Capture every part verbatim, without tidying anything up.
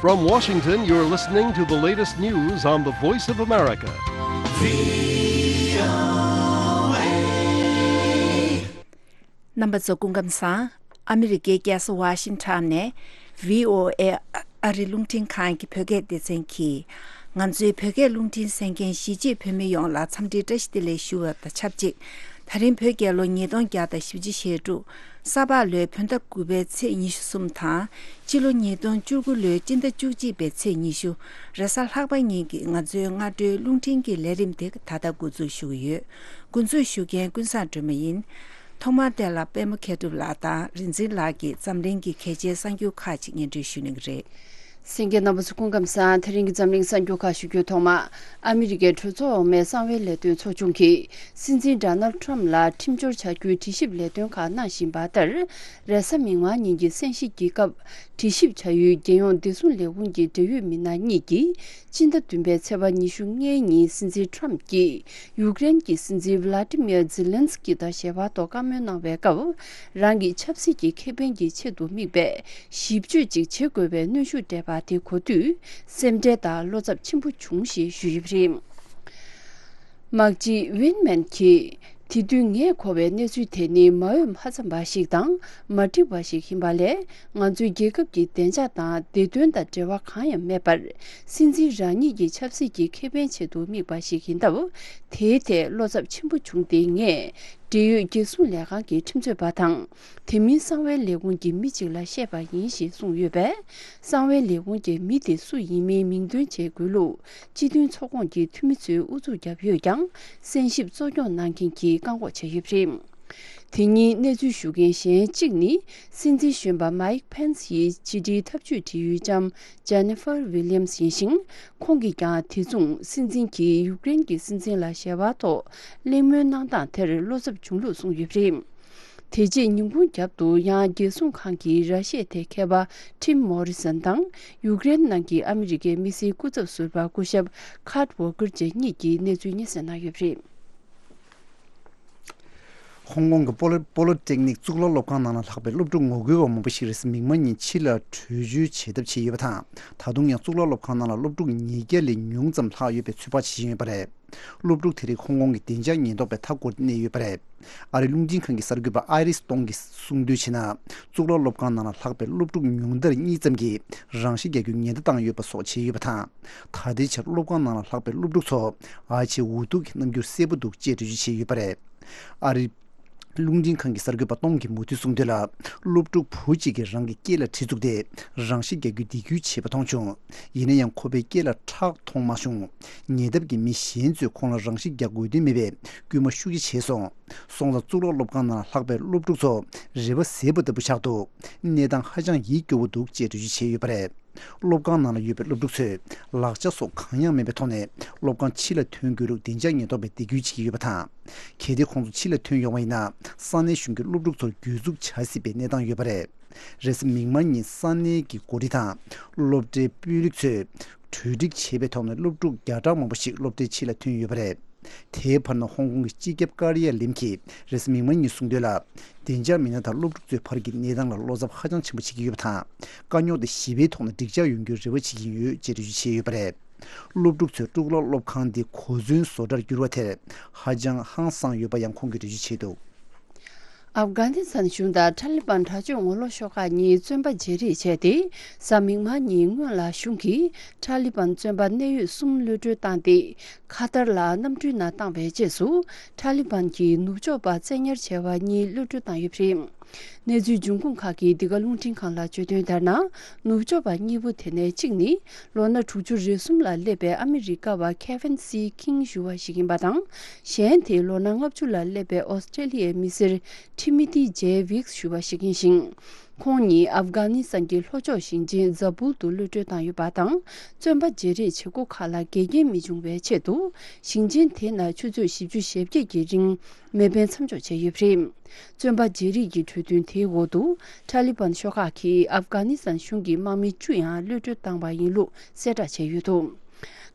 From Washington, you're listening to the latest news on the Voice of America. རྣམ་པ་ཚོ་སྐུ་ཁམས་བཟང་། ཨ་མི་རི་ཀའི་རྒྱལ་ས་ཝ་ཤིང་ཊོན་ནས་བྷི་ཨོ་ཨེ་ཨ་རི་རླུང་འཕྲིན་ཁང་གི་བོད་སྐད་སྡེ་ཚན་གྱིས། ང་ཚོའི་བོད་སྐད་རླུང་འཕྲིན་གསན་མཁན་གཞིས་བྱེས་བོད་མི་ཡོངས་ལ་འཚམས་འདྲིའི་བཀྲ་ཤིས་བདེ་ལེགས་ཞུ་བ་དང་ཆབས་ཅིག་ད་རིང་བོད་རྒྱལ་ལོ་ཉིས་སྟོང་བརྒྱ་དང་བཞི་བཅུ་ཞེ་དྲུག་ས་ཕག་ལོའི་བོད་ཟླ་དགུ་པའི་ཚེས་ཉི་ཤུ་གསུམ་དང་། སྤྱི་ལོ་ཉིས་སྟོང་བཅུ་དགུ་ལོའི་སྤྱི་ཟླ་བཅུ་གཅིག་པའི་ཚེས་ཉི་ཤུ། རེས་གཟའ་ལྷག་པ་ཉིན་གྱི་ང་ཚོའི་སྔ་དྲོའི་རླུང་འཕྲིན་གྱི་ལས་རིམ་དེ་ད་ལྟ་འགོ་འཛུགས་ཞུ་གི་ཡོད། འགོ་འཛུགས་ཞུ་མཁན་ཀུན་བཟང་སྒྲོལ་མ་ཡིན། ཐོག་མར་དེ་ལ་པད་མ་མཁས་གྲུབ་ལགས་དང་རིག་འཛིན་ལགས་ཀྱིས་འཛམ་གླིང་གི་གལ་ཆེའི་གསར་འགྱུར་ཁག་ཅིག་སྙན་སྒྲོན་ཞུ་གནང་གི་རེད། གསན་མཁན་རྣམ་པ་ཚོ་སྐུ་ཁམས་བཟང་། དེ་རིང་གི་འཛམ་གླིང་གསར་འགྱུར་ཁག་ཞུ་རྒྱུའི་ཐོག་མ། ཨ་མི་རི་ཀའི་གྲོས་ཚོགས་འོག་མའི་གསང་བའི་ལས་དོན་ཚོགས་ཆུང་གིས་སྲིད་འཛིན་ཌོ་ནལ་ཌི་ཊརམ་ཕ་ལ་ཁྲིམས་སྦྱོར་བྱ་རྒྱུའི་དྲི་ཞིབ་ལས་དོན་ཁག་གནང་བཞིན་པ་ལྟར། རེས་གཟའ་མིག་དམར་ཉིན་གྱི་སན་ཤི་རྒྱལ་ཁབ་དྲི་ཞིབ་བྱ་ཡུལ་རྒྱལ་ཡོངས་བདེ་སྲུང་ལས་ཁུངས་ཀྱི་འབྲེལ་ཡོད་མི་སྣ་གཉིས་ཀྱིས་སྤྱི་ཟླ་བདུན་པའི་ཚེས་པ་ཉི་ཤུ་ལྔའི་ཉིན་སྲིད་འཛིན་ཊརམ་ཕ་གྱིས་ཡུཀ་རེན་གྱི་སྲིད་འཛིན་ཝི་ལ་ཏི་མིར་ཛི་ལན་སི་ཀི་དང་ཞལ་པར་ཐོག་བཀའ་མོལ་གནང་བའི་སྐབས། རང་གི་ཆབ་སྲིད་ཀྱི་ཁེ་ཕན་གྱི་ཆེད་དུ་དམིགས་པའི་ཞིབ་དཔྱོད་ཅིག་བྱེད་དགོས་པའི་གནོན་ཤུགས་སྤྲད་པ་དེ་གོ་དུས། སེམས་ཁྲལ་དང་བློ་འཚབ་ཆེན་པོ་བྱུང་ཞེས་ཞུས་ཡོད་པ་རེད། དམག་སྤྱི་ཝིན་མེན་གྱིས། དེ་དུས་ངས་གོ་བའི་གནས་ཚུལ་དེ་ནི་མ་འོས་མ་འཚམས་པ་ཞིག་དང་མ་འགྲིག་པ་ཞིག་ཡིན་པ་ལས། ང་ཚོའི་རྒྱལ་ཁབ་ཀྱི་བདེ་འཇགས་དང་བདེ་དོན་དང་འབྲེལ་བ་གང་ཡང་མེད་པར། སྲིད་འཛིན་རང་ཉིད་ཀྱི་ཆབ་སྲིད་ཀྱི་ཁེ་ཕན་ཆེད་དུ་དམིགས་པ་ཞིག་ཡིན་སྟབས། དེའི་ཐད་བློ་འཚབ་ཆེན་པོ་བྱུང་སྟེ། ངས་འབྲེལ་ཡོད་རྒྱལ་སྲུང་ལས་ཁང་གི་ཁྲིམས་རྩོད་པ་དང་། དེ་མིན་གསང་བའི་ལས་ཁུངས་ཀྱི་མི་གཅིག་ལ་བཤད་པ་ཡིན་ཞེས་གསུངས་ཡོད་པས། གསང་བའི་ལས་ཁུངས་ཀྱི་མི་དེ་སུ་ཡིན་མིན་མིང་འདོན་བྱེད་དགོས་ལུགས་སྤྱི་མཐུན་ཚོགས་ཁོངས་ཀྱི་འཐུས་མི་ཚོས་ཨུ་ཚུགས་བརྒྱབ་ཡོད་ཀྱང་། གསན་ཞིབ་གཙོ་སྐྱོང་གནང་མཁན་གྱིས་བཀག་འགོག་བྱས་ཡོད་པ་རེད། དེ་ཉིན་གནས་ཚུལ་ཞུ་མཁན་གཞན་གཅིག་ནི། སྲིད་འཛིན་གཞོན་པ་མའིག་ཕེན་སི་ཡི་ཕྱི་དྲིལ་ཐབས་ཇུས་འབྲེལ་ཡོད་ལྕམ་ཇེ་ནི་ཧྥར་ཝི་ལི་ཡམ་སི་ཡིན་ཞིང་། ཁོང་གིས་ཀྱང་དེ་མཚུངས་སྲིད་འཛིན་གྱིས་ཡུཀ་རེན་གྱི་སྲིད་འཛིན་ལ་ཞལ་པར་ཐོག་གླེང་མོལ་གནང་སྟངས་དེར་བློ་འཚབ་བྱུང་ལུགས་གསུངས་ཡོད་པ་རེད། དེ་རྗེས་ཉིན་གུང་རྒྱབ་ཏུ་ཡང་རྒྱལ་སྲུང་ཁང་གི་ར་ཤེད་ཐད་མཁས་པ་ཊིམ་མོ་རི་སན་དང་ཡུཀ་རེན་ནང་གི་ཨ་མི་རི་ཀའི་མི་སེར་སྐུ་ཚབ་ཟུར་པ་སྐུ་ཞབས་ཁཱར་ཝོ་ཀེར་བཅས་གཉིས་ཀྱིས་གནས་ཚུལ་སྙན་སེང་གནང་ཡོད་པ་རེད། ཧོང་ཀོང་གི་པོ་ལི་པོ་ལི་ཊེག་ནིག་གཙུག་ལག་སློབ་ཁང་ནང་ལ་ལྷག་པའི་སློབ་ཕྲུག་ངོ་རྒོལ་བ་མང་པོ་ཞིག་རེས་གཟའ་མིག་དམར་ཉིན་ཕྱི་ལ་བྲོས་བྱོལ་བྱེད་ཐབས་བྱས་ཡོད་པ་དང་། ད་དུང་ཡང་གཙུག་ལག་སློབ་ཁང་ནང་ལ་སློབ་ཕྲུག་ཉིས་བརྒྱ་ལས་ཉུང་ཙམ་ལྷག་ཡོད་པའི་ཚོད་དཔག་བྱེད་བཞིན་ཡོད་པ་རེད། སློབ་ཕྲུག་དེ་རིགས་ཧོང་ཀོང་གི་བདེ་འཇགས་ཉེན་རྟོག་པས་མཐའ་བསྐོར་ཏེ་གནས་ཡོད་པ་རེད། ཨ་རིའི་རླུང་འཕྲིན་ཁང་གི་གསར་འགོད་པ་ཨའི་རིས་ཏོང་གིས་གསུངས་དོན་བྱས་ན། གཙུག་ལག་སློབ་ཁང་ནང་ལ་ལྷག་པའི་སློབ་ཕྲུག་ཉུང་མཐར་གཉིས་ཙམ་གྱིས་རང་ཤི་རྒྱག་རྒྱུའི་ཉེན་བརྡ་བཏང་ཡོད་པ་སོགས་བྱས་ཡོད་པ་དང་། ད་ལྟའི་ཆར་སློབ་ཁང་ནང་ལ་ལྷག་པའི་སློབ་ཕྲུག་ཚོ་ཨ་ཕྱིའི་འུ་ཐུག་གི་རྣམ་འགྱུར་གསལ་པོ་འདུག་ཅེས་འགྲེལ་བརྗོད་བྱས་ཡོད་པ་རེད། ཨ་རིའི་རླུང་འཕྲིན་ཁང་གི་གསར་འགོད་པ་ཏོང་གིས་མུ་མཐུད་གསུངས་དོན་ལ། སློབ་ཕྲུག་བུ་གཅིག་གིས་རང་གི་སྐེ་ལ་གྲི་བཙུགས་ཏེ་རང་ཤི་རྒྱག་རྒྱུའི་སྡིགས་སྐུལ་བྱས་པ་མཐོང་བྱུང་། ཡིན་ན་ཡང་ཁོ་པའི་སྐེ་ལ་ཁྲག་མཐོང་མ་བྱུང་། ཉེ་འདབས་ཀྱི་མི་གཞན་ཚོས་ཁོང་ལ་རང་ཤི་རྒྱག་དགོས་དོན་མེད་པའི་སྐུལ་མ་ཤུགས་ཆེ་བྱས་སོང་། སོང་ཙང་གཙུག་ལག་སློབ་ཁང་ནང་ལ་ལྷག་པའི་སློབ་ཕྲུག་ཚོ་རེ་བ་ཟད་པ་ལྟ་བུ་ཆགས་འདུག་གནས་སྟངས་ཧ་ཅང་ཡིད་སྐྱོ་བོ་འདུག་ཅེས་འགྲེལ་བརྗོད་བྱས་ཡོད་པ་རེད། སློབ་ཁང་ནང་ལ་ཡོད་པའི་སློབ་ཕྲུག་ཚོས་ལག་ཆ་སོགས་གང་ཡང་མེད་པའི་ཐོག་ནས་སློབ་ཁང་ཕྱི་ལ་ཐོན་དགོས་ལུགས་བདེ་འཇགས་ཉེན་རྟོག་པས་འདེད་སྐུལ་བྱེད་ཀྱི་ཡོད་པ་དང་། གལ་ཏེ་ཁོང་ཚོ་ཕྱི་ལ་ཐོན་ཡོང་བ་ཡིན་ན། ས་གནས་གཞུང་གིས་སློབ་ཕྲུག་ཚོར་གྱོད་འཛུགས་བྱ་སྲིད་པའི་གནས་སྟངས་ཡོད་པ་རེད། རེས་གཟའ་མིག་དམར་ཉིན་ས་གནས་ཀྱི་འགོ་ཁྲིད་དང་། སློབ་གྲྭའི་དཔོན་རིགས་ཚོས་གྲོས་འགྲིག་བྱས་པའི་ཐོག་ནས་སློབ་ཕྲུག་བརྒྱ་ཕྲག་མང་པོ་ཞིག་སློབ་གྲྭའི་ཕྱི་ལ་ཐོན་ཡོད་པ་རེད། དེའི་བར་ན་ཧོང་ཀོང་གི་སྤྱི་ཁྱབ་ཀར་ཡ་ལིམ་གྱིས་རེས་གཟའ་མིག་དམར་ཉིན་གསུངས་དོན་ལ། བདེ་འཇགས་མི་སྣ་དང་སློབ་ཕྲུག་ཚོའི་བར་གྱི་གནས་སྟངས་ལ་བློ་འཚབ་ཧ་ཅང་ཆེན་པོ་བྱེད་ཀྱི་ཡོད་པ་དང་། དཀའ་རྙོག་དེ་ཞི་བའི་ཐོག་ནས་འགྲིག་འཇགས་ཡོང་རྒྱུའི་རེ་བ་བྱེད་ཀྱི་ཡོད་ཅེས་འགྲེལ་བརྗོད་བྱས་ཡོད་པ་རེད། སློབ་ཕྲུག་ཚོས་གཙུག་ལག་སློབ་ཁང་འདི་གོ་མཚོན་བཟོ་གྲྭར་བསྒྱུར་བ་དེར་ཧ་ཅང་ཧང་སངས་ཡོད་པ་ཡང་ཁོང་གིས་འགྲེལ་བརྗོད་བྱས་འདུག་ཨབ་གྷ་ནི་སི་ཐན་གཞུང་དང་ཐ་ལི་བན་དྲག་སྤྱོད་ངོ་ལོག་ཤོག་ཁག་གཉིས་བཙོན་པ་བརྗེ་རེས་བྱས་ཏེ། གཟའ་མིག་དམར་ཉིན་སྔོན་ལ་གཞུང་གིས་ཐ་ལི་བན་བཙོན་པ་གནད་ཡོད་གསུམ་གློད་གྲོལ་བཏང་སྟེ། ཁ་ཐར་ལ་གནམ་གྲུའི་ནང་བཏང་བའི་རྗེས་སུ། ཐ་ལི་བན་གྱིས་ནུབ་ཕྱོགས་པ་བཙན་ཉར་བྱས་པ་གཉིས་གློད་གྲོལ་བཏང་ཡོད་པ་རེད། གནས་ཚུལ་འབྱུང་ཁུངས་ཁག་གིས་འདི་ག་རླུང་འཕྲིན་ཁང་ལ་བརྗོད་དོན་ལྟར་ན། ནུབ་ཕྱོགས་པ་གཉིས་པོ་དེ་ནས་གཅིག་ནི། ལོ་ན་དྲུག་ཅུ་རེ་གསུམ་ལ་སླེབས་པའི་ཨ་མི་རི་ཀ་བ་ཁེ་ཝིན་སི་ཁིང་ཞུ་བ་ཞིག་ཡིན་པ་དང་། གཞན་དེ་ལོ་ན་ལྔ་བཅུ་ལ་སླེབས་པའི་ཨོ་སི་ཀྲེ་ལི་ཡའི་མི་སེར་ཁྲི་མི་ཏི་ཇེ་ཝིག་ཞུ་བ་ཞིག་ཡིན་ཞིང་། ཁོང་ཉིད་ཨབ་གྷ་ནི་སི་ཐན་གྱི་ལྷོ་ཕྱོགས་ཞིང་ཆེན་ཛ་བུལ་དུ་གློད་གྲོལ་བཏང་ཡོད་པ་དང་། བཙོན་པ་བརྗེ་རེས་བྱེད་སྒོ་ཁག་ལ་འགལ་རྐྱེན་མི་འབྱུང་བའི་ཆེད་དུ། ཞིང་ཆེན་དེ་ན་ཆུ་ཚོད་བཞི་བཅུ་ཞེ་བརྒྱད་ཀྱི་རིང་མེ་འཕེན་མཚམས་འཇོག་བྱས་ཡོད་པ་རེད། བཙོན་པ་བརྗེ་རེས་ཀྱི་གྲོས་མཐུན་དེའི་འོག་ཏུ། ཐ་ལི་བན་ཤོག་ཁག་གིས་ཨབ་གྷ་ནི་སི་ཐན་གཞུང་གི་དམག་མི་བཅུ་ཡང་གློད་གྲོལ་བཏང་བ་ཡིན་ལུགས་གསལ་བསྒྲགས་བྱས་ཡོད་འདུག་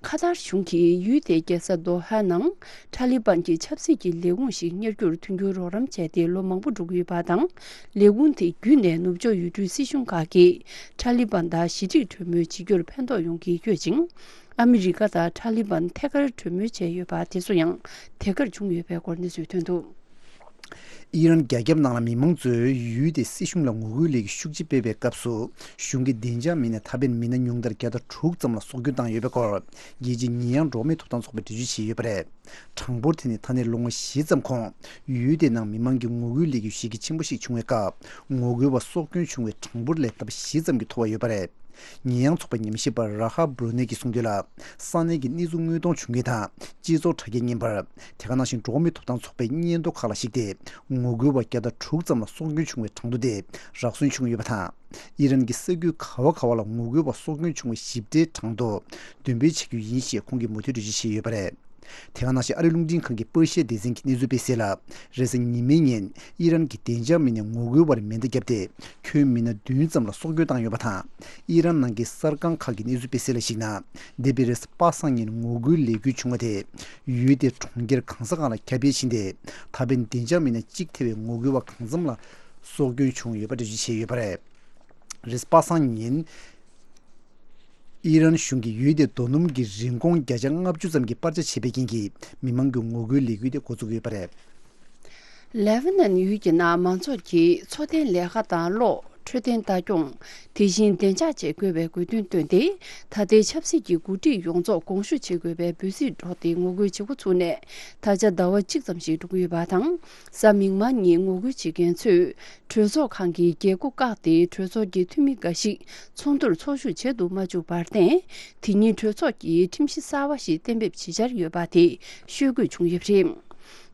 ཁ་ཐར་གཞུང་གིས་ཡུལ་དེའི་རྒྱལ་ས་དོ་ཧ་ནང་ཐ་ལི་བན་གྱི་ཆབ་སྲིད་ཀྱི་ལས་ཁུངས་ཤིག་གཉེར་རྒྱུར་མཐུན་འགྱུར་རོགས་རམ་བྱས་ཏེ་ལོ་མང་པོ་འགྲོ་གི་ཡོད་པ་དང་། ལས་ཁུངས་དེ་བརྒྱུད་ནས་ནུབ་ཕྱོགས་ཡུལ་གྲུའི་སྲིད་གཞུང་ཁག་གིས་ཐ་ལི་བན་དང་ཞི་འགྲིག་གྲོས་མོལ་བྱེད་རྒྱུར་ཕན་ཐོགས་ཡོང་གི་ཡོད་ཅིང་། ཨ་མི་རི་ཀ་དང་ཐ་ལི་བན་ཐད་ཀར་གྲོས་མོལ་བྱས་ཡོད་པ་དེ་ཚོ་ཡང་དེ་གར་བྱུང་ཡོད་པའི་སྐོར་གནས་ཚུལ་ཐོན་འདུག། ཨི་རན་རྒྱ་ཁྱབ་ནང་ལ་མི་མང་ཚོས་ཡུལ་དེའི་སྲིད་གཞུང་ལ་ངོ་རྒོལ་ལས་འགུལ་ཤུགས་ཆེ་སྤེལ་བའི་སྐབས་སུ། གཞུང་གི་བདེ་འཇགས་མི་སྣས་ད་ཕན་མི་སྣ་ཉུང་མཐར་བརྒྱ་དང་དྲུག་ཙམ་ལ་སྲོག་སྐྱོན་བཏང་ཡོད་པའི་སྐོར། རྒྱལ་སྤྱིའི་ཉེས་ཡངས་འགྲོ་བ་མིའི་ཐོབ་ཐང་ཚོགས་པས་འགྲེལ་བརྗོད་བྱས་ཡོད་པ་རེད། གྲངས་འབོར་དེ་ནི་ད་ནས་ལོ་ངོ་བཞི་ཙམ་གོང་། ཡུལ་དེའི་ནང་མི་མང་གི་ངོ་རྒོལ་ལས་འགུལ་གཞི་རྒྱ་ཆེན་པོ་ཞིག་བྱུང་བའི་སྐབས། ངོ་རྒོལ་བ་སྲོག་སྐྱོན་བྱུང་བའི་གྲངས་འབོར་ལས་ལྡབ་བཞི་ཙམ་གྱིས་མཐོ་བ་ཡོད་པ་རེད། ཉེས་ཡངས་ཚོགས་པའི་ཉམས་ཞིབ་པ་ར་ཧ་བྷྲུ་ནེ་གིས་གསུངས་དོན་ལ། ས་གནས་ཀྱི་གནས་ཚུལ་དངོས་མཐོང་བྱུང་མཁན་དང་སྤྱི་ཚོགས་དྲ་རྒྱའི་བརྙན་པར། དེ་ག་ནང་བཞིན་འགྲོ་བ་མིའི་ཐོབ་ཐང་ཚོགས་པའི་སྙན་ཐོ་ཁག་ལ་གཞིགས་ཏེ། ངོ་རྒོལ་བ་བརྒྱ་དང་དྲུག་ཙམ་ལ་སྲོག་སྐྱོན་བྱུང་བའི་གྲངས་ཐོ་དེ་རག་སོན་བྱུང་ཡོད་པ་དང་། ཨི་རན་གྱི་ས་ཁུལ་ག་བ་ག་བ་ལ་ངོ་རྒོལ་བ་སྲོག་སྐྱོན་བྱུང་བའི་ཞིབ་ཕྲའི་གྲངས་ཐོ་འདོན་སྤེལ་བྱེད་རྒྱུ་ཡིན་ཞེས་ཁོང་གིས་མུ་མཐུད་འགྲེལ་བརྗོད་བྱས་ཡོད་པ་རེད། དེ་ག་ནང་བཞིན་ཨ་རིའི་རླུང་འཕྲིན་ཁང་གི་པར་ཤའི་སྡེ་ཚན་གྱིས་གནས་ཚུལ་སྤེལ་གསལ་ལ། རེས་གཟའ་ཉི་མའི་ཉིན་ཨི་རན་གྱི་བདེ་འཇགས་མི་སྣས་ངོ་རྒོལ་བར་མེ་མདའ་བརྒྱབ་སྟེ། ཁྱོན་མི་སྣ་བདུན་ཙམ་ལ་སྲོག་སྐྱོན་བཏང་ཡོད་པ་དང་། ཨི་རན་ནང་གི་གསར་ཁང་ཁག་གིས་གནས་ཚུལ་སྤེལ་གསལ་ལ་གཞིགས་ན། འདས་པའི་རེས་གཟའ་པ་སངས་ཉིན་ངོ་རྒོལ་ལས་འགུལ་བྱུང་བ་དེ། ཡུལ་དེའི་གྲོང་ཁྱེར་གང་ས་གང་ལ་ཁྱབ་སྤེལ་ཕྱིན་ཏེ། ད་ཕན་བདེ་འཇགས་མི་སྣ་གཅིག་ཐེ་བའི་ངོ་རྒོལ་བ་གང་འཚམ་ལ་སྲོག་སྐྱོན་བྱུང་ཡོད་པ་འགྲེལ་བརྗོད་བྱས་ཡོད་པ་རེད། རེས་གཟའ་པ་སངས་ཉིན། ཨི་རན་གཞུང་གིས་ཡུལ་དེའི་རྡོ་སྣུམ་གྱི་རིན་གོང་བརྒྱ་ཆ་ལྔ་བཅུ་ཙམ་གྱིས་སྤར་ཆ་བྱས་པའི་རྐྱེན་གྱིས། མི་མང་གི་ངོ་རྒོལ་ལས་འགུལ་དེ་འགོ་བཙུགས་ཡོད་པ་རེད། ལེ་བྷ་ནན་ཡུལ་གྱི་ནང་མང་ཚོགས་ཀྱིས་འཚོ་རྟེན་ལས་ཀ་དང་གློག་འཕྲོད་བསྟེན་ལྟ་སྐྱོང་། དེ་བཞིན་བདེ་འཇགས་བཅས་དགོས་པའི་དགོས་འདུན་བཏོན་ཏེ། ད་ལྟའི་ཆབ་སྲིད་ཀྱི་འགོ་ཁྲིད་ཡོངས་རྫོགས་དགོངས་ཞུ་བྱེད་དགོས་པའི་འབོད་ཚིག་སྒྲོག་སྟེ་ངོ་རྒོལ་བྱེད་འགོ་ཚུགས་ནས། ད་ཆ་ཟླ་བ་གཅིག་ཙམ་ཞིག་འགྲོ་གི་ཡོད་པ་དང་། གཟའ་མིག་དམར་ཉིན་ངོ་རྒོལ་བྱེད་མཁན་ཚོས། གྲོས་ཚོགས་ཁང་གི་རྒྱལ་སྒོ་བཀག་སྟེ། གྲོས་ཚོགས་ཀྱི་འཐུས་མི་འགའ་ཞིག་ཚོགས་འདུར་ཚོགས་ཞུགས་བྱེད་དུ་མ་བཅུག་པར་བརྟེན། དེ་ཉིན་གྲོས་ཚོགས་ཀྱིས་ཁྲིམས་གཞི་གསར་བ་ཞིག་གཏན་འབེབས་བྱེད་འཆར་ཡོད་པ་དེ་ཤོད་དགོས་བྱུང་ཡོད་པ་རེད།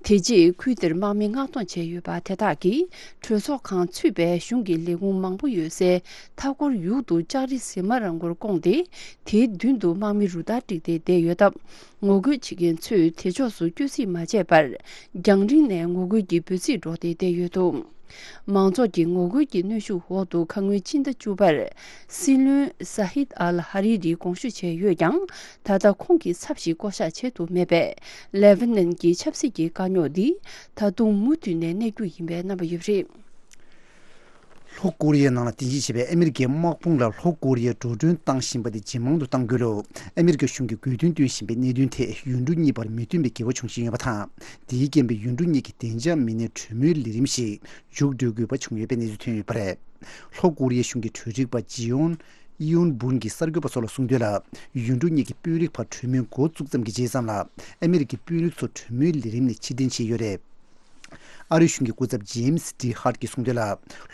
དེ་རྗེས་ཁུལ་དེར་དམག་མི་མངགས་གཏོང་བྱས་ཡོད་པ་དེ་དག་གིས་གྲོས་ཚོགས་ཁང་ཚུད་པའི་གཞུང་གི་ལས་ཁུངས་མང་པོ་ཡོད་སའི་མཐའ་འཁོར་ཡུལ་དུ་ལྕགས་རི་ཟི་མ་ར་མགོར་བསྐོངས་ཏེ། དེའི་མདུན་དུ་དམག་མི་རུ་སྟར་བསྒྲིགས་ཏེ་བསྡད་ཡོད་སྟབས། ངོ་རྒོལ་བྱེད་མཁན་ཚོས་དེ་ཕྱོགས་སུ་བསྐྱོད་རྩིས་མ་བྱས་པར། རྒྱང་རིང་ནས་ངོ་རྒོལ་གྱི་འབོད་ཚིག་སྒྲོག་སྟེ་བསྡད་ཡོད་འདུག། མང་ཚོགས་ཀྱི་ངོ་རྒོལ་གྱི་གནོན་ཤུགས་འོག་ཏུ་ཁ་སྔོན་ཕྱི་ཟླ་བཅུ་པར། སྲིད་བློན་ས་ཧིད་ཨལ་ཧ་རི་རི་དགོངས་ཞུ་བྱས་ཡོད་ཀྱང་། ད་ལྟ་ཁོང་གི་ཚབ་ཞིག་བསྐོ་གཞག་བྱེད་ཐུབ་མེད་པས། ལེ་བྷ་ནན་གྱི་ཆབ་སྲིད་ཀྱི་དཀའ་རྙོག་འདི་ད་དུང་མུ་མཐུད་ནས་གནས་རྒྱུ་ཡིན་པའི་རྣམ་པ་ཡོད་པ་རེད། ལྷོ་ཀོ་རི་ཡའི་ནང་ལ་རྟེན་གཞི་བྱས་པའི་ཨ་མི་རི་ཀའི་དམག་དཔུང་ལ་ལྷོ་ཀོ་རི་ཡས་འགྲོ་གྲོན་བཏང་བཞིན་པ་དེ་ཇེ་མང་དུ་གཏང་རྒྱུ་ལ། ཨ་མི་རི་ཀ་གཞུང་གིས་དགོས་འདུན་བཏོན་བཞིན་པའི་གནད་དོན་ཐད་ཡུལ་གྲུ་གཉིས་བར་མི་མཐུན་པའི་འགལ་བ་བྱུང་བཞིན་ཡོད་པ་དང་། དེའི་རྐྱེན་པས་ཡུལ་གྲུ་གཉིས་ཀྱི་བདེ་འཇགས་མི་སྣའི་གྲོས་མོལ་ལས་རིམ་ཞིག་མཇུག་སྒྲིལ་དགོས་པ་བྱུང་ཡོད་པའི་གནས་ཚུལ་ཐོན་ཡོད་པ་རེད། ལྷོ་ཀོ་རི་ཡའི་གཞུང་གི་གྲོས་སྒྲིག་པ་ཇི་ཡོན། ཡུན་འབུན་གྱིས་གསར་འགོད་པ་ཚོ་ལ་གསུངས་དོན་ལ། ཡུལ་གྲུ་གཉིས་ཀྱི་དཔོན་རིགས་བར་གྲོས་མོལ་འགོ་བཙུགས་ཙམ་གྱི་རྗེས་ཙམ་ལ། ཨ་མི་རི་ཀའི་དཔོན་རིགས་ཚོ་གྲོས་མོལ་ལས་རིམ་ནས་ཕྱིར་འཐེན་བྱས་ཡོད་རེད། ཨ་རིའི་གཞུང་གི་སྐུ་ཚབ་ཇེམ་སི་ཌི་ཧར་གྱིས་གསུངས་དོན་ལ།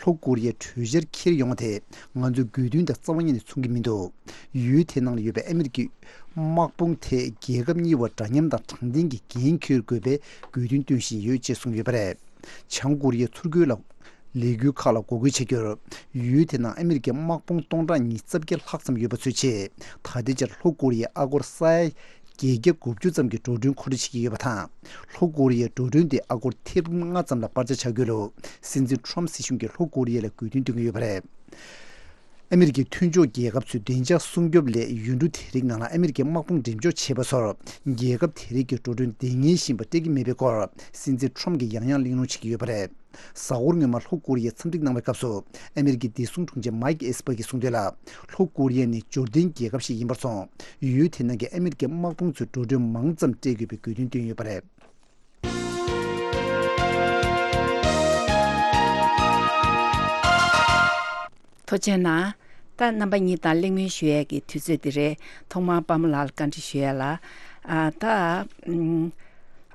ལྷོ་ཀོ་རི་ཡས་གྲོས་འཆར་འཁྱེར་ཡོང་བ་དེ་ང་ཚོའི་དགོས་འདུན་དང་རྩ་བ་ཉིད་ནས་མཚུངས་ཀྱི་མི་འདུག། ཡུལ་དེ་ནང་ལ་ཡོད་པའི་ཨ་མི་རི་ཀའི་དམག་དཔུང་ཐད་རྒྱལ་ཁབ་གཉིས་བར་འདྲ་མཉམ་དང་དྲང་བདེན་གྱི་འགན་འཁྱེར་དགོས་པའི་དགོས་འདུན་བཏོན་བཞིན་ཡོད་ཅེས་གསུངས་ཡོད་པ་རེད། བྱང་ཀོ་རི་ཡས་ཚུར་རྒོལ་ལ། ལས་འགུལ་ཁག་ལ་འགོག་རྒོལ་བྱ་རྒྱུར། ཡུལ་དེ་ནང་ཨ་མི་རི་ཀའི་དམག་དཔུང་སྟོང་ཕྲག་ཉིས་རྩ་བརྒྱད་ལྷག་ཙམ་ཡོད་པ་ཚོའི་ཆེད། ད་ལྟའི་ཆར་ལྷོ་ཀོ་རི་ཡས་ཨ་སྒོར་ས་ཡ་བརྒྱད་བརྒྱ་དགུ་བཅུ་ཙམ་གྱི་འགྲོ་གྲོན་མཁོ་སྤྲོད་བྱེད་ཀྱི་ཡོད་པ་དང་། ལྷོ་ཀོ་རི་ཡས་འགྲོ་གྲོན་དེ་ཨ་སྒོར་ཐེར་འབུམ་ལྔ་ཙམ་ལ་སྤར་ཆ་བྱ་རྒྱུ་ལ། སྲིད་འཛིན་ཁྲོམ་སྲིད་གཞུང་གིས་ལྷོ་ཀོ་རི་ཡ་ལ་དགོས་འདུན་བཏོན་གྱི་ཡོད་པ་རེད། ཨ་མི་རི་ཀའི་མཐུན་ཕྱོགས་རྒྱལ་ཁབ་ཚོས་བདེ་འཇགས་སྲུང་སྐྱོབ་སླད་ཡུལ་གྲུ་དེ་རིགས་ནང་ལ་ཨ་མི་རི་ཀའི་དམག་དཔུང་འགྲེམས་འཇོག་བྱས་པ་ཚོར། རྒྱལ་ཁབ་དེ་རིགས་ཀྱི་འགྲོ་གྲོན་འདང་ངེས་ཤིག་སྤྲད་ཀྱི་མེད་པའི་སྐོར། སྲིད་འཛིན་ཁྲོམ་གྱིས་ཡང་ཡང་གླེང་སློང་བྱེད་ཀྱི་ཡོད་པ་རེད། གཟའ་འཁོར་སྔོན་མ་ལྷོ་ཀོ་རི་ཡས་འཚམས་འདྲི་གནང་བའི་སྐབས་སུ། ཨ་མི་རི་ཀའི་བདེ་སྲུང་དྲུང་ཆེ་མའིག་ཨེས་པར་གྱིས་གསུངས་དོན་ལ། ལྷོ་ཀོ་རི་ཡ་ནི་འབྱོར་ལྡན་རྒྱལ་ཁབ་ཞིག་ཡིན་པར་སོང་། ཡུལ་དེ་ནང་གི་ཨ་མི་རི་ཀའི་དམག་དཔུང་ཚོས་འགྲོ་གྲོན་མང་ཙམ་སྤྲད་དགོས་པའི་དགོས་འདུན་བཏོན་ཡོད་པ་རེད། ཐུགས་རྗེ་གནང་། ད་རྣམ་པ་གཉིས་དང་གླེང་མོལ་ཞུ་ཡས་ཀྱི་དུས་ཚོད་འདི་རེད། ཐོག་མར་པདྨ་ལགས་ལ་བཀའ་འདྲི་ཞུ་ཡས་ལ། ཨ་ད་ཨམ།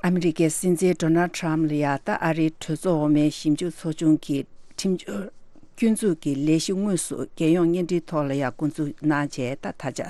ཨ་མི་རི་ཀའི་སྲིད་འཛིན་ཌོ་ནལ་ཊམ་ལ་ཡ་ད་ཨ་རིའི་གྲོས་ཚོགས་འོག་མའི་ཞིབ་འཇུག་ཚོགས་ཆུང་གི་ཁྲིམས་སྐྱོང་སྐྱོན་འཛུགས་ཀྱི་ལས་གཞི་དངོས་སུ་རྒྱལ་ཡོངས་བརྙན་འཕྲིན་ཐོག་ལ་ཡང་འགོ་འཛུགས་གནང་བྱས། ད་ད་ཆ་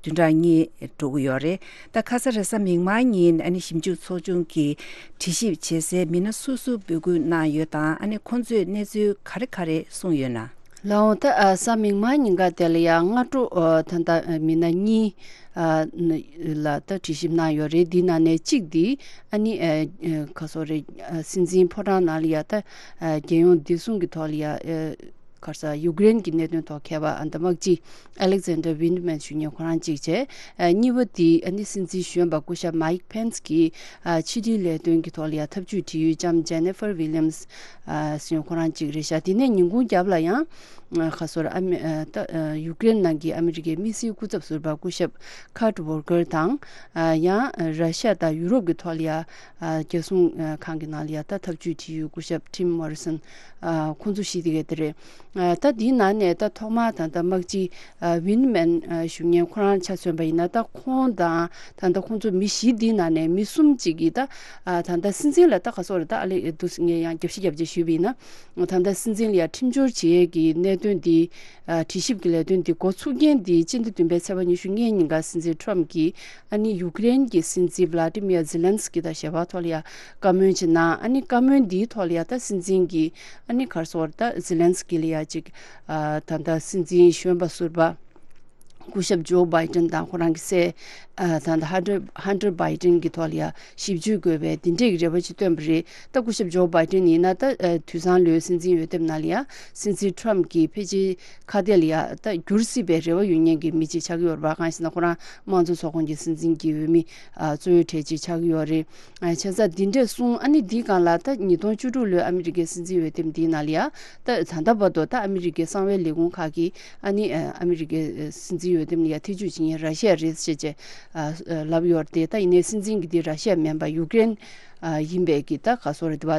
བདུན་ཕྲག་གཉིས་འགྲོ་གི་ཡོད་རེད། ད་ཁ་ས་རེས་གཟའ་མིག་དམར་ཉིན་ཨ་ནི་ཞིབ་འཇུག་ཚོགས་ཆུང་གིས་དྲི་ཞིབ་བྱེད་སའི་མི་སྣ་སུ་སུ་འབོད་སྐུལ་གནང་ཡོད་དང་། ཨ་ནི་ཁོང་ཚོས་གནས་ཚུལ་ག་རེ་ག་རེ་གསུངས་ཡོད་ན། ལགས་འོང་། ད་ཨ་གཟའ་མིག་དམར་ཉིན་ཀ་དེ་ལ་ཡང་སྔ་དྲོ་ཨ་ད་ལྟ་མི་སྣ་གཉིས་ཨ་ལ་ད་དྲི་ཞིབ་གནང་ཡོད་རེད། འདི་ནང་ནས་གཅིག་འདི་ཨ་ནི་ཨ་ཁ་སོ་རེད། ཨ་སྲིད་འཛིན་ཕོ་བྲང་ནང་ལ་ཡ་ད་ཨ་རྒྱལ་ཡོངས་བདེ་སྲུང་གི་ཐོག་ལ་ཡ་ཨ་ ག་རེ་ཟེར། ཡུཀ་རེན་གྱི་གནད་དོན་ཐོག་མཁས་པ་ཨ་ད་དམག་སྤྱི་Alexander Vindman ཞུ་མཁན་ཁོ་རང་གཅིག་བྱས། ཨ་གཉིས་པ་དེ་ཨ་ནི་སྲིད་འཛིན་གཞོན་པ་སྐུ་ཞབས་Mike Pence གྱིས་ཨ་ཕྱི་འབྲེལ་ལས་དོན་གྱི་ཐོག་ལ་ཡང་ཐབས་ཇུས་བྲིས་ཡོད་ལྕམ་Jennifer Williams ཨ་ཟེར་མཁན་ཁོ་རང་གཅིག་རེད་ཤག་དེ་ནས་ཉིན་གུང་རྒྱབ་ལ་ཡང་ཨ་ག་རེ་ཟེར། ཨ་མི་ཨ་ད་ཨ་ཡུཀ་རེན་ནང་གི་ཨ་མི་རི་ཀའི་དམིགས་བསལ་སྐུ་ཚབ་ཟུར་པ་སྐུ་ཞབས་Kurt Volker དང་། ཨ་ཡང་ར་ཤ་དང་ཡུ་རོབ་ཀྱི་ཐོག་ལ་ཡ་ཨ་རྒྱལ་སྲུང་ཨ་ཁང་གི་ནང་ལ་ཡ་ད་ཐབས་ཇུས་བྲིས་ཡོད་སྐུ་ཞབས་Tim Morrison ཨ་ཁོང་ཚོ་བཞི་དེ་ག་དེ་རེད། ཨ་ད་དེའི་ནང་ནས་ད་ཐོག་མར་ད་ལྟ་དམག་སྤྱི་ཨ་Vindman ཨ་ཞུ་མཁན་ཁོ་རང་ཆ་མཚོན་པ་ཡིན་ན། ད་ཁོང་དང་ད་ལྟ་ཁོང་ཚོ་མི་བཞི་དེའི་ནང་ནས་མི་གསུམ་ཅིག་གིས་ད་ཨ་ད་ལྟ་སྲིད་འཛིན་ལ་ད་ག་རེ་ཟེར། ད་ཨ་ལེ་འདུག་ངས་ཡང་རྒྱབ་བཤད་རྒྱབ་བྱས་ཞུས་པ་ཡིན་ན། ད་ལྟ་སྲིད་འཛིན་ལ་ཡ་ཁྲིམས་སྦྱོར་བྱེད་ཡས་ཀྱི་གནད་དོན་འདི་ཨ་དྲི་ཞིབ་ཀྱི་ལས་དོན་འདི་འགོ་ཚུགས་རྐྱེན་འདི་སྤྱི་ཟླ་བདུན་པའི་ཚེས་པ་ཉི་ཤུ་ལྔའི་ཉིན་ཀ་སྲིད་འཛིན་Trump གྱིས་ཨ་ནི་ཡུཀ་རེན་གྱི་སྲིད་འཛིན་Vladimir Zelensky དང་ཞལ་པར་ཐོག་ལ་ཡ་བཀའ་མོལ་ཅིག་གནང་། ཨ་ནི་བཀའ་མོལ་འདིའི་ཐོག་ལ་ཡ་ད་སྲིད་འཛིན་གྱིས་ཨ་ནི་ག་རེ་ཟེར། ད་Zelensky ལ་ཡ་ཅིག་ཨ་ད་ལྟ་སྲིད་འཛིན་གཞོན་པ་ཟུར་པ་སྐུ་ཞབས་Joe Biden དང་ཁོ་རང་གི་སྲས་ཨ་ད་ལྟ་Hunter Hunter Biden གྱི་ཐོག་ལ་ཡ་ཞིབ་དཔྱོད་དགོས་པའི་འདི་འདྲའི་རེ་བ་ཅིག་བཏོན་པ་རེད། ད་སྐུ་ཞབས་Joe Biden ཡིན་ན་ད་ཨ་དུས་སང་ལོའི་སྲིད་འཛིན་འོས་འདེམས་ནང་ལ་ཡ་སྲིད་འཛིན་Trump གྱིས་ཕལ་ཆེར་ཁ་གཏད་ལ་ཡ་ད་འགྱུར་སྲིད་པའི་རེ་བ་ཡོད་མཁན་གྱི་མི་གཅིག་ཆགས་ཀྱི་ཡོད་རེད་པ། གང་ཡིན་ཟེར་ན་ཁོ་རང་དམངས་གཙོ་ཚོགས་ཁོངས་ཀྱི་སྲིད་འཛིན་གྱི་འོས་མི་ཨ་གཙོ་བོའི་གྲས་གཅིག་ཆགས་ཀྱི་ཡོད་རེད། ཨ་བྱས་ཙང་འདི་འདྲས་གསུངས། ཨ་ནི་འདིའི་སྒང་ལ་ད་ཉིས་སྟོང་བཅུ་དྲུག་ལོའི་ཨ་མི་རི་ཀའི་སྲིད་འཛིན་འོས་འདེམས་འདིའི་ནང་ལ་ཡ་ད་ད་ལྟ་བར་དུ་ད་ཨ་མི་རི་ཀའི་གསང་བའི་ལས་ཁུངས་ཁག་གིས་ཨ་ནི་ཨ་ཨ་མི་རི་ཀའི་སྲིད་འཛིན་འོས་འདེམས་ལ་ཡ་ཐེ་བྱུས་བྱེད་མཁན་ར་ཤི་ཡ་རེད་ཅེས་བྱས་ཨ་ལབ་ཡོད་རེད་དེ། ད་ཡིན་ནའི་སྲིད་འཛིན་གྱི་འདི་ར་ཤི་ཡ་མིན་པ་ཡུཀ་རེན་ཨ་ཡིན་པའི་གི་ད་ག་སོ་རེད་དེ་བ་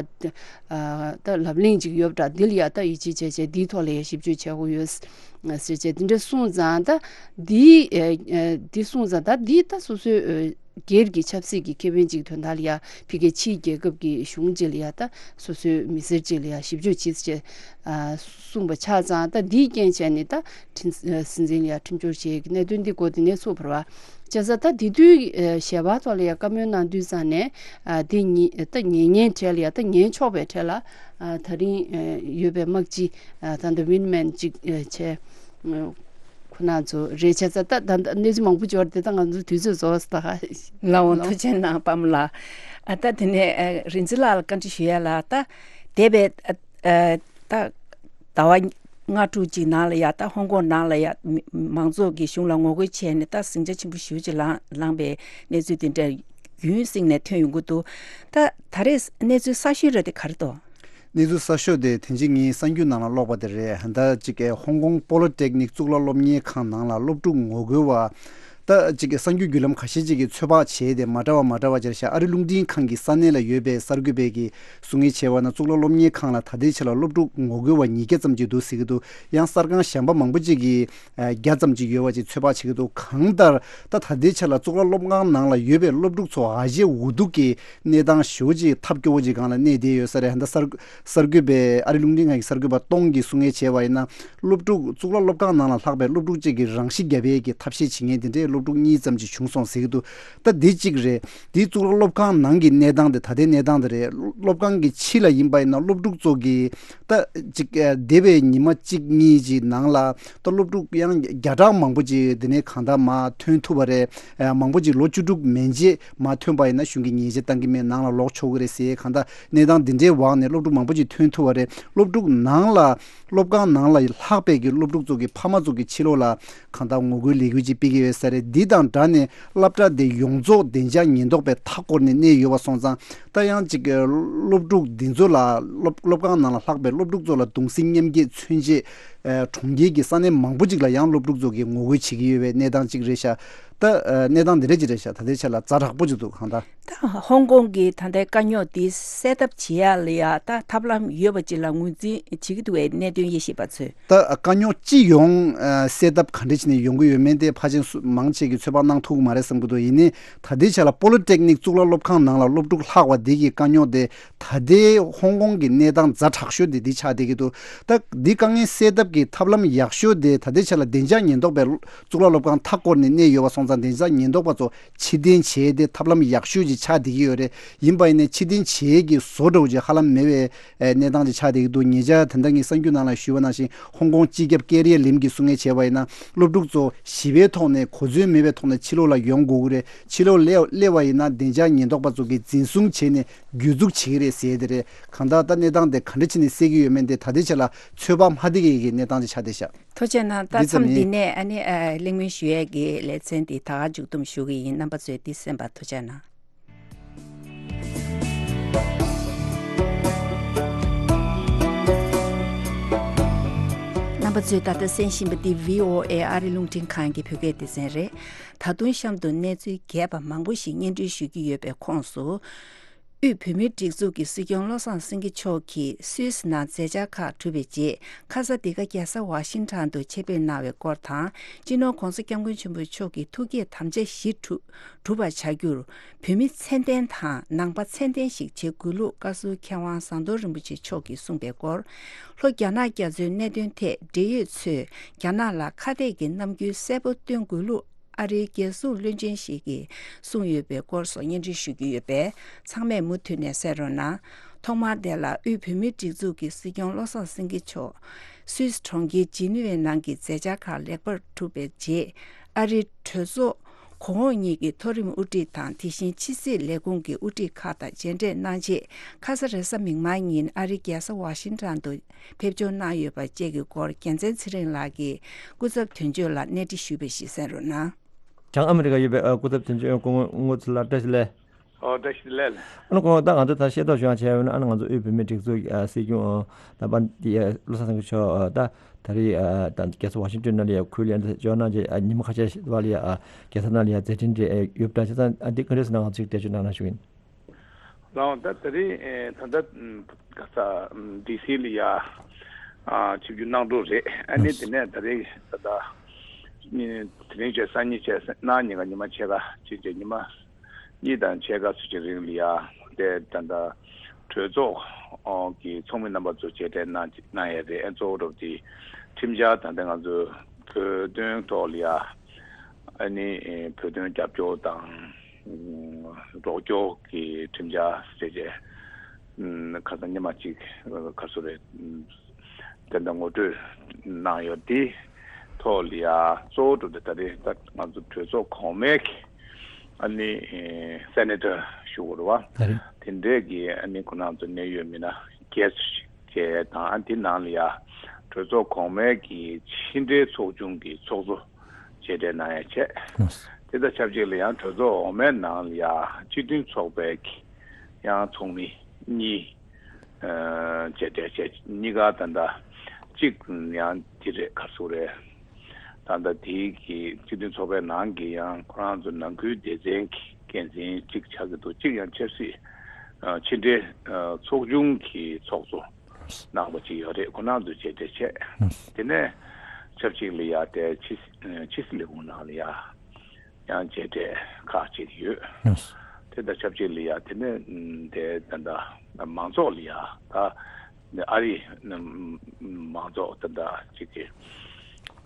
ཨ་ད་ལབ་གླེང་ཅིག་ཡོད་པ་འདྲ། འདི་ལ་ཡ་ད་ཡིད་ཆེས་བྱས་བྱས་འདིའི་ཐོག་ལ་ཡ་ཞིབ་དཔྱོད་བྱེད་དགོས་ཡོད་ཟེར་བྱས། འདི་འདྲ་གསུངས་ཙང་ད་འདི་ཨ་ཨ་འདི་གསུངས་ཙང་ད་འདི་ད་སོ་སོའི་ཨ་སྒེར་གྱི་ཆབ་སྲིད་ཀྱི་ཁེ་ཕན་ཅིག་དོན་དག་ལ་ཡ་ཕ་གིའི་ཕྱིའི་རྒྱལ་ཁབ་ཀྱི་གཞུང་ཅིག་ལ་ཡ་ད་སོ་སོའི་མི་སེར་ཅིག་ལ་ཡ་ཞིབ་དཔྱོད་བྱེད་ཅེས་ཨ་གསུངས་པ་ཆགས་ཙང་ད་འདིའི་རྐྱེན་བྱས་ནས་ད་ཁྲིམས་ཨ་སྲིད་འཛིན་ལ་ཡ་ཁྲིམས་སྦྱོར་བྱེད་ཀྱི་གནད་དོན་འདི་འགོ་འདི་ནས་ཚུགས་པ་རེད་པ། བྱས་ཙང་ད་དེ་དུས་ཨ་ཞལ་པར་ཐོག་ལ་ཡ་བཀའ་མོལ་གནང་དུས་ཙང་ནས་ཨ་དེ་ཉེ་ད་ཉེ་ཉེན་གྲས་ལ་ཡ་ད་ཉེན་ཆོག་པའི་གྲས་ལ་ཨ་ད་རིང་ཨ་ཡོད་པའི་དམག་སྤྱི་ཨ་ད་ལྟ་Vindman ཅིག་ཨ་བྱས། ཁོ་ན་ཚོ་རེད། བྱས་ཙང་ད་ད་ད་གནས་ཚུལ་མང་པོ་འབྱོར་ཏེ་ད་ང་ཚོ་དུས་ཚོད་རྫོགས་སོང་ད། ལགས་འོང་། ཐུགས་རྗེ་གནང་པཱ་མ་ལགས། ཨ་ད་དེ་ནས་ཨ་རིག་འཛིན་ལགས་ལ་བཀའ་འདྲི་ཞུ་ཡ་ལ། ད་འདས་པའི་ཨ་ཨ་ད་ཟླ་བ་ལྔ་དྲུག་ཅིག་ནང་ལ་ཡ་ད་ཧོང་ཀོང་ནང་ལ་ཡ་མི་མང་ཚོགས་ཀྱིས་གཞུང་ལ་ངོ་རྒོལ་བྱས་ནས་ད་ཟིང་ཆ་ཆེན་པོ་ཞེ་པོ་ཅིག་ལངས་ལངས་པའི་གནས་ཚུལ་དེ་འདྲ་རྒྱུན་བསྲིངས་ནས་ཐོན་ཡོང་གི་འདུག། ད་ད་རེས་གནས་ཚུལ་གསར་ཤོས་ར་དེ་ག་རེ་འདུག། གནས་ཚུལ་གསར་ཤོས་དེ་དེ་རིང་ངའི་གསར་འགྱུར་ནང་ལ་ཀློག་པ་དེ་རེད། ད་ཅིག་ཧོང་ཀོང་པོ་ལི་ཊེག་ནིག་གཙུག་ལག་སློབ་གཉེར་ཁང་ནང་ལ་སློབ་ཕྲུག་ངོ་རྒོལ་བ། ད་ཅིག་གསར་འགྱུར་བརྒྱུད་ལམ་ཁ་ཤས་ཅིག་གིས་ཚོད་དཔག་བྱས་ཏེ་མ་འདྲ་བ་མ་འདྲ་བ་སྦྱར་ཤག། ཨ་རི་རླུང་འཕྲིན་ཁང་གི་ས་གནས་ལ་ཡོད་པའི་གསར་འགོད་པས་ཀྱིས་གསུང་ངེས་བྱས་པ་ན། གཙུག་ལག་སློབ་གཉེར་ཁང་ལ་ད་ལྟའི་ཆ་ལ་སློབ་ཕྲུག་ངོ་རྒོལ་བ་ཉིས་བརྒྱ་ཙམ་ཅིག་འདུག་ཟེར་གྱི་འདུག། ཡང་གསར་ཁང་གཞན་པ་མང་པོ་ཅིག་གིས་ཨ་བརྒྱ་ཙམ་ཅིག་ཡོད་པ་ཅིག་ཚོད་དཔག་བྱེད་ཀྱི་འདུག། གང་ལྟར་ད་ད་ལྟའི་ཆ་ལ་གཙུག་ལག་སློབ་ཁང་ནང་ལ་ཡོད་པའི་སློབ་ཕྲུག་ཚོ་ཨ་ཞེ་འུ་སྡུག་གི་གནས་སྟངས་ཞེ་པོ་ཅིག་ཐབས་སྐྱོ་བོ་ཅིག་སྒང་ལ་གནས་བསྡད་ཡོད་ས་རེད། ད་གསར་གསར་འགོད་པས་ཨ་རི་རླུང་འཕྲིན་ཁང་གི་གསར་འགོད་པ་སྟོང་གིས་གསུང་ངེས་བྱས་པ་ཡིན་ན། སློབ་ཕྲུག་གཙུག་ལག་སློབ་ཁང་ནང་ལ་ལྷག་པའི་སློབ་ཕྲུག་ཅིག་གིས་རང་ཤི་བརྒྱབ་པའི་གི་ཐབས་ཤེས་བྱེད་མཁན་དེ་འདྲའི་སློབ་ཕྲུག་གཉིས་ཙམ་ཅིག་བྱུང་སོང་ཟེར་གྱི་འདུག། ད་འདི་གཅིག་རེད། འདིའི་གཙུག་ལག་སློབ་ཁང་ནང་གི་གནས་སྟངས་དེ་ད་ལྟའི་གནས་སྟངས་དེ་རེད། སློབ་ཁང་གི་ཕྱི་ལ་ཡིན་པ་ཡིན་ན་སློབ་ཕྲུག་ཚོ་གིས་ད་ཅིག་ཨ་འདས་པའི་ཉི་མ་གཅིག་གཉིས་ཀྱི་ནང་ལ་ད་སློབ་ཕྲུག་ཡང་བརྒྱ་ཕྲག་མང་པོ་ཅིག་དེ་ནས་གང་ལྟར་མར་ཐོན་ཐུབ་པ་རེད། ཨ་མང་པོ་ཅིག་ལོ་བཅུ་དྲུག་མན་ཆད་མར་ཐོན་པ་ཡིན་ན་གཞུང་གིས་ཉེས་ཆད་བཏང་གི་མེད། ནང་ལ་ལོག་ཆོག་གི་རེད་ཟེར། གང་ལྟར་གནས་སྟངས་འདི་འདྲའི་འོག་ནས་སློབ་ཕྲུག་མང་པོ་ཅིག་ཐོན་ཐུབ་པ་རེད། སློབ་ཕྲུག་ནང་ལ་སློབ་ཁང་ནང་ལ་ལྷག་པའི་གི་སློབ་ཕྲུག་ཚོ་གི་ཕ་མ་ཚོ་གི་ཕྱི་ལོགས་ལ་གང་ལྟར་ངོ་རྒོལ་ལས་འགུལ་ཅིག་སྤེལ་གྱི་ཡོད་ས་རེད། འདི་དང་སྦྲགས་ནས་སློབ་གྲྭ་དེ་ཡོངས་རྫོགས་བདེ་འཇགས་ཉེན་རྟོག་པས་མཐའ་བསྐོར་ནས་གནས་ཡོད་པ་སོང་ཙང་། ད་ཡང་ཅིག་སློབ་ཕྲུག་འདི་ཚོ་ལ་སློབ་སློབ་ཁང་ནང་ལ་ལྷག་པའི་སློབ་ཕྲུག་ཚོ་ལ་གདུང་སེམས་མཉམ་སྐྱེད་མཚོན་ཆེད། ཨ་གྲོང་ཁྱེར་གྱི་ས་གནས་མང་པོ་ཅིག་ལ་ཡང་སློབ་ཕྲུག་ཚོ་གིས་ངོ་རྒོལ་བྱེད་ཀྱི་ཡོད་པའི་གནས་སྟངས་ཅིག་རེད་ཤག། ད་ཨ་གནས་སྟངས་འདི་འདྲ་ཅིག་རེད་ཤག། ད་ལྟའི་ཆ་ལ་ཛ་དྲག་པོ་ཅིག་འདུག། གང་ལྟར། ད་ཧོང་ཀོང་གི་ད་ལྟའི་དཀའ་རྙོག་འདི་སེལ་ཐབས་བྱེད་ཡ་ལ་ཡ་ད་ཐབས་ལམ་ཡོད་པ་ཅིག་ལ་ངོས་འཛིན་བྱེད་ཀྱི་འདུག་པའི་གནད་དོན་དབྱེ་ཞིབ་པ་ཚོས། ད་དཀའ་རྙོག་སྤྱི་ཡོངས་ཨ་སེལ་ཐབས་ག་འདྲ་བྱས་ནས་ཡོང་གི་ཡོད་མེད་དེ་ཕལ་ཆེར་སུ་མང་ཆེ་གིས་ཚོད་དཔག་གནང་ཐུབ་ཀྱི་མ་རེད་བསམ་གྱི་འདུག། ཡིན་ནའི་ད་ལྟའི་ཆ་ལ་པོ་ལི་ཊེག་ནིག་གཙུག་ལག་སློབ་ཁང་ནང་ལ་སློབ་ཕྲུག་ལྷག་པ་འདི་གི་དཀའ་རྙོག་དེ་ད་ལྟའི་ཧོང་ཀོང་གི་གནས་སྟངས་ཛ་དྲག་ཤོས་དེ་འདི་ཆགས་བསྡད་ཀྱི་འདུག། ད་འདི་དཀའ་ངལ་སེལ་ཐབས་ གི་ཐབས་ལམ་ཡག་ཤོས་དེ་ད་ལྟའི་ཆ་ལ་བདེ་འཇགས་ཉེན་རྟོག་པའི་གཙུག་ལག་སློབ་ཁང་མཐའ་བསྐོར་ནས་གནས་ཡོད་པ་སོང་ཙང་། བདེ་འཇགས་ཉེན་རྟོག་པ་ཚོ་ཕྱིར་འཐེན་བྱེད་དེ་ཐབས་ལམ་ཡག་ཤོས་ཅིག་ཆགས་བསྡད་ཀྱི་ཡོད་རེད། ཡིན་པ་ཡིན་ནའི་ཕྱིར་འཐེན་བྱེད་ཀྱི་བཟོ་འདྲ་བོ་ཅིག་ཧ་ལམ་མེད་པའི་གནས་སྟངས་ཅིག་ཆགས་བསྡད་ཀྱི་འདུག་ཉེ་ཆར་ད་ལྟ་ངས་གསར་འགྱུར་ནང་ལ་ཞུས་པ་ནང་བཞིན། ཧོང་ཀོང་སྤྱི་ཁྱབ་ཀེ་རི་ཡ་ལིམ་གྱིས་གསུང་མཁན་བྱས་པ་ཡིན་ན། སློབ་ཕྲུག་ཚོ་ཞི་བའི་ཐོག་ནས་གོ་མཚོན་མེད་པའི་ཐོག་ནས་ཕྱི་ལོགས་ལ་ཡོང་དགོས་ཀྱི་རེད། ཕྱི་ལོགས་སླེབས་པ་ཡིན་ན་བདེ་འཇགས་ཉེན་རྟོག་པ་ཚོ་གིས་འཛིན་བཟུང་བྱས་ནས་གྱོད་འཛུགས་བྱེད་ཀྱི་རེད་ཟེར་དེ་རེད། གང་ལྟར་ད་གནས་སྟངས་དེ་ག་འདྲ་བྱས་ནས་སེལ་གྱི་ཡོད་མེད་དེ་ད་ལྟའི་ཆ་ལ་ཚོད་དཔག་མ་ཐེག་ཡས་ཀྱི་གནས་སྟངས་ཅིག་ཆགས་བསྡད་ཤག་ཐུགས་རྗེ་གནང་། ད་འདི་ཙམ་མཚམས་འདི་ཡིན། ནས་ཨ་ནི་ཨ་གླེང་མོལ་ཞུ་ཡས་ཀྱི་ལེ་ཚན་འདི་ད་ག་མཇུག་བསྡོམས་ཞུ་གི་ཡིན། རྣམ་པ་ཚོས་འདི་གསན་པར་ཐུགས་རྗེ་གནང་། རྣམ་པ་ཚོས་ད་ལྟ་གསན་བཞིན་པ་འདི་བྷི་ཨོ་ཨེ་ཨ་རི་རླུང་འཕྲིན་ཁང་གི་བོད་སྐད་སྡེ་ཚན་རེད། ད་དུང་གཤམ་དུ་གནས་ཚུལ་རྒྱས་པ་མང་པོ་ཞིག་སྙན་སྒྲོན་ཞུ་རྒྱུ་ཡོད་པའི་ཁོངས་སུ། དབུས་བོད་མིའི་སྒྲིག་འཛུགས་ཀྱི་སྲིད་སྐྱོང་བློ་བཟང་སེང་གེ་མཆོག་གིས་སུད་སི་ནང་མཛད་འཆར་ཁག་གྲུབ་པའི་རྗེས། ཁ་ས་འདི་ག་རྒྱལ་ས་ཝ་ཤིང་ཊོན་དུ་ཆེད་ཕེབས་གནང་བའི་སྐོར་དང་། སྤྱི་ནོར་༧གོང་ས་༧སྐྱབས་མགོན་ཆེན་པོ་མཆོག་གི་ཐུགས་བསྐྱེད་དམ་བཅའ་བཞི་གྲུབ་གྲུབ་པར་བྱ་རྒྱུར། བོད་མི་ཚད་ལྡན་དང་ནང་པ་ཚད་ལྡན་ཞིག་བྱེད་དགོས་ལུགས་བཀའ་ཟུར་མཁས་དབང་ཟམ་གདོང་རིན་པོ་ཆེ་མཆོག་གིས་གསུངས་པའི་སྐོར། ལྷོ་རྒྱ་ནག་རྒྱ་མཚོའི་གནད་དོན་ཐད་འབྲེལ་ཡོད་ཚོས་རྒྱ་ནག་ལ་ཁ་གཏད་ཀྱི་རྣམ་འགྱུར་གསལ་པོ་སྟོན་དགོས་ལུགས། ཨ་རིའི་རྒྱལ་སྲུང་བློན་ཆེན་ཞིག་གིས་གསུངས་ཡོད་པའི་སྐོར་སོགས་སྙན་སྒྲོན་ཞུ་རྒྱུ་ཡོད་པས། ཚང་མས་མུ་མཐུད་ནས་གསན་རོགས་གནང་། ཐོག་མར་དེ་ལ་དབུས་བོད་མིའི་སྒྲིག་འཛུགས་ཀྱི་སྲིད་སྐྱོང་བློ་བཟང་སེང་གེ་མཆོག་སུད་སི་གྲོང་ཁྱེར་ཇི་ནི་ཝའི་ནང་གི་མཛད་འཆར་ཁག་ལེགས་པར་གྲུབ་པའི་རྗེས། ཨ་རིའི་གྲོས་ཚོགས་གོང་འོག་གཉིས་ཀྱི་མཐོ་རིམ་དབུ་ཁྲིད་དང་། དེ་བཞིན་ཕྱི་སྲིད་ལས་ཁུངས་ཀྱི་དབུ་ཁྲིད་ཁག་དང་མཇལ་འཕྲད་གནང་རྗེས། ཁ་ས་རེས་གཟའ་མིག་དམར་ཉིན་ཨ་རིའི་རྒྱལ་ས་ཝ་ཤིང་ཊོན་དུ་ཕེབས་འབྱོར་གནང་ཡོད་པ་བཅས་ཀྱི་སྐོར། རྒྱལ་མཚན་ཚེ་རིང་ལགས་ཀྱིས་སྐུ་ཚབ་དོན་གཅོད་ལ་གནས་འདྲི་ཞུས་པ་ཞིག་གསན་རོགས་གནང་། བྱང་ཨ་མི་རི་ཀ་ཡོད་པའི་ཨ་སྐུ་ཚབ་དོན་གཅོད་སྐུ་ངོ་ཚེ་ལགས་བཀྲ་ཤིས་བདེ་ལེགས། ཨོ་བཀྲ་ཤིས་བདེ་ལེགས། ཨ་ནི་ཁོང་ད་ང་ཚོ་ད་ཤེས་རྟོགས་བྱུང་བ་བྱས་ཡོད་ན། ཨ་ནི་ང་ཚོ་དབུས་བོད་མིའི་སྒྲིག་འཛུགས་ཨ་སྲིད་སྐྱོང་ཨ་ད་པ་འདི་ཨ་བློ་བཟང་སེང་གེ་མཆོག་ཨ་ད་ད་རེས་ཨ་ད་རྒྱལ་ས་ཝ་ཤིང་ཊོན་ནང་ལ་ཡ་ཁུལ་ལ་ཡ་འབྱོར་གནང་རྗེས། ཨ་ཉི་མ་ཁ་ཤས་ཤིག་བར་ལ་ཡ་ཨ་རྒྱལ་ས་ནང་ལ་ཡ་མཛད་འཕྲིན་རེ་ཨ་ཡོད་པ་འདྲ། བྱས་ཙང་ཨ་འདི་ག་འདྲས་ཟེར་ན་ང་ཚོས་འགྲེལ་བརྗོད་གནང་གནང་ཞུ་ཡིན། ལགས་འོང་། ད་ད་རེས་ཨེ་ད་ལྟ་ཨམ་ག་ས་ཨམ་ཌི་སི་ལ་ཡ་ཨ་ཆིབས་བསྒྱུར་གནང་གྲོགས་རེད། ཨ་ནི་ཨ་དེ་ནས་ད་རེས་ད་ལྟ་ཨེ་དེ་རིང་བྱས་སང་ཉིན་བྱས་གནངས་ཉིན་ག་ཉི་མ་ཕྱེད་ཀ་ཕྱིན་བྱས་ཉི་མ་གཉིས་དང་ཕྱེད་ཀ་ཚོད་ཅིག་རིང་ལ་ཡ་དེ་ད་ལྟ་གྲོས་ཚོགས་ཀྱི་ཚོགས་མི་རྣམ་པ་ཚོ་མཇལ་འཕྲད་གནང་གནང་ཡས་རེད། ཨ་གཙོ་བོ་འདྲ་པོ་དེ་ཁྲིམས་འཆར་ད་ལྟ་ང་ཚོ་བོད་དོན་ཐོག་ལ་ཡ་ཨ་ནི་ཨེ་བོད་དོན་རྒྱབ་སྐྱོར་དང་རོགས་སྐྱོར་གྱི་ཁྲིམས་འཆར་ཟེར་བྱས་ཁ་སང་ཉི་མ་གཅིག་ག་སུ་རེད། དེ་འདྲ་ངོ་སྤྲོད་གནང་ཡོད། དེ་ཐོག་ལ་ཡ་གཙོ་བོ་གྲུབ་སྟེ་ད་རེས་ད་ང་ཚོ་གྲོས་ཚོགས་གོང་མའི་གི་ཨ་ནི་སེ་ནེ་ཊར་ཞུ་དགོས་རེད་བ། ད་རེས་དེ་འདྲས་ཀྱི་ཨ་ནི་ཁོ་རང་ཚོ་གནད་ཡོད་མི་སྣ་བརྒྱད་ཅུ་ཞིག་བཅས་དང་། ཨ་དེ་ནང་ལ་ཡ་གྲོས་ཚོགས་གོང་མའི་གི་ཕྱི་འབྲེལ་ཚོགས་ཆུང་གི་ཚོགས་གཙོ་མཇལ་འཕྲད་གནང་ཡ་བྱས། ལགས་སོ། དེ་དང་ཆབས་ཅིག་ལ་ཡང་གྲོས་ཚོགས་འོག་མའི་ནང་ལ་ཡ་སྤྱི་མཐུན་ཚོགས་པའི་གི་ཡང་ཚོགས་མི་གཉིས་ཨ་མཇལ་འཕྲད་བྱས། གཉིས་ཀ་ད་ལྟ་གཅིག་ཡང་དེ་རེད། ག་སུ་རེད། ད་ལྟ་དེའི་གི་སྤྱི་མཐུན་ཚོགས་པའི་ནང་གི་ཡང་ཁོ་རང་ཚོ་ནང་ཁུལ་སྡེ་ཚན་གྱི་འགན་འཛིན་གཅིག་ཆགས་ཀྱི་འདུག་གཅིག་ཡང་ཆབ་སྲིད་ཨ་ཕྱི་འབྲེལ་ཨ་ཚོགས་ཆུང་གི་ཚོགས་གཙོ་གནང་པ་ཅིག་ཡོད་རེད། ཁོ་རང་ཚོ་མཇལ་འཕྲད་བྱས། ཨ་དེ་ནས་ཆབས་ཅིག་ལ་ཡ་དེ་ཕྱི་ཕྱི་སྲིད་ལས་ཁུངས་ནང་ལ་ཡ་ཡང་མཇལ་འཕྲད་ཁག་ཅིག་ཡོད། ཨ་དེ་དང་ཆབས་ཅིག་ལ་ཡ་དེ་ནས་དེ་ད་ལྟ་མང་ཚོགས་ལ་ཡ་ད་ཨ་རི་མང་ཚོགས་ད་ལྟ་ཅིག་གི་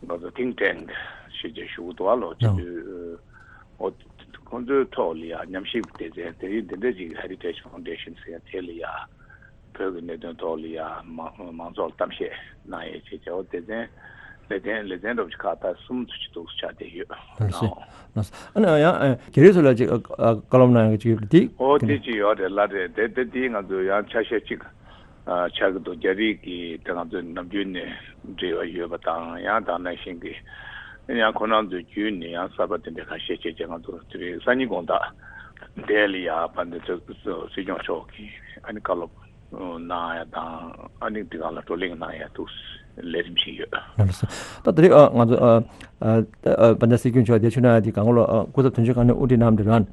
ང་ཚོ་ཐིང་ཊེང་ཞེས་བྱས་ཞུ་གི་འདུག་ཨ་ལོ། ཨ་ཅིག་དུས་ཨོ་ཁོང་ཚོའི་ཐོག་ལ་ཡ་ཉམས་ཞིབ་སྡེ་ཚན་དེ་རིང་འདི་འདྲ་ཅིག་Heritage Foundation ཟེར་ཡ་དེ་ལ་ཡ་བོད་ཀྱི་གནད་དོན་ཐོག་ལ་ཡ་མང་མང་ཚོགས་ལ་གཏམ་བཤད་གནང་ཡས་བྱས་བྱས། འོ་སྡེ་ཚན་ལེ་ཚན་ལེ་ཚན་འདྲ་པོ་ཅིག་ཁག་ད་གསུམ་ཙམ་ཅིག་འདུག་ཆགས་བསྡད་ཡོད། ལགས་སོ། ལགས་སོ། ཨ་ནི་ཡང་ཨ་རྒྱ་རིགས་ཚོ་ལ་ཅིག་ཨ་ཨ་བཀའ་སློབ་གནང་ཡག་ཅིག་ཡོད་པ་དེ། ཨོ་དེ་ཅིག་ཡོད་རེད། ལགས་རེད། དེ་དེ་དེ་ང་ཚོ་ཡང་ཆ་ཤས་ཅིག་ཨ་ཆགས་ཀྱི་འདུག་རྒྱ་རིགས་ཀྱི་དེ་ང་ཚོ་ནམ་རྒྱུན་ནས་འབྲེལ་བ་ཡོད་པ་དང་། ཡང་དེ་ནང་བཞིན་གྱི་ཡང་ཁོ་རང་ཚོའི་བརྒྱུད་ནས་ཡང་གསར་པ་དེ་འདྲ་ཁ་ཤས་བྱས་བྱས་ང་ཚོ་དེ་རིང་སང་ཉིན་དགོང་དག་དེ་ལ་ཡ་བ་འདི་ཚོ་སྲིད་སྐྱོང་མཆོག་གིས་ཨ་ནི་བཀའ་སློབ་གནང་ཡ་དང་། ཨ་ནི་འདི་སྒང་ལ་བགྲོ་གླེང་གནང་ཡ་འདུག་ལས་རིམ་ཞིག་ཡོད། ལགས་སོ། ད་དེ་རིང་ཨ་ང་ཚོ་ཨ་ཨ་ཨ་བ་འདི་སྲིད་སྐྱོང་མཆོག་འདིར་ཕེབས་གནང་ཡ་དེ་གང་ལོ་ཨ་སྐུ་ཚབ་དོན་གཅོད་ཁང་ནས་དབུ་ཁྲིད་གནང་བ་རེད་བ།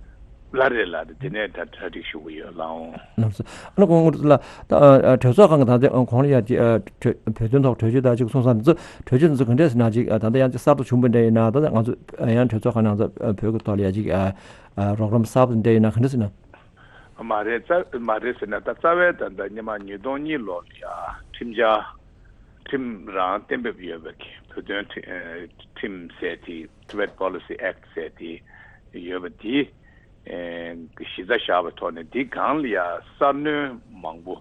ལགས་རེད། ལགས་རེད། དེ་ནས་ད་གྲ་སྒྲིག་ཞུ་གི་ཡོད། ལགས་འོང་། ལགས་སོ། ཨ་ནི་ཁོང་ལགས་ད་ཨ་ཨ་གྲོས་ཚོགས་ཁང་གི་ད་ལྟ་ཁོང་ལ་ཡ་ཅིག་ཨ་གྲོས་བོད་དོན་ཐོག་གྲོས་ཆོད་ད་ཅིག་གསུང་ས་འདི་ཚོ་གྲོས་ཆོད་འདི་ཚོ་ག་འདྲས་ཟེར་ན་ཅིག་ཨ་ད་ལྟ་ཡང་ཅིག་གསར་དུ་བྱུང་བ་འདྲ་ཡིན་ན། ད་ལྟ་ང་ཚོ་ཨ་ཡང་གྲོས་ཚོགས་ཁང་ནང་ཚོ་ཨ་བོད་ཀྱི་ཐོག་ལ་ཡ་ཅིག་ཨ་ཨ་རོགས་རམ་གསར་པ་འདྲ་ཡིན་ན་ག་འདྲས་ཟེར་ན། མ་རེད། རྩ་མ་རེད་ཟེར་ན་ད་རྩ་བའི་ད་ལྟ་སྔོན་མ་ཉིས་སྟོང་གཉིས་ལོ་ལ་ཡ་ཁྲིམས་འཆར་ ཁྲིམས་རང་གཏན་འབེབས་ཡོད་པའི་བོད་དོན་ཁྲི- ཨ་ཁྲིམས་ཟེར་དེ། Tibet Policy Act ཟེར་དེ་ཡོད་པ་དེ། ཨེ་གཞི་རྩ་བཞག་པའི་ཐོག་ནས་འདི་སྒང་ལ་ཡང་གསར་སྣོན་མང་པོ།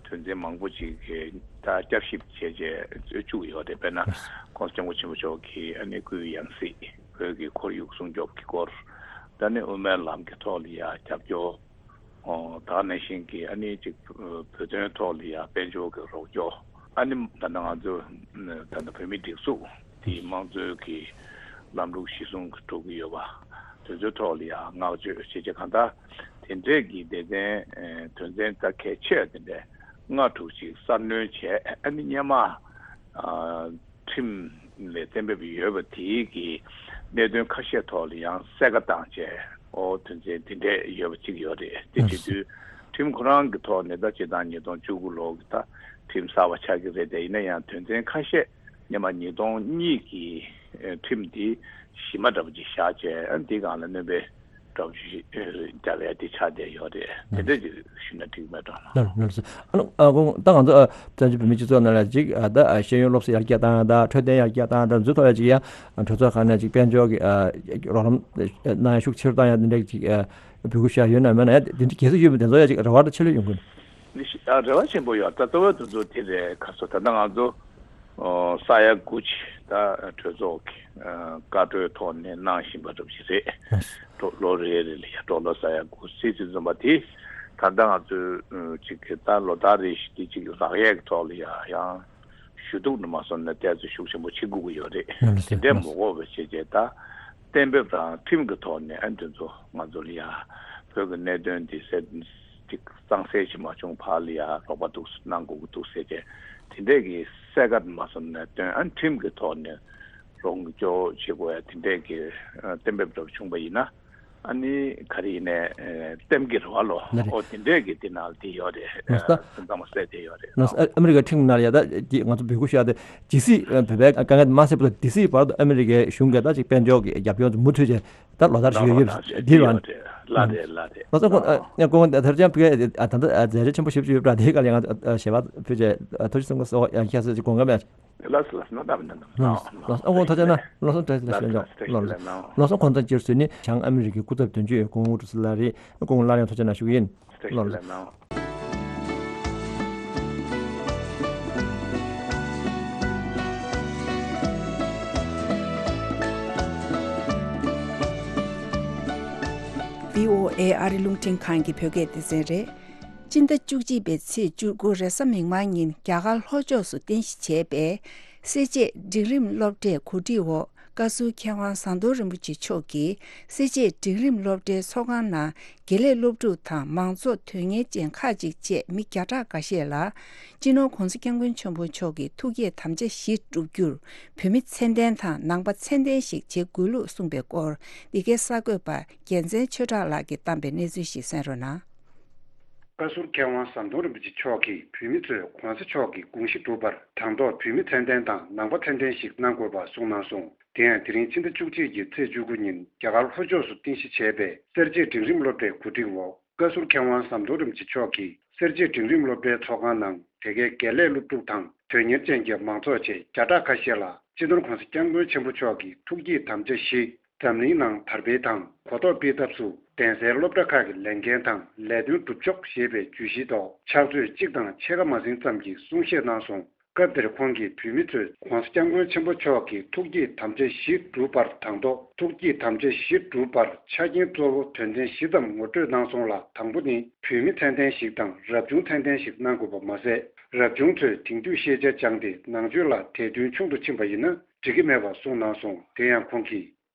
དོན་ཚན་མང་པོ་ཅིག་གི་ད་བསྐྱར་ཞིབ་བྱས་རྗེས་བཅུག་ཡོད་རེད། དཔེར་ན་༸གོང་ས་༸སྐྱབས་མགོན་ཆེན་པོ་མཆོག་གིས་ཨ་ནི་སྐུའི་ཡང་སྲིད་བོད་ཀྱི་ཁོར་ཡུག་སྲུང་སྐྱོབ་ཀྱི་སྐོར། ད་ནི་དབུ་མའི་ལམ་གྱི་ཐོག་ལ་ཡང་རྒྱབ་སྐྱོར། ཨོ་ད་ག་ནང་བཞིན་གྱི་ཨ་ནི་ཅིག་བོད་དོན་ཐོག་ལ་ཡང་དཔལ་འབྱོར་གྱི་རོགས་སྐྱོར། ཨ་ནི་ད་ལྟ་ང་ཚོ་ད་ལྟ་བོད་མིའི་སྒྲིག་འཛུགས་དེའི་དམངས་གཙོའི་གི་ལམ་ལུགས་གཞི་བཟུང་གི་འགྲོ་གི་ཡོད་པ་དེ་ཚོའི་ཐོག་ལ་ཡང་བསྔགས་བརྗོད་བྱེད་ཆེད་གང་ལྟར་དེ་འདྲས་ཀྱི་སྡེ་ཚན་དོན་ཚན་ད་གལ་ཆེ་དེ་འདྲས་ལྔ་དྲུག་ཅིག་གསར་སྣོན་བྱས། ཨ་ནི་སྔོན་མ་ཁྲིམས་ལས་གཏན་འབེབས་ཡོད་པ་དེའི་གི་གནད་དོན་ཁ་ཤས་ཐོག་ལ་ཡང་གསལ་ཁ་བཏང་བྱས། ཨོ་དོན་ཚན་འདི་འདྲས་ཡོད་པ་གཅིག་ཡོད་རེད། དེ་བྱེད་དུས་ཁྲིམས་ཁོ་རང་གི་ཐོག་ནས་ད་སྤྱིར་བཏང་ཉིས་སྟོང་བཅུ་དགུ་ལོ་གི་ད་ཁྲིམས་གསར་པ་ཆགས་ཀྱི་རེད། དེ་ཡིན་ན་ཡང་དོན་ཚན་ཁ་ཤས་སྔོན་མ་ཉིས་སྟོང་གཉིས་ཀྱི་ཁྲིམས་འདི་གཞི་མ་འདྲ་པོ་ཅིག་བཞག་བྱས། ཨ་འདི་སྒང་ལ་སྣོན་པ་འདྲ་པོ་ཞིག་རྒྱབ་ཡ་དེ་ཆགས་བསྡད་ཡོད་རེད། དེ་འདྲ་ཅིག་ཞུས་ན་འགྲིག་མེད་དྲང་ན། ལགས་ལགས་སོ། ཨ་ནི་ཨ་ཁོང་ད་ང་ཚོ་ཨ་བཙན་བྱོལ་བོད་མིའི་སྤྱི་ཚོགས་ནང་ལ་ཅིག་ཨ་ད་ཨ་ཤེས་ཡོན་སློབ་གསོ་ཡར་རྒྱས་བཏང་ཡ་དང་འཕྲོད་བསྟེན་ཡར་རྒྱས་བཏང་ཡ་དང་འཛུལ་ཐོག་ཡ་ཅིག་ཡ་གྲོས་ཚོགས་ཁག་ནས་ཅིག་དཔལ་འབྱོར་གྱི་ཨ་རོགས་རམ་གནང་ཡ་ཤུགས་ཆེ་རུ་བཏང་ཡ་དེ་འདྲ་ཅིག་ཨ་འབོད་སྐུལ་ཞུ་ཡ་ཡོད་ན་མེད་ན། ཡ་དེ་འདྲ་གལ་སྲིད་ཡོད་པ་དེ་ཚོ་ཡ་ཅིག་རེ་བ་ད་ཆེ་ལོས་ཡོང་གི་ཡོད། ནི་ཤི- ཨ་རེ་བ་ཆེན་པོ་ཡོད། ད་གཙོ་བོ་དེ་ཚོ་དེ་རེད། ཁ་སོ་ད་ལྟ་ང་ཚོ་ཨོ་ས་ཡ་དགུ་ཅིག་ད་གྲོས་ཚོགས་ཀྱི་ཨ་བཀའ་འཁྲོལ་ཐོག་ནས་གནང་བཞིན་པ་འདྲ་པོ་ཞིག་རེད། ལགས་སོ། ལོ་ལོ་རེ་རེ་ལ་ཡ་སྤྲོ་ལོ་ས་ཡ་དགུ་ཙམ་ཙམ་འཛོམས་པ་དེ། ད་ལྟ་ང་ཚོས་ཨ་ཅིག་གི་ད་ལོ་ལྟར་རེ་བཞིན་དེ་ཅིག་ལག་ཡས་ཀྱི་ཐོག་ལ་ཡ་ཡང་ཞུ་གཏུག་ནས་མ་སོང་ན་ཏོག་ཙམ་ཤུགས་ཆེན་པོ་བྱེད་དགོས་ཀྱི་ཡོད་རེད། ལགས་སོ། དེ་འདྲས་མ་དགོས་པ་བྱས་རྗེས་ད་གཏན་འབེབས་དང་ཁྲིམས་ཀྱི་ཐོག་ནས་ཨ་འདི་ཚོ་ང་ཚོ་ལ་ཡ་བོད་ཀྱི་གནད་དོན་འདི་སེ་ཅིག་གཙང་སེལ་ཞིག་མ་བྱུང་བར་ལ་ཡ་རོགས་པ་འདུག་གནང་དགོས་ཀྱི་འདུག་ཟེར་བྱས་དེ་འདྲས་ཀྱི་གསལ་ཁ་མ་སོང་ན་སྟོན། ཨ་ཁྲིམས་ཀྱི་ཐོག་ནས་རོགས་སྐྱོར་བྱེད་དགོས་ཡ་དེ་འདྲས་ཀྱི་ཨ་གཏན་འབེབས་འདྲ་པོ་བྱུང་པ་ཡིན་ན། ཨ་ནི་ག་རེ་ཡིན་ནའི་ཨ་ལྟེམ་གྱི་རེ་བ་ལོ། ལགས་རེད། ཨོ་དེ་འདྲས་ཀྱི་དེ་ནང་ལ་དེ་ཡོད་རེད། ལགས་སོ། ད་སེམས་ཙམ་མ་གསལ་དེ་ཡོད་རེད། ལགས་སོ། ཨ་ཨ་མི་རི་ཀའི་ཁྲིམས་ནང་ལ་ཡ་ད་དེ་ང་ཚོ་འབོད་སྐུལ་ཞུ་ཡ་དེ་ཇི་སྲིད་ཨ་བོད་པའི་དཀའ་ངལ་དེ་མ་སེལ་བར་དུ་དེ་སྲིད་བར་དུ་ཨ་མི་རི་ཀའི་གཞུང་གིས་ད་ཅིག་དཔལ་འབྱོར་གྱི་རྒྱབ་སྐྱོར་དེ་མུ་མཐུད་བྱས་ད་ལོ་ལྟར་ཞུ་ཡ་ཡོད་རེད། དེ་རེད་བ། ལགས་རེད། ལགས་རེད། ལགས་སོ། ཁོང་ཨ་ཁོང་ད་ཐར་ཅན་ཕུ་ག་ད་ལྟ་མཛད་རྗེས་ཆེན་པོ་ཞེ་པོ་ཅིག་ཡོད་པ་འདྲ། དེའི་སྐབས་ལ་ང་ཞལ་པར་ཕུལ་བྱས་ཐུགས་རྗེ་གསུང་གི་སོ་ཡང་ཁྱེད་ཚོས་ཅིག་དགོངས་ཀ་མེད། ལགས་སོ། ལགས་སོ། གནང་དང་མི་གནང་དང་། ལགས་སོ། ཨ་ཁོང་ཐུགས་རྗེ་གནང་། ལགས་སོ། བཀྲ་ཤིས་བདེ་ལེགས་ཞུ་ཡ་ལགས་སོ། ལགས་སོ། ཁོང་ཚོ་སྤྱིར་བཟོས་ནི་བྱང་ཨ་མི་རི་ཀའི་སྐུ་ཚབ་དོན་གཅོད་སྐུ་ངོ་ཀྲུག་སི་ལགས་རེད། སྐུ་ངོ་སླར་ཡང་ཐུགས་རྗེ་གནང་ཞུ་གི་ཡིན། བཀྲ་ཤིས་བདེ་ལེགས་གནང་། བྷི་ཨོ་ཨེ་ཨ་རི་རླུང་འཕྲིན་ཁང་གི་བོད་སྐད་སྡེ་ཚན་རེད། སྤྱི་ཟླ་བཅུ་གཅིག་པའི་ཚེས་བཅུ་དགུ་རེས་གཟའ་མིག་དམར་ཉིན་རྒྱ་གར་ལྷོ་ཕྱོགས་སུ་རྟེན་གཞི་བྱས་པའི་སེར་བྱེས་འབྲིང་རིམ་སློབ་གྲྭའི་གོ་སྒྲིག་འོག་བཀའ་ཟུར་མཁས་དབང་ཟམ་གདོང་རིན་པོ་ཆེ་མཆོག་གིས་སེར་བྱེས་འབྲིང་རིམ་སློབ་གྲྭའི་ཚོགས་ཁང་ནང་དགེ་ལས་སློབ་ཕྲུག་དང་མང་ཚོགས་དོན་གཉེར་ཅན་ཁག་ཅིག་བཅས་མི་བརྒྱ་ཕྲག་འགའ་ཤས་ལ་སྤྱི་ནོར་༸གོང་ས་༸སྐྱབས་མགོན་ཆེན་པོ་མཆོག་གི་ཐུགས་བསྐྱེད་དམ་བཅའ་བཞི་བསྒྲུབ་རྒྱུར་བོད་མི་མཚན་ལྡན་དང་ནང་པ་མཚན་ལྡན་ཞིག་བྱེད་དགོས་ལུགས་གསུངས་པའི་སྐོར་འདི་གའི་གསར་འགོད་པ་རྒྱལ་མཚན་ཆོས་གྲགས་ལགས་ཀྱིས་བཏང་པའི་གནས་ཚུལ་ཞིག་གསན་རོགས་གནང་། བཀའ་ཟུར་མཁས་དབང་ཟམ་གདོང་རིན་པོ་ཆེ་མཆོག་གིས་བོད་མི་ཚོས་༸གོང་ས་མཆོག་གི་དགོངས་གཞི་སྒྲུབ་པར་དང་ཐོག་བོད་མི་མཚན་ལྡན་དང་ནང་པ་མཚན་ལྡན་ཞིག་གནང་དགོས་པ་གསུངས་གནང་སོང་། དེ་ཡང་དེ་རིང་ཕྱི་ཟླ་བཅུ་གཅིག་གི་ཚེས་བཅུ་དགུ་ཉིན་རྒྱ་གར་ལྷོ་ཕྱོགས་སུ་རྟེན་གཞི་བྱས་པའི་སེར་བྱེས་འབྲིང་རིམ་སློབ་གྲྭའི་གོ་སྒྲིག་འོག་བཀའ་ཟུར་མཁས་དབང་ཟམ་གདོང་རིན་པོ་ཆེ་མཆོག་གིས་སེར་བྱེས་འབྲིང་རིམ་སློབ་གྲྭའི་ཚོགས་ཁང་ནང་དེ་གའི་དགེ་ལས་སློབ་ཕྲུག་དང་དོན་གཉེར་ཅན་གྱི་མང་ཚོགས་བཅས་བརྒྱ་ཕྲག་ཁ་ཤས་ལ་སྤྱི་ནོར་༸གོང་ས་༸སྐྱབས་མགོན་ཆེན་པོ་མཆོག་གི་ཐུགས་བསྐྱེད་དམ་བཅའ་བཞི། འཛམ་གླིང་ནང་དར་སྤེལ་དང་གོ་རྟོགས་སྤེལ་ཐབས་སུ་གདན་སའི་སློབ་གྲྭ་ཁག་གི་ལས་འགན་དང་ལས་དོན་སྒྲུབ་ཕྱོགས་ཞེས་པའི་བརྗོད་གཞིའི་ཐོག་ཕྱག་ཚོད་གཅིག་དང་ཕྱེད་ཀ་མ་ཟིན་ཙམ་གྱི་གསུང་བཤད་གནང་སོང་། སྐབས་དེར་ཁོང་གིས་བོད་མི་ཚོས་༸གོང་ས་༸སྐྱབས་མགོན་ཆེན་པོ་མཆོག་གི་ཐུགས་བསྐྱེད་དམ་བཅའ་བཞི་བསྒྲུབ་པར་དང་ཐོག་ཐུགས་བསྐྱེད་དམ་བཅའ་བཞི་བསྒྲུབ་པར་ཆ་རྐྱེན་གཙོ་བོ་དོན་ཚན་བཞི་ཙམ་ངོ་སྤྲོད་གནང་སོང་ལ། དང་པོ་ནི་བོད་མི་མཚན་ལྡན་ཞིག་དང་རབ་བྱུང་མཚན་ལྡན་ཞིག་གནང་དགོས་པ་མ་ཟད། རབ་བྱུང་ཚོས་དེང་དུས་ཤེས་བྱ་སྦྱངས་ཏེ་ནང་ཆོས་ལ་དད་འདུན་ཆུང་དུ་ཕྱིན་པ་ཡིན་ན་འགྲིག་གི་མེད་པ་གསུངས་གནང་སོང་། དེ་ཡང་ཁོང་གིས།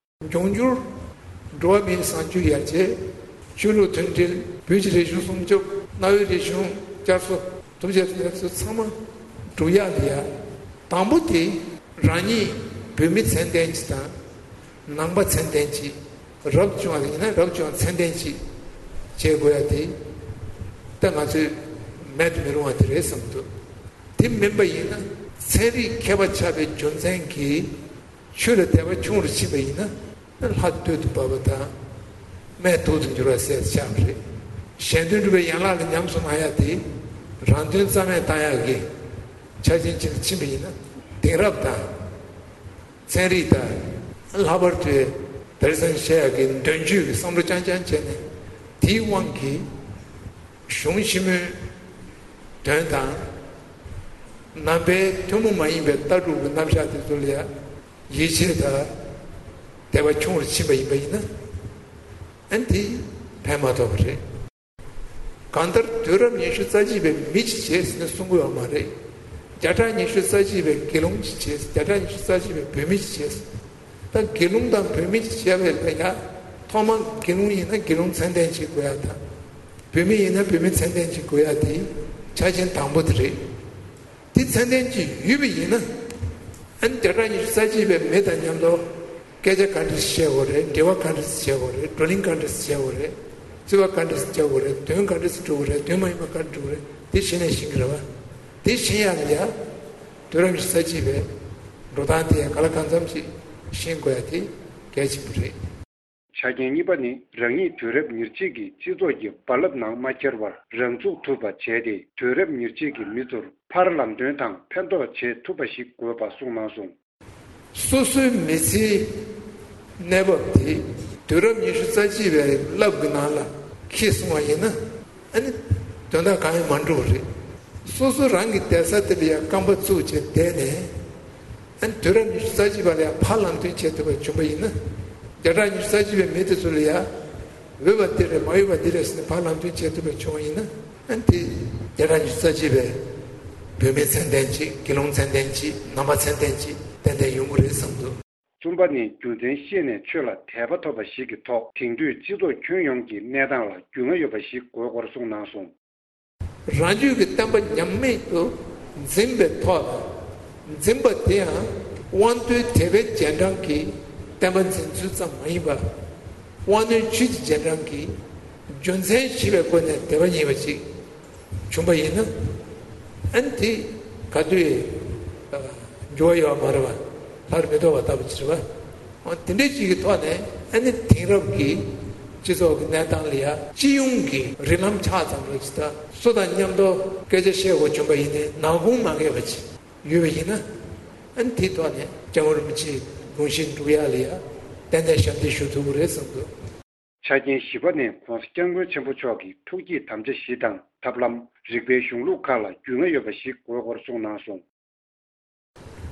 འབྱུང་འགྱུར་འགྲོ་བ་མིའི་བཟང་སྤྱོད་ཡར་རྒྱས། ཆོས་ལུགས་མཐུན་སྒྲིལ། བོད་ཀྱི་རིག་གཞུང་སྲུང་སྐྱོབ། གནའ་བོའི་རིག་གཞུང་བསྐྱར་གསོ། ཐུབ་རྗེ་ཚེ་ཚོ་ཚང་མ་སྒྲུབ་ཡག་ལ་ཡ། དང་པོ་དེ་རང་ཉིད་བོད་མི་མཚན་ལྡན་ཅིག་དང་། ནང་པ་མཚན་ལྡན་ཅིག་རབ་བྱུང་བ་ཡིན་ན་རབ་བྱུང་མཚན་ལྡན་ཅིག་བྱེད་དགོས་ཡ་དེ། ད་ང་ཚོས་མེད་དུ་མི་རུང་བ་དེ་རེད་བསམ་འདུག་དེ་མིན་པ་ཡིན་ན་ཚན་རིག་མཁས་པ་ཆགས་པའི་རྒྱུ་མཚན་གྱིས། ཆོས་ལ་དད་པ་ཆུང་རུ་ཕྱིན་པ་ཡིན་ན་ལྷ་སྟོད་དུ་བབས་པ་དང་སྨད་དུག་ཏུ་འགྱུར་བ་ཟེར་ཆགས་པ་རེད། གཞན་དོན་སྒྲུབ་པའི་ཡན་ལག་ལ་ཉམས་སུ་བླང་ཡག་དེ་རང་དོན་རྩ་མེད་བཏང་ཡག་གི་ ཆ་རྐྱེན་ཅིག་ཕྱིན་པ་ཡིན་ན། དེང་རབས་དང་། ཚན་རིག་དང་། ལྷག་པར་དུ་དེང་སང་བཤད་ཡག་གི་འདོན་ཆོས་ཀྱི་བསམ་བློ་རྐྱང་རྐྱང་བྱས་ནས། དེའི་དབང་གིས་གཞུང་ཆེན་མོའི་དོན་དང་། ནང་པའི་ཐུན་མོང་མ་ཡིན་པའི་ལྟ་གྲུབ་ཀྱི་རྣམ་གཞག་དེ་ཚོ་ལ་ཡང་ཡིད་ཆེས་དང་དད་པ་ཆུང་རུ་ཕྱིན་པ་ཡིན་པ་ཡིན་ན། ཨ་ནི་དེ་ཕན་མ་ཐོགས་པ་རེད། གང་ལྟར་དུས་རབས་ཉི་ཤུ་རྩ་གཅིག་པའི་མི་གཅིག་བྱས་ཟེར་ནས་གསུང་གི་ཡོད་མ་རེད། བརྒྱ་ཕྲག་ཉི་ཤུ་རྩ་གཅིག་པའི་དགེ་སློང་གཅིག་བྱས། བརྒྱ་ཕྲག་ཉི་ཤུ་རྩ་གཅིག་པའི་བོད་མི་གཅིག་བྱས། ད་དགེ་སློང་དང་བོད་མི་གཅིག་བྱས་པའི་ལ་ཡ། ཐོག་མ་དགེ་སློང་ཡིན་ན་དགེ་སློང་མཚན་ལྡན་གཅིག་དགོས་ཡ་དང་། བོད་མི་ཡིན་ན་བོད་མི་མཚན་ལྡན་གཅིག་དགོས་ཡ་དེ་ཆ་རྐྱེན་དང་པོ་དེ་རེད། དེ་ཚད་ལྡན་གྱི་ཡོད་པ་ཡིན་ན། ཨ་ནི་བརྒྱ་ཕྲག་ཉི་ཤུ་རྩ་གཅིག་པའི་མི་དང་མཉམ་དུ་སྐད་ཆ་ག་འདྲ་ཞིག་བཤད་དགོས་རེད། འབྲེལ་བ་ག་འདྲ་ཞིག་བྱེད་དགོས་རེད། བགྲོ་གླེང་ག་འདྲ་ཞིག་བྱེད་དགོས་རེད། རྩོད་པ་ག་འདྲ་ཞིག་རྒྱག་དགོས་རེད། དོན་ག་འདྲ་ཞིག་སྒྲུབ་དགོས་རེད། དོན་མ་ཡིན་པ་ག་འདྲ་སྒྲུབ་དགོས་རེད། དེ་ཤེས་ནས་ཤེས་ཀྱི་རེད་བ། དེ་ཤེས་ཡག་ལ་ཡ། དུས་རབས་ཉི་ཤུ་རྩ་གཅིག་པའི་འགྲོ་སྟངས་དེ་ག་ལ་གང་འཚམ་ཞིག་ཤེས་དགོས་ཡ་དེ་གལ་ཆེན་པོ་རེད། ཆ་རྐྱེན་གཉིས་པ་ནི། རང་ཉིད་དུས་རབས་ཉེར་གཅིག་གི་སྤྱི་ཚོགས་ཀྱི་རྦ་རླབས་ནང་མ་འཁྱེར་བར་རང་ཚུགས་ཐུབ་པ་བྱས་ཏེ། དུས་རབས་ཉེར་གཅིག་གི་མི་ཚོར་ཕར་ལམ་སྟོན་དང་ཕན་ཐོགས་བྱེད་ཐུབ་པ་ཞིག་དགོས་པ་གསུངས་གནང་སོང་། སོ་སོའི་མི་ཚེའི་གནས་བབ་དེ་དུས་རབས་ཉི་ཤུ་རྩ་གཅིག་པའི་རླབས་ཀྱི་ནང་ལ་འཁྱེར་སོང་བ་ཡིན་ན། ཨ་ནི་དོན་དག་གང་ཡང་མ་འགྲོ་བ་རེད། སོ་སོ་རང་གི་བསྡད་ས་དེ་ལ་ཡང་རྐང་པ་བཙུགས་བྱས་བསྡད་ནས། ཨ་ནི་དུས་རབས་ཉི་ཤུ་རྩ་གཅིག་པ་ལ་ཡང་ཕར་ལམ་སྟོན་བྱེད་ཐུབ་པ་བྱུང་བ་ཡིན་ན། བརྒྱ་ཕྲག་ཉི་ཤུ་རྩ་གཅིག་པའི་མི་དེ་ཚོ་ལ་ཡང་། འོས་པ་འདི་རེད། མ་འོས་པ་འདི་རེད་ཟེར་ནས་ཕར་ལམ་སྟོན་བྱེད་ཐུབ་པ་བྱུང་བ་ཡིན་ན། ཨ་ནི་དེ་བརྒྱ་ཕྲག་ཉི་ཤུ་རྩ་གཅིག་པའི་བོད་མི་མཚན་ལྡན་ཅིག་དགེ་སློང་མཚན་ལྡན་ཅིག་ནང་པ་མཚན་ལྡན་ཅིག་ཏན་ཏན་ཡོང་གི་རེད་བསམ་འདུག་གསུམ་པ་ནི། རྒྱུ་མཚན་ཤེས་ནས་ཆོས་ལ་དད་པ་ཐོབ་པ་ཞིག་གི་ཐོག་དེང་དུས་སྤྱི་ཚོགས་ཁྱོན་ཡོངས་ཀྱི་གནས་སྟངས་ལ་རྒྱུས་མངའ་ཡོད་པ་ཞིག་དགོས་སྐོར་གསུངས་གནང་སོང་། རང་རྒྱུད་ཀྱི་བསྟན་པ་ཉམས་མེད་དུ་འཛིན་པའི་ཐོག་ལ། འཛིན་པ་དེ་ཡང་དབང་རྟུལ་དད་པའི་རྗེས་འབྲང་གི་བསྟན་པ་འཛིན་ཚུལ་ཙམ་མ་ཡིན་པར། དབང་རྣོན་ཆོས་ཀྱི་རྗེས་འབྲང་གི་རྒྱུ་མཚན་ཤེས་པའི་སྒོ་ནས་དད་པ་རྙེད་པ་ཅིག་བྱུང་པ་ཡིན་ན། ཨ་ནི་དེ་ག་དུས་འགྱུར་བ་ཡོད་པ་མ་རེད་པ། སླར་མི་ལྡོག་པ་ལྟ་བུ་ཅིག་རེད་པ། འོ་དེ་འདྲའི་ཅིག་གི་ཐོག་ནས། ཨ་ནི་དེང་རབས་ཀྱི་སྤྱི་ཚོགས་ཀྱི་གནས་སྟངས་ལ་ཡ་སྤྱི་ཡོངས་ཀྱི་རིགས་ལམ་ཆགས་ཙམ་རེ་ཅིག་དང་། སུ་དང་མཉམ་དུ་སྐད་ཆ་བཤད་དགོས་བྱུང་པ་ཡིན་ནའི་ནག་ཁུང་མ་འགས་པ་ཅིག་ཡོད་པ་ཡིན་ན། ཨ་ནི་དེའི་ཐོག་ནས་སྐྱབས་མགོན་རིན་པོ་ཆེའི་དགོངས་གཞི་འགྲུབ་ཡག་ལ་ཡ་ཏན་ཏན་ཞབས་འདེགས་ཞུ་ཐུབ་ཀྱི་རེད་བསམ་འདུག་ཆ་རྐྱེན་བཞི་པ་ནི། ༸གོང་ས་༸སྐྱབས་མགོན་ཆེན་པོ་མཆོག་གི་ཐུགས་བསྐྱེད་དམ་བཅའ་བཞི་དང་ཐབས་ལམ། རིག་པའི་གཞུང་ལུགས་ཁག་ལ་རྒྱུས་མངའ་ཡོད་པ་ཞིག་དགོས་སྐོར་གསུངས་གནང་སོང་།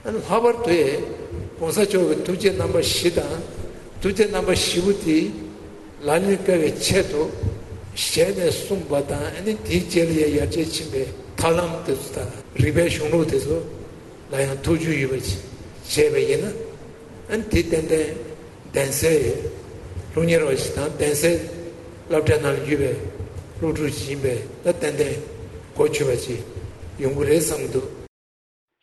ལྷག་པར་དུ་༸གོང་ས་མཆོག་གི་ཐུགས་བསྐྱེད་རྣམ་པ་བཞི་དང་། ཐུགས་བསྐྱེད་རྣམ་པ་བཞི་པོ་དེ་ལག་ལེན་བསྟར་བའི་ཆེད་དུ་ཞལ་ནས་གསུངས་པ་དང་། ཨ་ནི་དེའི་རྗེས་ལ་ཡང་ཡར་རྒྱས་ཕྱིན་པའི་ཐབས་ལམ་དེ་ཚོ་དང་། རིག་པའི་གཞུང་ལུགས་དེ་ཚོ་ལ་ཡང་ཐུགས་རྒྱུས་ཡོད་པ་ཞིག་བྱས་པ་ཡིན་ན། ཨ་ནི་དེ་ཏན་ཏན་གདན་སའི་སློབ་གཉེར་བ་ཞིག་དང་། གདན་སའི་སློབ་གྲྭའི་ནང་ལ་ཡོད་པའི་སློབ་ཕྲུག་ཅིག་ཡིན་པས། ད་ཏན་ཏན་གོ་ཆོད་པ་ཅིག་ཡོང་གི་རེད་བསམ་གྱི་འདུག་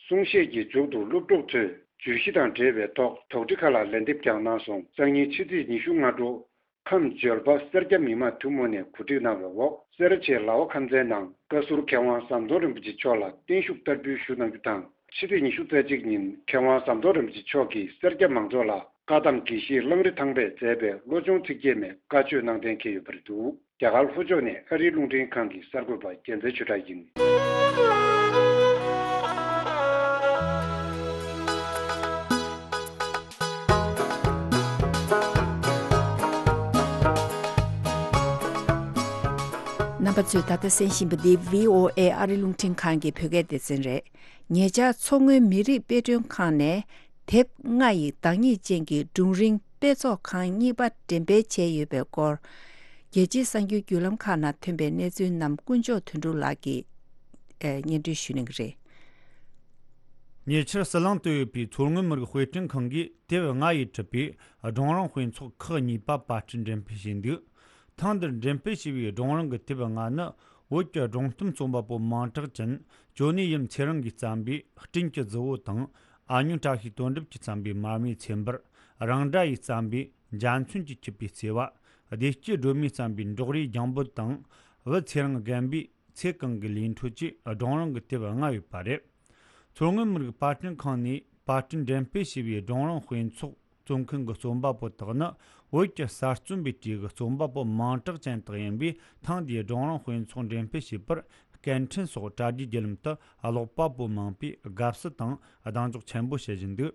གསུང་བཤད་ཀྱི་མཇུག་ཏུ་སློབ་ཕྲུག་ཚོས་བརྗོད་གཞི་དང་འབྲེལ་བའི་ཐོག་དོགས་འདྲི་ཁག་ལ་ལན་འདེབས་ཀྱང་གནང་སོང་། སང་ཉིན་ཕྱི་ཚེས་ཉི་ཤུ་སྔ་དྲོ། ཁམས་འབྱོར་པ་སེར་སྐྱ་མི་མང་ཐུན་མོང་ནས་གོ་སྒྲིག་གནང་བའི་འོག་སེ་ར་བྱེས་ལ་བ་ཁམས་ཚན་ནང་བཀའ་ཟུར་མཁས་དབང་ཟམ་གདོང་རིན་པོ་ཆེ་མཆོག་ལ་བརྟན་བཞུགས་བསྟར་འབུལ་ཞུ་གནང་རྒྱུ་དང་། ཕྱི་ཚེས་ཉི་ཤུ་རྩ་གཅིག་ཉིན་མཁས་དབང་ཟམ་གདོང་རིན་པོ་ཆེ་མཆོག་གིས་སེར་སྐྱ་མང་ཚོགས་ལ་བཀའ་གདམས་དགེ་བཤེས་གླང་རི་ཐང་པས་མཛད་པའི་བློ་སྦྱོང་ཚིག་བརྒྱད་མའི་བཀའ་ཆོས་གནང་གཏན་འཁེལ་ཡོད་པ་རེད་འདུག་རྒྱ་གར་ལྷོ་ཕྱོགས་ནས་ཨ་རིའི་རླུང་འཕྲིན་ཁང་གི་གསར་འགོད་པ་རྒྱལ་མཚན་ཆོས་གྲགས་ཡིན། རྣམ་པ་ཚོས་ད་ལྟ་གསན་བཞིན་པ་འདི་བྷི་ཨོ་ཨེ་ཨ་རི་རླུང་འཕྲིན་ཁང་གི་བོད་སྐད་སྡེ་ཚན་རེད། ཉེ་ཆར་མཚོ་སྔོན་མི་རིགས་དཔེ་སྐྲུན་ཁང་ནས་དེབ་ལྔ་ཡི་བདག་ཉིད་ཅན་གྱི་སྒྲུང་རིང་དཔེ་ཚོགས་ཁང་གཉིས་པ་འགྲེམས་སྤེལ་བྱས་ཡོད་པའི་སྐོར། རྒྱལ་སྤྱིའི་གསར་འགྱུར་བརྒྱུད་ལམ་ཁག་ནང་ཐོན་པའི་གནས་ཚུལ་རྣམས་དཀོན་མཆོག་དོན་གྲུབ་ལགས་ཀྱིས་ཨེ། སྙན་སྒྲོན་ཞུ་གནང་གི་རེད། ཉེ་ཆར་ཟི་ལིང་དུ་ཡོད་པའི་མཚོ་སྔོན་མི་རིགས་དཔེ་སྐྲུན་ཁང་གིས་དེབ་ལྔ་ཡིས་གྲུབ་པའི་སྒྲུང་རིང་དཔེ་ཚོགས་ཁག་གཉིས་པ་པར་སྐྲུན་འགྲེམས་སྤེལ་བྱས་འདུག་ཐེངས་འདིར་འགྲེམས་སྤེལ་བྱས་པའི་སྒྲུང་རིང་གི་དེབ་ལྔ་ནི། བོད་ཀྱི་སྒྲུང་གཏམ་རྩོམ་པ་པོ་མིང་གྲགས་ཅན་ཇོ་ནི་ཡིམ་ཚེ་རིང་གིས་བརྩམས་པའི་སྤྲིན་གྱི་རྫི་བོ་དང་། ཨ་ཉོན་བཀྲ་ཤིས་དོན་གྲུབ་ཀྱིས་བརྩམས་པའི་མར་མེའི་ཚེ་འབར། རང་སྒྲ་ཡིས་བརྩམས་པའི་འཇའ་ཚོན་གྱིས་འཁྱུད་པའི་བརྩེ་བ། བདེ་སྐྱིད་སྒྲོལ་མས་བརྩམས་པའི་འབྲོག་རིའི་རྒྱང་འབོད་དང་། བུ་ཚེ་རིང་རྒན་པའི་ཚེ་གང་གི་ལས་འཕྲོ་བཅས་སྒྲུང་རིང་གི་དེབ་ལྔ་ཡོད་པ་རེད། མཚོ་སྔོན་མི་རིགས་པར་སྐྲུན་ཁང་ནས་པར་སྐྲུན་འགྲེམས་སྤེལ་བྱས་པའི་སྒྲུང་རིང་དཔེ་ཚོགས་རྩོམ་མཁན་གྱི་རྩོམ་པ་པོ་དག་ནི། བོད་ཀྱི་གསར་རྩོམ་པའི་གྲས་ཀྱི་རྩོམ་པ་པོ་མིང་གྲགས་ཅན་དག་ཡིན་པས། ཐེངས་འདིའི་སྒྲུང་རིང་དཔེ་ཚོགས་འགྲེམས་སྤེལ་བྱས་པར་ སྐད་འཕྲིན་སོགས་དྲ་རྒྱའི་བརྒྱུད་ལམ་དུ་ཀློག་པ་པོ་མང་པོས་དགའ་བསུ་དང་གདེང་འཇོག་ཆེན་པོ་བྱེད་བཞིན་འདུག་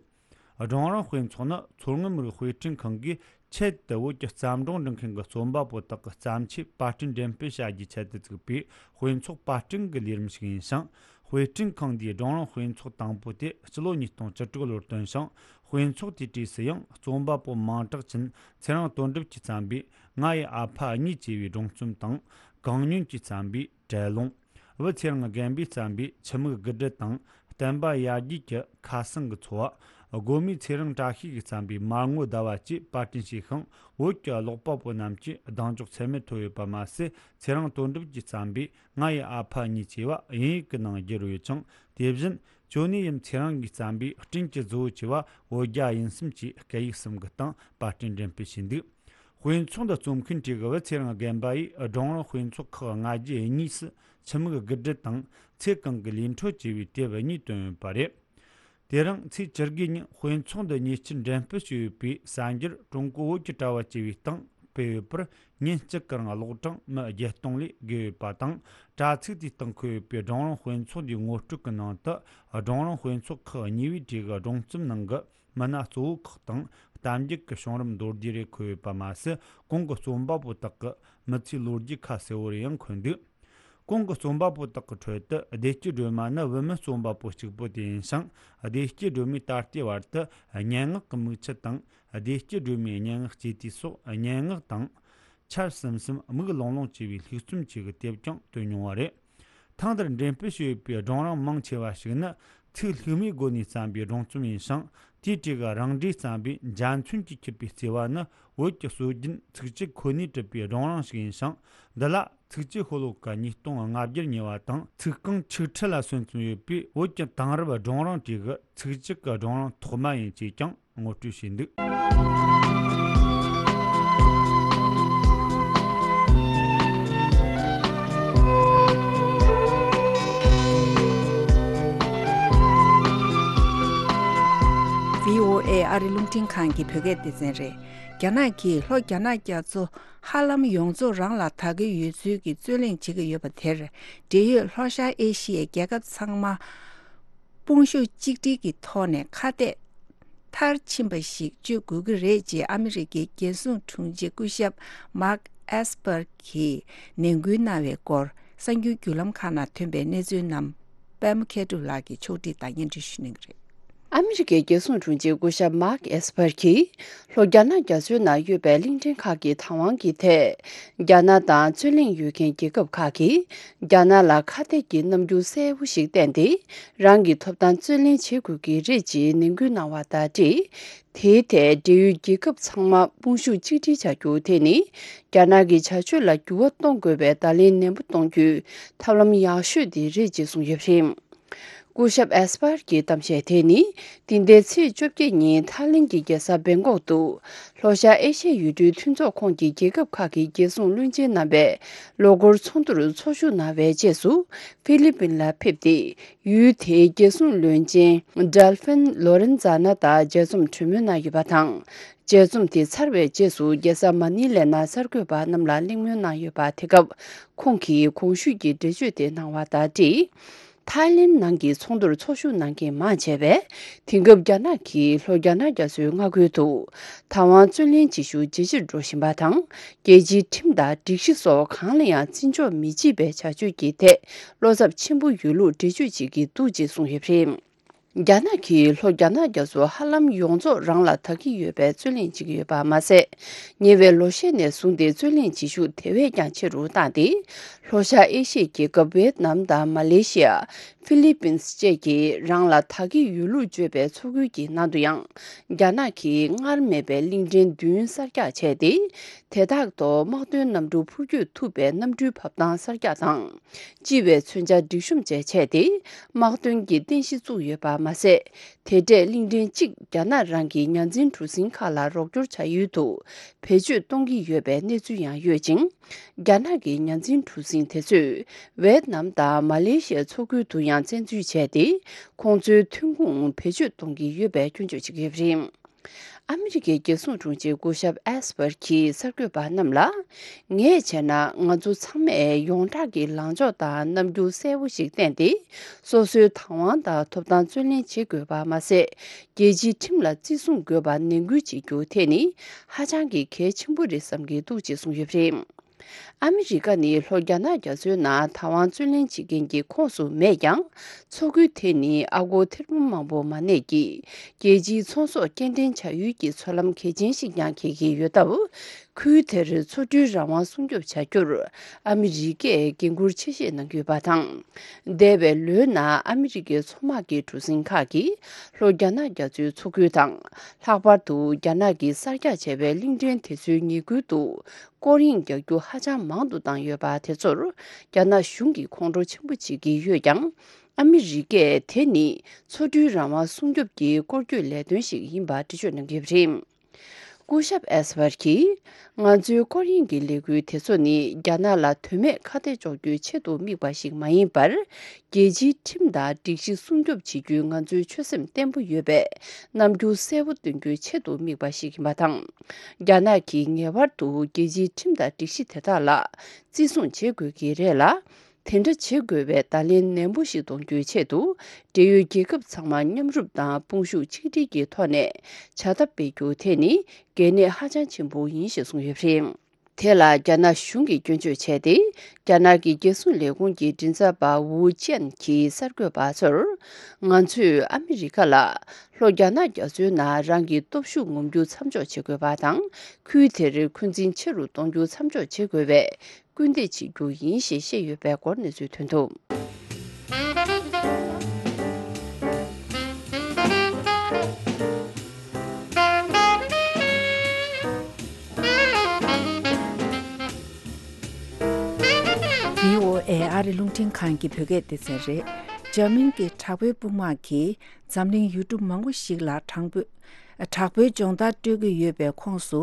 སྒྲུང་རིང་དཔེ་ཚོགས་ནི་མཚོ་སྔོན་མི་རིགས་དཔེ་སྐྲུན་ཁང་གིས་ཆེད་དུ་བོད་ཀྱི་བརྩམས་སྒྲུང་འབྲི་མཁན་གྱི་རྩོམ་པ་པོ་དག་གི་བརྩམས་ཆོས་པར་སྐྲུན་འགྲེམས་སྤེལ་བྱ་རྒྱུའི་ཆེད་དུ་བཙུགས་པའི་དཔེ་ཚོགས་པར་སྐྲུན་གྱི་ལས་རིམ་ཞིག་ཡིན་ཞིང་། དཔེ་སྐྲུན་ཁང་འདིའི་སྒྲུང་རིང་དཔེ་ཚོགས་དང་པོ་དེ་སྤྱི་ལོ་ཉིས་སྟོང་བཅུ་དྲུག་ལོར་བཏོན་ཞིང་། དཔེ་ཚོགས་དེའི་གྲས་སུ་ཡང་རྩོམ་པ་པོ་མིང་གྲགས་ཅན་ཚེ་རིང་དོན་གྲུབ་ཀྱིས་བརྩམས་པའི་ང་ཡི་ཨ་ཕ་གཉིས་ཅེས་པའི་སྒྲུང་རྩོམ་དང་། གང་ཉོན་གྱིས་བརྩམས་པའི་བྲེལ་ལོང་། བུ་ཚེ་རིང་དགོན་པས་བརྩམས་པའི་ཆུ་མིག་དགུ་སྦྲུལ་དང་། བསྟན་པ་ཡར་རྒྱས་ཀྱི་ཁ་སང་གི་འཚོ་བ། སྒོ་མོའི་ཚེ་རིང་བཀྲ་ཤིས་ཀྱིས་བརྩམས་པའི་མར་ངོ་ཟླ་བ་བཅས་པར་སྐྲུན་བྱས་ཤིང་། བོད་ཀྱི་ཀློག་པ་པོ་རྣམས་ཀྱིས་གདེང་འཇོག་ཚད་མེད་ཐོབ་ཡོད་པ་མ་ཟད། ཚེ་རིང་དོན་གྲུབ་ཀྱིས་བརྩམས་པའི་ང་ཡི་ཨ་ཕ་གཉིས་ཅེས་པ་དབྱིན་ཡིག་གི་ནང་བསྒྱུར་ཡོད་ཅིང་། དེ་བཞིན་ཅོ་ནེ་ཡིན་ཚེ་རིང་གིས་བརྩམས་པའི་སྤྲིན་གྱི་རྫི་བོ་ཅེས་པ་བོད་རྒྱ་དབྱིན་གསུམ་གྱི་སྐད་ཡིག་གསུམ་གྱི་སྟེང་པར་སྐྲུན་འགྲེམས་སྤེལ་བྱས་འདུག་དཔེ་ཚོགས་འདི་རྩོམ་མཁན་གྲས་ཀྱི་བུ་ཚེ་རིང་དགོན་པ་ཡིས་སྒྲུང་རིང་དཔེ་ཚོགས་ཁག་ལྔ་བརྒྱ་གཉིས་སུ་ཆུ་མིག་དགུ་སྦྲུལ་དང་ཚེ་གང་གི་ལས་འཕྲོ་ཅེས་པའི་དེབ་གཉིས་བཏོན་ཡོད་པ་རེད། དེ་རིང་ཚེས་བཅུ་དགུ་ཉིན་དཔེ་ཚོགས་འདི་ཉེ་ཆར་འགྲེམས་སྤེལ་བྱས་ཡོད་པའི་གསར་འགྱུར་ཀྲུང་གོ་བོད་ཀྱི་དྲ་བ་ཅེས་པའི་སྟེང་སྤེལ་ཡོད་པར། ཉིན་གཅིག་གི་རིང་ཀློག་གྲངས་མི་བརྒྱད་སྟོང་ལས་བརྒལ་ཡོད་པ་དང་། དྲ་ཚིགས་དེའི་སྟེང་འཁོད་ཡོད་པའི་སྒྲུང་རིང་དཔེ་ཚོགས་འདིའི་ངོ་སྤྲོད་ཀྱི་ནང་དུ། སྒྲུང་རིང་དཔེ་ཚོགས་ཁག་གཉིས་པའི་གྲས་ཀྱི་སྒྲུང་རྩོམ་ནང་གི་མི་སྣ་གཙོ་བོ་ཁག་དང་། གཏམ་རྒྱུད་ཀྱི་བྱུང་རིམ་མདོར་བསྡུས་རེ་འཁོད་ཡོད་པ་མ་ཟད། གོང་གི་རྩོམ་པ་པོ་དག་གི་མི་ཚེའི་ལོ་རྒྱུས་ཁ་གསལ་བོ་རེ་ཡང་འཁོད་འདུག་གོང་གི་རྩོམ་པ་པོ་དག་གི་ཁྲོད་དུ་བདེ་སྐྱིད་སྒྲོལ་མ་ནི་བུད་མེད་རྩོམ་པ་པོ་གཅིག་པུ་དེ་ཡིན་ཞིང་། བདེ་སྐྱིད་སྒྲོལ་མས་ད་ལྟའི་བར་དུ་སྙན་ངག་གི་མིག་ཆུ་དང་། བདེ་སྐྱིད་སྒྲོལ་མའི་སྙན་ངག་སྐྱེས་དུས་སོགས་སྙན་ངག་དང་། ཆར་ཟིམ་ཟིམ་མིག་ལོང་ལོང་བཅས་པའི་ལྷུག་རྩོམ་བཅས་ཀྱི་དེབ་ཀྱང་བཏོན་མྱོང་བ་རེད། ཐེངས་འདིར་འགྲེམས་སྤེལ་བྱས་ཡོད་པའི་སྒྲུང་རིང་མང་ཆེ་བ་ཞིག་ནི་ཚིག་ལྷུག་མའི་སྒོ་ནས་བརྩམས་པའི་སྒྲུང་རྩོམ་ཡིན་ཞིང་། དེའི་གྲས་ཀྱི་རང་འགྲེལ་བརྩམས་པའི་འཇའ་ཚོན་གྱིས་འཁྱུད་པའི་བརྩེ་བ་ནི་བོད་ཀྱི་སྲོལ་རྒྱུན་ཚིག་གཅིག་ཁོ་ནས་གྲུབ་པའི་སྒྲུང་རིང་ཞིག་ཡིན་ཞིང་། འདི་ལ་ཚིག་གཅིག་ཤོ་ལོ་ཀ་ཉིས་སྟོང་ལྔ་བརྒྱར་ཉེ་བ་དང་། ཚིག་རྐང་ཆིག་ཁྲི་ལ་སོན་ཙམ་ཡོད་པའི་བོད་ཀྱི་དེང་རབས་སྒྲུང་རིང་གྲས་ཀྱི་ཚིག་གཅིག་གི་སྒྲུང་རིང་ཐོག་མ་ཡིན་ཅེས་ཀྱང་ངོ་སྤྲོད་བྱས་འདུག་བྷི་ཨོ་ཨེ་ཨ་རི་རླུང་འཕྲིན་ཁང་གི་བོད་སྐད་སྡེ་ཚན་རེད། རྒྱ་ནག་གིས་ལྷོ་རྒྱ་ནག་རྒྱ་མཚོ་ཧ་ལམ་ཡོངས་རྫོགས་རང་ལ་དག་གི་ཡོད་ཚུལ་གྱི་རྩོད་གླེང་བྱེད་ཀྱི་ཡོད་པ་དེར། འབྲེལ་ཡོད་ལྷོ་ཤར་ཨེ་ཤི་ཡའི་རྒྱལ་ཁབ་ཚང་མ་དཔུང་ཤུགས་གཅིག་སྒྲིལ་གྱི་ཐོག་ནས་ཁ་གཏད་མཐར་ཕྱིན་པ་ཞིག་གཅོད་དགོས་ཀྱི་རེད་ཅེས་ཨ་མི་རི་ཀའི་རྒྱལ་སྲུང་དྲུང་ཆེ་སྐུ་ཞབས་མཱག་ཨེས་པར་གྱིས་ནན་སྐུལ་གནང་བའི་སྐོར། གསར་འགྱུར་བརྒྱུད་ལམ་ཁག་ནང་ཐོན་པའི་གནས་ཚུལ་རྣམས་པད་མ་མཁས་གྲུབ་ལགས་ཀྱིས་ཕྱོགས་སྒྲིག་དང་སྙན་སྒྲོན་ཞུ་གནང་གི་རེད། ཨ་མི་རི་ཀའི་རྒྱལ་སྲུང་དྲུང་ཆེ་སྐུ་ཞབས་མཱག་ཨེས་པར་གྱིས་ལྷོ་རྒྱ་ནག་རྒྱ་མཚོའི་ནང་ཡོད་པའི་གླིང་ཕྲན་ཁག་གི་བདག་དབང་གི་ཐད། རྒྱ་ནག་དང་རྩོད་གླེང་ཡོད་མཁན་རྒྱལ་ཁབ་ཁག་གིས་རྒྱ་ནག་ལ་ཁ་གཏད་ཀྱི་རྣམ་འགྱུར་གསལ་པོ་ཞིག་བསྟན་ཏེ། རང་གི་ཐོབ་ཐང་རྩོད་ལེན་བྱེད་དགོས་ཀྱི་རེད་ཅེས་ནན་སྐུལ་གནང་བ་དང་འབྲེལ། དེའི་ཐད་འབྲེལ་ཡོད་རྒྱལ་ཁབ་ཚང་མ་དཔུང་ཤུགས་གཅིག་སྒྲིལ་བྱ་རྒྱུ་དེ་ནི། རྒྱ་ནག་གི་བྱ་སྤྱོད་ལ་འགྱུར་བ་གཏོང་དགོས་པའི་བརྡ་ལན་ནན་པོ་གཏོང་རྒྱུའི་ཐབས་ལམ་ཡག་ཤོས་དེ་རེད་ཅེས་གསུངས་ཡོད་པ་རེད། སྐུ་ཞབས་ཨེས་པར་གྱི་གཏམ་བཤད་དེ་ནི། འདི་ཟླའི་ཚེས་བཅོ་བརྒྱད་ཉིན་ཐའི་ལེན་གྱི་རྒྱལ་ས་བེང་ཀོག་ཏུ། ལྷོ་ཤར་ཨེ་ཤ་ཡའི་ཡུལ་གྲུའི་མཐུན་ཚོགས་ཁོངས་ཀྱི་རྒྱལ་ཁབ་ཁག་གི་རྒྱལ་སྲུང་བློན་ཆེན་རྣམ་པས་ལོ་འཁོར་ཚོགས་འདུར་ཚོགས་ཞུགས་གནང་བའི་རྗེས་སུ། ཧྥི་ལི་པིན་ལ་ཕེབས་ཏེ། ཡུལ་དེའི་རྒྱལ་སྲུང་བློན་ཆེན་ཌལ་ཕིན་ལོ་རེན་ཛ་ན་དང་མཇལ་འཛོམས་གྲོས་མོལ་གནང་ཡོད་པ་དང་། མཇལ་འཛོམས་དེ་ཚར་བའི་རྗེས་སུ་རྒྱལ་ས་མ་ནི་ལའི་ནང་གསར་འགོད་པ་རྣམས་ལ་གླེང་མོལ་གནང་ཡོད་པ། དེ་སྐབས་ཁོང་གིས་གོང་ཞུས་ཀྱི་འགྲེལ་བརྗོད་དེ་གནང་བ་དང་འབྲེལ། ཐའི་ལེན་ནང་གི་ཚོགས་འདུར་ཚོགས་ཞུགས་གནང་མཁན་མང་ཆེ་བས། དེང་སྐབས་རྒྱ་ནག་གིས་ལྷོ་རྒྱ་ནག་རྒྱ་མཚོའི་མངའ་ཁུལ་དུ་བདག་དབང་རྩོད་ལེན་བྱེད་ཤུགས་ཇེ་ཆེར་འགྲོ་བཞིན་པ་དང་། རྒྱལ་སྤྱིའི་ཁྲིམས་དང་སྒྲིག་གཞི་སོགས་གང་ལ་ཡང་བརྩི་འཇོག་མི་བྱེད་པའི་བྱ་སྤྱོད་ཀྱི་ཐད་བློ་འཚབ་ཆེན་པོ་ཡོད་ལུགས་འགྲེལ་བརྗོད་བྱེད་ཀྱི་འདུག་ཅེས་གསུངས་ཡོད་པ་རེད། རྒྱ་ནག་གིས་ལྷོ་རྒྱ་ནག་རྒྱ་མཚོ་ཧ་ལམ་ཡོངས་རྫོགས་རང་ལ་དག་གི་ཡོད་པའི་རྩོད་གླེང་བྱེད་ཀྱི་ཡོད་པ་མ་ཟད། ཉེ་བའི་ལོ་ཤས་ནས་བཟུང་སྟེ་རྩོད་གླེང་བྱེད་ཤུགས་དེ་བས་ཀྱང་ཆེ་རུ་བཏང་སྟེ། ལྷོ་ཤར་ཨེ་ཤི་ཡའི་རྒྱལ་ཁབ་ཝེད་ནམ་དང་མ་ལེ་ཤི་ཡ། ཧྥི་ལི་པིན་སི་བཅས་ཀྱིས་རང་ལ་དག་གི་ཡོད་ལུགས་བརྗོད་པའི་མཚོ་ཁུལ་གྱི་ནང་དུ་ཡང་། རྒྱ་ནག་གིས་སྔར་མེད་པའི་གླིང་ཕྲན་བདུན་གསར་རྒྱག་བྱས་ཏེ། དེ་དག་ཐོག་དམག་དོན་གནམ་གྲུ་འཕུར་སྐྱོད་ཐུབ་པའི་གནམ་གྲུའི་བབས་ཐང་གསར་རྒྱག་དང་། ལྕི་བའི་མཚོན་ཆ་སྒྲིག་གཤོམ་བཅས་བྱས་ཏེ། དམག་དོན་གྱི་རྟེན་གཞི་བཙུགས་ཡོད་པ་མ་ཟད། དེ་འདྲས་གླིང་ཕྲན་གཅིག་རྒྱ་ནག་རང་གི་ཉ་འཛིན་གྲུ་གཟིངས་ཁག་ལ་རོགས་སྐྱོར་བྱ་ཡུལ་དུ་བེད་སྤྱོད་གཏོང་གི་ཡོད་པའི་གནས་ཚུལ་ཡང་ཡོད་ཅིང་། རྒྱ་ནག་གི་ཉ་འཛིན་གྲུ་གཟིངས་དེ་ཚོས་ཝེད་ནམ་དང་མ་ལེ་ཤི་ཡའི་མཚོ་ཁུལ་དུ་ཡང་བཙན་འཛུལ་བྱས་ཏེ། ཁོང་ཚོའི་ཐོན་ཁུངས་བེད་སྤྱོད་གཏོང་གི་ཡོད་པའི་སྐྱོན་བརྗོད་བྱེད་ཀྱི་ཡོད་པ་རེད། ཨ་མི་རི་ཀའི་རྒྱལ་སྲུང་དྲུང་ཆེ་སྐུ་ཞབས་ཨེས་པར་གྱིས་གསར་འགོད་པ་རྣམས་ལ། ངས་བྱས་ན་ང་ཚོ་ཚང་མས་ཡོངས་གྲགས་ཀྱི་ལངས་ཕྱོགས་དང་རྣམ་འགྱུར་གསལ་པོ་ཞིག་བསྟན་ཏེ། སོ་སོའི་བདག་དབང་དང་ཐོབ་ཐང་བརྩོན་ལེན་བྱེད་དགོས་པ་མ་ཟད། རྒྱལ་སྤྱིའི་ཁྲིམས་ལ་བརྩི་སྲུང་དགོས་པ་ནན་སྐུལ་བྱེད་རྒྱུ་དེ་ནི་ཧ་ཅང་གི་གལ་ཆེན་པོ་རེད་བསམ་གྱི་འདུག་ཅེས་གསུངས་ཡོད་པ་རེད། ཨ་མི་རི་ཀ་ནི་ལྷོ་རྒྱ་ནག་རྒྱ་མཚོའི་ནང་བདག་དབང་བརྩོན་ལེན་བྱེད་མཁན་གྱི་ཁོངས་སུ་མེད་ཀྱང་། མཚོ་ཁུལ་དེ་ནི་ཨ་སྒོར་ཐེར་འབུམ་མང་པོ་མ་གནས་ཀྱི་རྒྱལ་སྤྱིའི་ཚོང་ཟོག་སྐྱེལ་འདྲེན་བྱ་ཡུལ་གྱི་མཚོ་ལམ་གལ་ཆེན་ཞིག་ཀྱང་འཁེལ་གྱི་ཡོད་སྟབས། ཁུལ་དེར་མཚོ་གྲུའི་རང་དབང་སྲུང་སྐྱོབ་བྱ་རྒྱུར་ཨ་མི་རི་ཀས་འགན་འཁུར་ཆེ་བཞེས་གནང་གི་ཡོད་པ་དང་། འདས་པའི་ལོའི་ནང་ཨ་མི་རི་ཀའི་མཚོ་དམག་གི་གྲུ་གཟིངས་ཁག་གིས་ལྷོ་རྒྱ་ནག་རྒྱ་མཚོའི་མཚོ་ཁུལ་དང་། ལྷག་པར་དུ་རྒྱ་ནག་གིས་གསར་རྒྱག་བྱས་པའི་གླིང་ཕྲན་དེ་ཚོའི་ཉེ་ཁུལ་དུ། སྐོར་གཡེང་རྒྱག་རྒྱུ་ཧ་ཅང་མང་དུ་བཏང་ཡོད་པ་དེ་ཚོར་རྒྱ་ནག་གཞུང་གིས་ཁོང་ཁྲོ་ཆེན་པོ་བྱེད་ཀྱི་ཡོད་ཀྱང་། ཨ་མི་རི་ཀས་དེ་ནི་མཚོ་གྲུའི་རང་དབང་སྲུང་སྐྱོབ་ཀྱི་སྐོར་སྐྱོད་ལས་དོན་ཞིག་ཡིན་པ་འགྲེལ་བརྗོད་གནང་གི་ཡོད་པ་རེད། སྐུ་ཞབས་ཨེས་པར་གྱིས། ང་ཚོའི་སྐོར་གཡེང་གི་ལས་འགུལ་དེ་ཚོ་ནི་རྒྱ་ནག་ལ་དོན་མེད་ཁ་གཏད་གཅོག་རྒྱུའི་ཆེད་དུ་དམིགས་པ་ཞིག་མ་ཡིན་པར། རྒྱལ་སྤྱིའི་ཁྲིམས་དང་སྒྲིག་གཞི་སྲུང་སྐྱོབ་བྱེད་རྒྱུའི་ང་ཚོའི་ཆོད་སེམས་བརྟན་པོ་ཡོད་པས། རྣམ་འགྱུར་གསལ་པོ་སྟོན་རྒྱུའི་ཆེད་དུ་དམིགས་པ་ཞིག་ཡིན་པ་དང་། རྒྱ་ནག་གིས་ངེས་པར་དུ་རྒྱལ་སྤྱིའི་ཁྲིམས་དང་སྒྲིག་གཞི་དེ་དག་ལ་བརྩི་སྲུང་བྱེད་དགོས་ཀྱི་རེད་ལ། དེ་འདྲ་བྱེད་དགོས་པའི་བརྡ་ལན་ནན་པོ་ཞིག་གཏོང་རྒྱུའི་ཆེད་དུ། འབྲེལ་ཡོད་རྒྱལ་ཁབ་ཚང་མ་མཉམ་རུབ་དང་དཔུང་ཤུགས་ཆིག་སྒྲིལ་གྱི་ཐོག་ནས་བྱ་ཐབས་སྤེལ་རྒྱུ་དེ་ནི་གལ་གནད་ཧ་ཅང་ཆེན་པོ་ཡིན་ཞེས་གསུངས་ཡོད་པ་རེད། དེ་ལ་རྒྱ་ནག་གཞུང་གིས་སྐྱོན་བརྗོད་བྱས་ཏེ། རྒྱ་ནག་གི་རྒྱལ་སྲུང་ལས་ཁུངས་ཀྱི་མགྲིན་ཚབ་པ་ཝུའུ་ཅན་གྱིས་གསར་འགོད་པ་ཚོར། ང་ཚོས་ཨ་མི་རི་ཀ་ལ་ལྷོ་རྒྱ་ནག་རྒྱ་མཚོའི་ནང་རང་གི་སྟོབས་ཤུགས་ངོམ་རྒྱུ་མཚམས་འཇོག་བྱེད་དགོས་པ་དང་། ཁུལ་དེར་འཁོན་འཛིན་ཆེ་རུ་གཏོང་རྒྱུ་མཚམས་འཇོག་བྱེད་དགོས་པའི་སྐུལ་འདེད་བྱེད་རྒྱུ་ཡིན་ཞེས་བཤད་ཡོད་པའི་སྐོར་གནས་ཚུལ་ཐོན་འདུག། བྷི་ཨོ་ཨེ་ཨ་རི་རླུང་འཕྲིན་ཁང་གི་བོད་སྐད་སྡེ་ཚན་རེད། འཇར་མན་གྱི་དྲག་པོའི་དཔུང་དམག་གིས་འཛམ་གླིང་ཡུལ་གྲུ་མང་པོ་ཞིག་ལ་དྲང་པོ། དྲག་པོའི་སྦྱོང་བརྡར་སྤྲོད་ཀྱི་ཡོད་པའི་ཁོངས་སུ།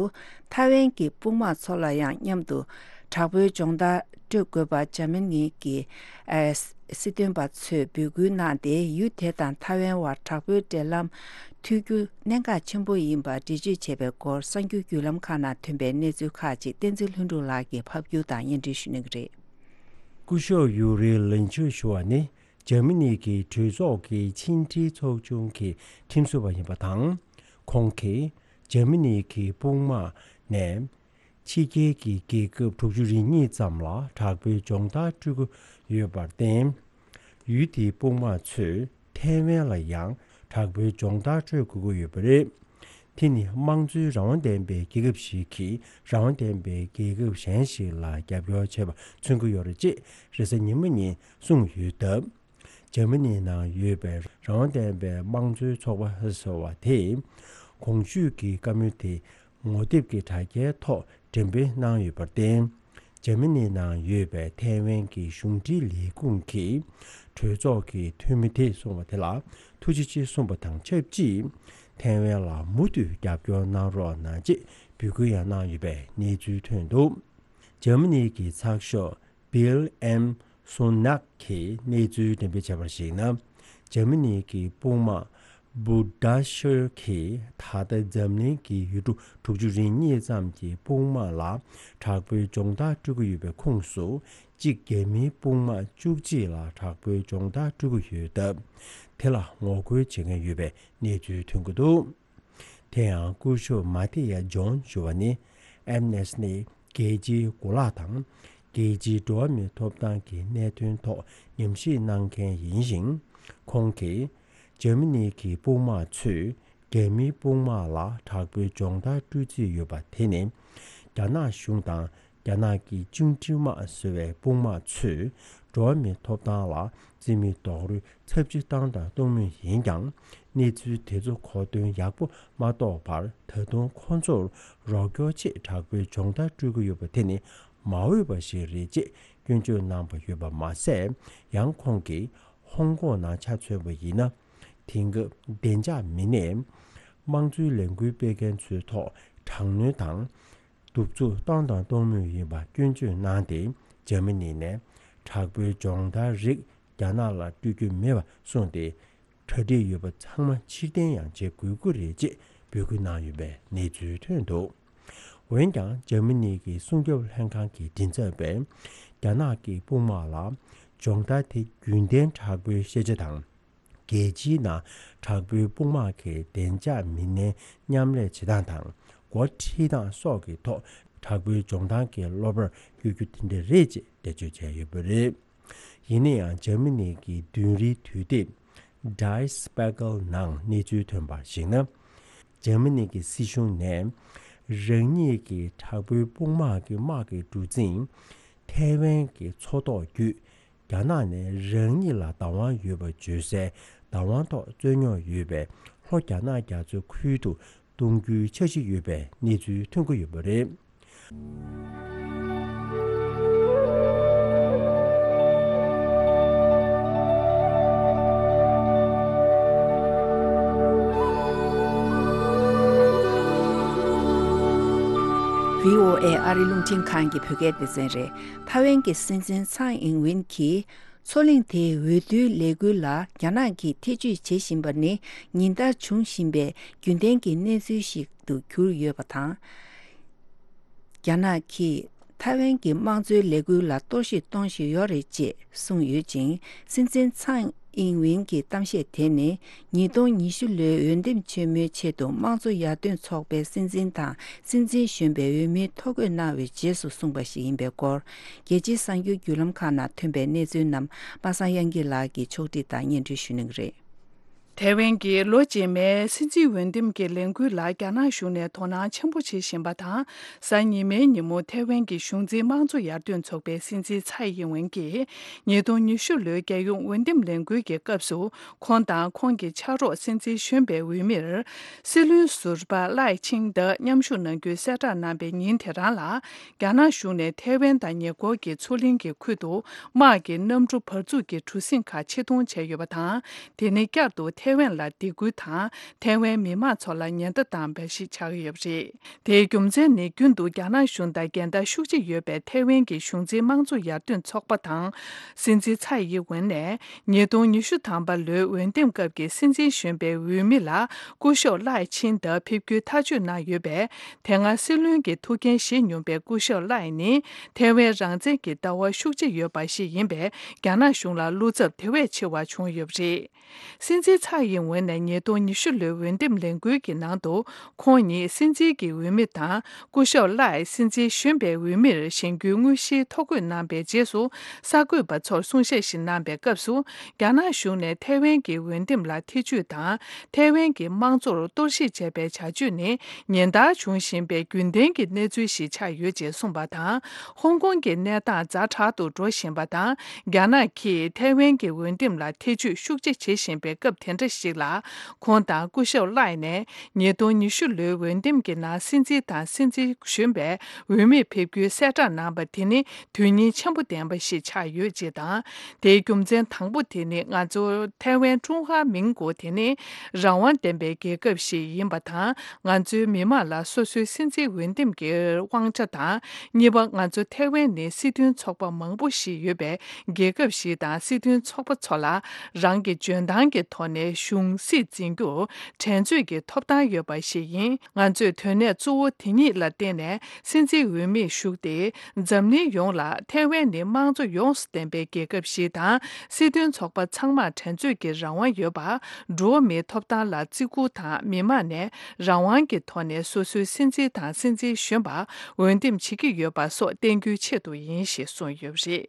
ཐའེ་ཝན་གྱི་དཔུང་དམག་ཚོ་ལ་ཡང་མཉམ་དུ་དྲག་པོའི་སྦྱོང་བརྡར་སྤྲོད་དགོས་པ་འཇར་མ་ནི་གྱི་ཨ་སྲིད་དོན་པ་ཚོས་འབོད་སྐུལ་གནང་སྟེ། ཡུལ་དེ་དང་ཐའེ་ཝན་བར་དྲག་པོའི་འབྲེལ་ལམ་མཐུད་རྒྱུ་གནད་འགག་ཆེན་པོ་ཡིན་པ་འགྲེལ་བརྗོད་བྱས་པའི་སྐོར། གསར་འགྱུར་བརྒྱུད་ལམ་ཁག་ནང་ཐོན་པའི་གནས་ཚུལ་ཁག་ཅིག་བསྟན་འཛིན་ལྷུན་གྲུབ་ལགས་ཀྱིས་ཕབ་སྒྱུར་དང་སྙན་སྒྲོན་ཞུ་གནང་གི་རེད། སྐུ་ཞབས་ཡུ་རི་ལིན་ཆུ་ཞུ་བ་ནི། འཇར་མ་ནི་གི་གྲོས་ཚོགས་ཀྱི་ཕྱི་འབྲེལ་ཚོགས་ཆུང་གི་ཁྲིམས་བཟོ་བ་ཡིན་པ་དང་། ཁོང་གིས་འཇར་མ་ནི་གི་དཔུང་དམག་ནས་ཕྱི་རྒྱལ་གྱི་རྒྱལ་ཁབ་དྲུག་ཅུ་རེ་གཉིས་ཙམ་ལ་དྲག་པོའི་སྦྱོང་བརྡར་སྤྲོད་ཀྱི་ཡོད་པར་བརྟེན། ཡུལ་དེའི་དཔུང་དམག་ཚོས་ཐའེ་ཝན་ལ་ཡང་དྲག་པོའི་སྦྱོང་བརྡར་སྤྲོད་དགོས་ཀྱི་ཡོད་པ་རེད། དེ་ནི་དམངས་གཙོའི་རང་དབང་ལྡན་པའི་རྒྱལ་ཁབ་ཞིག་གིས་རང་དབང་ལྡན་པའི་རྒྱལ་ཁབ་གཞན་ཞིག་ལ་རྒྱབ་སྐྱོར་བྱས་པ་མཚོན་གྱི་ཡོད་རེད་ཅེས་རེས་གཟའ་ཉི་མ་ཉིན་གསུངས་ཡོད་སྟབས། འཇར་མ་ནིའི་ནང་ཡོད་པའི་རང་དབང་ལྡན་པའི་དམངས་གཙོའི་ཚོགས་པ་ཟེར་བ་དེས་གོང་ཞུས་ཀྱི་བཀའ་མོལ་དེ་ངོ་དེབ་ཀྱི་དྲ་རྒྱའི་ཐོག་འགྲེམས་སྤེལ་གནང་ཡོད་པར་བརྟེན། འཇར་མ་ནིའི་ནང་ཡོད་པའི་ཐའེ་ཝན་གྱི་གཞུང་འབྲེལ་ལས་ཁུངས་ཀྱིས་གྲོས་ཚོགས་ཀྱི་འཐུས་མི་དེས་གསུངས་པ་དེ་ལ་ཐུགས་རྗེ་ཆེ་གསུངས་པ་དང་ཆབས་ཅིག་ཐའེ་ཝན་ལ་མུ་མཐུད་རྒྱབ་སྐྱོར་གནང་རོགས་གནང་ཅེས་འབོད་སྐུལ་ཡང་གནང་ཡོད་པའི་གནས་ཚུལ་ཐོན་འདུག། འཇར་མ་ནི་གི་ཚགས་ཤོག་Bild am Sonntag གིས་གནས་ཚུལ་འགྲེམས་སྤེལ་བྱས་པར་གཞིགས་ན། འཇར་མ་ནི་གི་དཔུང་དམག་Bundesheer གིས་ད་ལྟ་འཛམ་གླིང་གི་ཡུལ་གྲུ་དྲུག་ཅུ་རེ་གཉིས་ཙམ་གྱི་དཔུང་དམག་ལ་དྲག་པོའི་སྦྱོང་བརྡར་སྤྲོད་ཀྱི་ཡོད་པའི་ཁོངས་སུ། གཅིག་རྒྱ་མིའི་དཔུང་དམག་བཅུ་གཅིག་ལ་དྲག་པོའི་སྦྱོང་བརྡར་སྤྲོད་ཀྱི་ཡོད་སྟབས། དེ་ལ་ངོ་རྒོལ་བྱེད་མཁན་ཡོད་པའི་གནས་ཚུལ་ཐོན་གྱི་འདུག། དེ་ཡང་སྐུ་ཞབས་མ་ཏི་ཡ་ཇོན་ཞུ་བ་ནི། ཨེམ་ནེ་སི་ནི་རྒྱལ་སྤྱིའི་གོ་ལག་དང་། རྒྱལ་སྤྱིའི་འགྲོ་བ་མིའི་ཐོབ་ཐང་གི་གནད་དོན་ཐོག་ཉམས་ཞིབ་གནང་མཁན་ཡིན་ཞིང་། ཁོང་གིས། འཇར་མ་ནི་གི་དཔུང་དམག་ཚོས་རྒྱ་མིའི་དཔུང་དམག་ལ་དྲག་པོའི་སྦྱོང་བརྡར་སྤྲོད་རྩིས་ཡོད་པ་དེ་ནི། རྒྱ་ནག་གཞུང་དང་། རྒྱ་ནག་གི་བཅིངས་འགྲོལ་དམག་ཟེར་བའི་དཔུང་དམག་ཚོས་འགྲོ་བ་མིའི་ཐོབ་ཐང་ལ་རྩིས་མེད་རྡོག་རོལ་ཚབས་ཆེ་བཏང་དང་གཏོང་མུས་ཡིན་ཀྱང་། གནས་ཚུལ་དེ་ཚོ་གོ་དོན་ཡག་པོ་མ་རྟོགས་པར། ད་དུང་ཁོ་ཚོར་རོགས་སྐྱོར་ཆེད་དྲག་པོའི་སྦྱོང་བརྡར་སྤྲོད་ཀྱི་ཡོད་པ་དེ་ནི་མ་འོས་པ་ཞིག་རེད་ཅེས་སྐྱོན་བརྗོད་གནང་པ་ཡོད་པ་མ་ཟད། ཡང་ཁོང་གིས་ཧོང་ཀོང་ནང་ཆ་མཚོན་པ་ཡིན་ན། དེང་སྐབས་བདེ་འཇགས་མི་སྣས་དམངས་གཙོའི་ལས་འགུལ་སྤེལ་མཁན་ཚོའི་ཐོག་དྲག་གནོན་དང་། གདུག་རྩུབ་བཏང་དང་གཏོང་མུས་ཡིན་པ་སྐྱོན་བརྗོད་གནང་སྟེ། འཇར་མ་ནི་ནས་དྲག་པོའི་སྦྱོང་བརྡར་རིགས་རྒྱ་ནག་ལ་སྤྲོད་རྒྱུ་མེད་པ་གསུངས་ཏེ། གྲ་སྒྲིག་ཡོད་པ་ཚང་མ་ཕྱིར་འཐེན་ཡང་བྱེད་དགོས་ཀྱི་རེད་ཅེས་ འབོད་སྐུལ་གནང་ཡོད་པའི་གནས་ཚུལ་ཐོན་འདུག་འོན་ཀྱང་འཇར་མ་ནི་གི་སྲུང་སྐྱོབ་ལྷན་ཁང་གི་མགྲིན་ཚབ་པས་རྒྱ་ནག་གི་དཔུང་དམག་ལ་སྦྱོང་བརྡར་དེ་རྒྱུན་ལྡན་དྲག་པོའི་ཤེས་བྱ་དང་། རྒྱལ་སྤྱིའི་ནང་དྲག་པོའི་དཔུང་དམག་གི་བདེ་འཇགས་མི་སྣའི་མཉམ་ལས་བྱེད་སྟངས་དང་འགོ་ཁྲིད་སྟངས་སོགས་ཀྱི་ཐོག་དྲག་པོའི་སྦྱོང་བརྡར་གྱི་སློབ་པར་བསྐྱོད་རྒྱུ་དེ་འདྲ་རེད་ཅེས་འགྲེལ་བརྗོད་བྱས་ཡོད་པ་རེད། ཡིན་ན་ཡང་འཇར་མ་ནི་གི་བདུན་རེའི་དུས་དེབ་Die Spiegel ནང་གནས་ཚུལ་ཐོན་པར་གཞིགས་ན། འཇར་མ་ནི་གི་སྲིད་གཞུང་ནས་རང་ཉིད་ཀྱི་དྲག་པོའི་དཔུང་དམག་གི་དམག་གི་གྲུ་གཟིངས་ཐའེ་ཝན་གྱི་མཚོ་ཐོག་བརྒྱུད། རྒྱ་ནག་ནས་རང་ཉིད་ལ་བདག་དབང་ཡོད་པ་བརྗོད་སའི་བདག་དབང་ཐོག་རྩོད་རྙོག་ཡོད་པའི་ལྷོ་རྒྱ་ནག་རྒྱ་མཚོའི་ཁུལ་དུ་གཏོང་རྒྱུའི་འཆར་གཞི་ཡོད་པའི་གནས་ཚུལ་ཐོན་གྱི་ཡོད་པ་རེད། བྷི་ཨོ་ཨེ་ཨ་རི་རླུང་འཕྲིན་ཁང་གི་བོད་སྐད་སྡེ་ཚན་རེད། ཐའེ་ཝན་གྱི་སྲིད་འཛིན་ཚང་ཨིང་ཝིན་གྱིས། མཚོ་གླིང་དེའི་འོས་བསྡུའི་ལས་འགུལ་ལ་རྒྱ་ནག་གིས་ཐེ་ཇུས་བྱེད་བཞིན་པ་ནི་ཉིན་ལྟར་འབྱུང་བཞིན་པའི་རྒྱུན་ལྡན་གྱི་གནས་ཚུལ་ཞིག་ཏུ་གྱུར་ཡོད་པ་དང་། རྒྱ་ནག་གིས་ཐའེ་ཝན་གྱི་དམངས་གཙོའི་ལས་འགུལ་ལ་གཏོར་བཤིག་གཏོང་བཞིན་ཡོད་རེད་ཅེས་གསུངས་ཡོད་ཅིང་། སྲིད་འཛིན་ཚང་ཨིང་ཝིན་གྱི་གཏམ་བཤད་དེ་ནི་ཉིས་སྟོང་ཉི་ཤུ་ལོའི་འོས་འདེམས་ཆེན་མོའི་ཆེད་དུ་དམངས་གཙོ་ཡར་ཐོན་ཚོགས་པའི་སྲིད་འཛིན་དང་སྲིད་འཛིན་གཞོན་པའི་འོས་མིའི་ཐོ་འགོད་གནང་བའི་རྗེས་སུ་གསུངས་པ་ཞིག་ཡིན་པའི་སྐོར། རྒྱལ་སྤྱིའི་གསར་འགྱུར་བརྒྱུད་ལམ་ཁག་ནང་ཐོན་པའི་གནས་ཚུལ་རྣམས་པ་སངས་དབྱངས་སྐྱིད་ལགས་ཀྱིས་ཕྱོགས་སྒྲིག་དང་སྙན་སྒྲོན་ཞུ་གནང་གི་རེད། ཐའེ་ཝན་གྱིས་ལོ་རྗེས་མའི་སྲིད་འཛིན་འོས་འདེམས་ཀྱི་ལས་འགུལ་ལ་རྒྱ་ནག་གཞུང་ནས་དོ་སྣང་ཆེན་པོ་བྱེད་བཞིན་པ་དང་། གཟའ་ཉི་མའི་ཉིན་མོ་ཐའེ་ཝན་གྱི་གཞུང་འཛིན་དམངས་གཙོ་ཡར་ཐོན་ཚོགས་པའི་སྲིད་འཛིན་ཚའེ་ཡིན་ཝེན་གྱིས་ཉིས་སྟོང་ཉི་ཤུ་ལོའི་རྒྱལ་ཡོངས་འོས་འདེམས་ལས་འགུལ་གྱི་སྐབས་སུ། ཁོང་དང་ཁོང་གི་ཕྱག་རོགས་སྲིད་འཛིན་གཞོན་པའི་འོས་མིར། སྲིད་བློན་ཟུར་པ་ལའེ་ཆིང་ཏེ་མཉམ་ཞུགས་གནང་རྒྱུའི་གསལ་བསྒྲགས་གནང་པའི་ཉིན་དེ་རང་ལ། རྒྱ་ནག་གཞུང་ནས་ཐའེ་ཝན་དང་ཉེ་འཁོར་གྱི་མཚོ་གླིང་གི་ཁུལ་དུ་དམག་གི་གནམ་གྲུ་བར་འཛུགས་ཀྱི་གྲུ་གཟིངས་ཁག་ཆེད་གཏོང་བྱས་ཡོད་པ་དང་། དེ་ནི་བསྐྱར་དུ་ཐའེ་ཝན་ལ་སྡིགས་སྐུལ་དང་། ཐའེ་ཝན་མི་མང་ཚོ་ལ་ཉེན་བརྡ་བཏང་བ་ཞིག་ཆགས་ཀྱི་ཡོད་པ་རེད། དེའི་རྒྱུ་མཚན་ནི་རྒྱུན་དུ་རྒྱ་ནག་གཞུང་དང་འགལ་ཟླ་ཤུགས་ཆེ་ཡོད་པའི་ཐའེ་ཝན་གྱི་གཞུང་འཛིན་དམངས་གཙོ་ཡར་ཐོན་ཚོགས་པ་དང་། སྲིད་འཛིན་ཚའེ་ཡིན་ཝེན་ནས་ཉིས་སྟོང་ཉི་ཤུ་ཐམ་པ་ལོའི་འོས་འདེམས་སྐབས་ཀྱི་སྲིད་འཛིན་གཞོན་པའི་འོས་མི་ལ་སྐུ་ཞབས་ལའེ་ཆིན་ཏེ་ཕེབས་རྒྱུའི་ཐག་གཅོད་གནང་ཡོད་པས། དེ་སྔ་སྲིད་བློན་གྱི་ཐུགས་འགན་བཞེས་མྱོང་པའི་སྐུ་ཞབས་ལའེ་ནི་ཐའེ་ཝན་རང་བཙན་གྱི་ལྟ་བ་ཤུགས་ཆེ་ཡོད་པ་ཞིག་ཡིན་པས། རྒྱ་ནག་གཞུང་ལ་བློ་འཚབ་དེ་བས་ཆེ་བ་བྱུང་ཡོད་པ་རེད། སྲིད་འཛིན་ཚའེ་ཡིན་ཝེན་ནས་ཉིས་སྟོང་ཉི་ཤུ་ལོའི་འོས་འདེམས་ལས་འགུལ་གྱི་ནང་དུ། ཁོང་ཉིད་སྲིད་འཛིན་གྱི་འོས་མི་དང་། སྐུ་ཞབས་ལའེ་སྲིད་འཛིན་གཞོན་པའི་འོས་མིར་བཞེངས་རྒྱུའི་དངོས་གཞིའི་ཐོ་འགོད་གནང་པའི་རྗེས་སུ། གསར་འགོད་པ་ཚོར་གསུང་བཤད་ཞིག་གནང་པའི་སྐབས་སུ། རྒྱ་ནག་གཞུང་ནས་ཐའེ་ཝན་གྱི་འོས་འདེམས་ལ་ཐེ་ཇུས་དང་། ཐའེ་ཝན་གྱི་དམངས་གཙོར་གཏོར་བཤིག་བྱས་པའི་བྱ་སྤྱོད་ནི། ཉིན་ལྟར་འབྱུང་བཞིན་པའི་རྒྱུན་ལྡན་གྱི་གནས་ཚུལ་ཞིག་ཆགས་ཡོད་ཅེས་གསུངས་པ་དང་། ཧོང་ཀོང་གི་གནས་སྟངས་ཛ་དྲག་ཏུ་འགྲོ་བཞིན་པ་དང་། རྒྱ་ནག་གིས་ཐའེ་ཝན་གྱི་འོས་འདེམས་ལ་ཐེ་ཇུས་ཤུགས་ཆེ་བྱེད་བཞིན་པའི་སྐབས་དེ་འདྲ་ཞིག་ལ། ཁོང་དང་སྐུ་ཞབས་ལའེ་ནས་ཉིས་སྟོང་ཉི་ཤུ་ལོའི་འོས་འདེམས་ཀྱི་ནང་སྲིད་འཛིན་དང་སྲིད་འཛིན་གཞོན་པའི་འོས་མིར་ཕེབས་རྒྱུའི་གསལ་བསྒྲགས་གནང་པ་དེ་ནི་དོན་སྙིང་ཆེན་པོ་ལྡན་པ་ཞིག་ཆགས་ཡོད་ཅེས་དང་། དེའི་རྒྱུ་མཚན་དང་པོ་དེ་ནི་ང་ཚོ་ཐའེ་ཝན་ཀྲུང་ཧྭ་མིང་གོ་དེ་ནི་རང་དབང་ལྡན་པའི་རྒྱལ་ཁབ་ཞིག་ཡིན་པ་དང་། ང་ཚོའི་མི་མང་ལ་སོ་སོའི་སྲིད་འཛིན་འོས་འདེམས་ཀྱི་དབང་ཆ་དང་། གཉིས་པ། ང་ཚོ་ཐའེ་ཝན་ནི་སྲིད་དོན་ཚོགས་པ་མང་པོ་ཞིག་ཡོད་པའི་རྒྱལ་ཁབ་ཞིག་དང་། སྲིད་དོན་ཚོགས་པ་ཚོ་ལ་རང་གི་འཇོན་ཐང་གི་ཐོག་ནས་གཞུང་སྲིད་འཛིན་རྒྱུར་འགྲན་རྩོད་ཀྱི་ཐོབ་ཐང་ཡོད་པ་ཞིག་ཡིན། ང་ཚོས་དོན་གནད་གཙོ་བོ་དེ་གཉིས་ལ་བརྟེན་ནས་སྲིད་འཛིན་འོས་མིར་ཞུགས་ཏེ། འཛམ་གླིང་ཡོངས་ལ་ཐའེ་ཝན་ནི་དམངས་གཙོ་ཡོངས་སུ་ལྡན་པའི་རྒྱལ་ཁབ་ཞིག་དང་། སྲིད་དོན་ཚོགས་པ་ཚང་མར་འགྲན་རྩོད་ཀྱི་རང་དབང་ཡོད་པ། འགྲོ་བ་མིའི་ཐོབ་ཐང་ལ་བརྩི་བཀུར་དང་། མི་མང་ནས་རང་དབང་གི་ཐོག་ནས་སོ་སོའི་སྲིད་འཛིན་དང་སྲིད་འཛིན་གཞོན་པར་འོས་འདེམས་བྱེད་ཀྱི་ཡོད་པ་སོགས་བསྟན་རྒྱུའི་ཆེད་དུ་ཡིན་ཞེས་གསུངས་ཡོད་པ་རེད།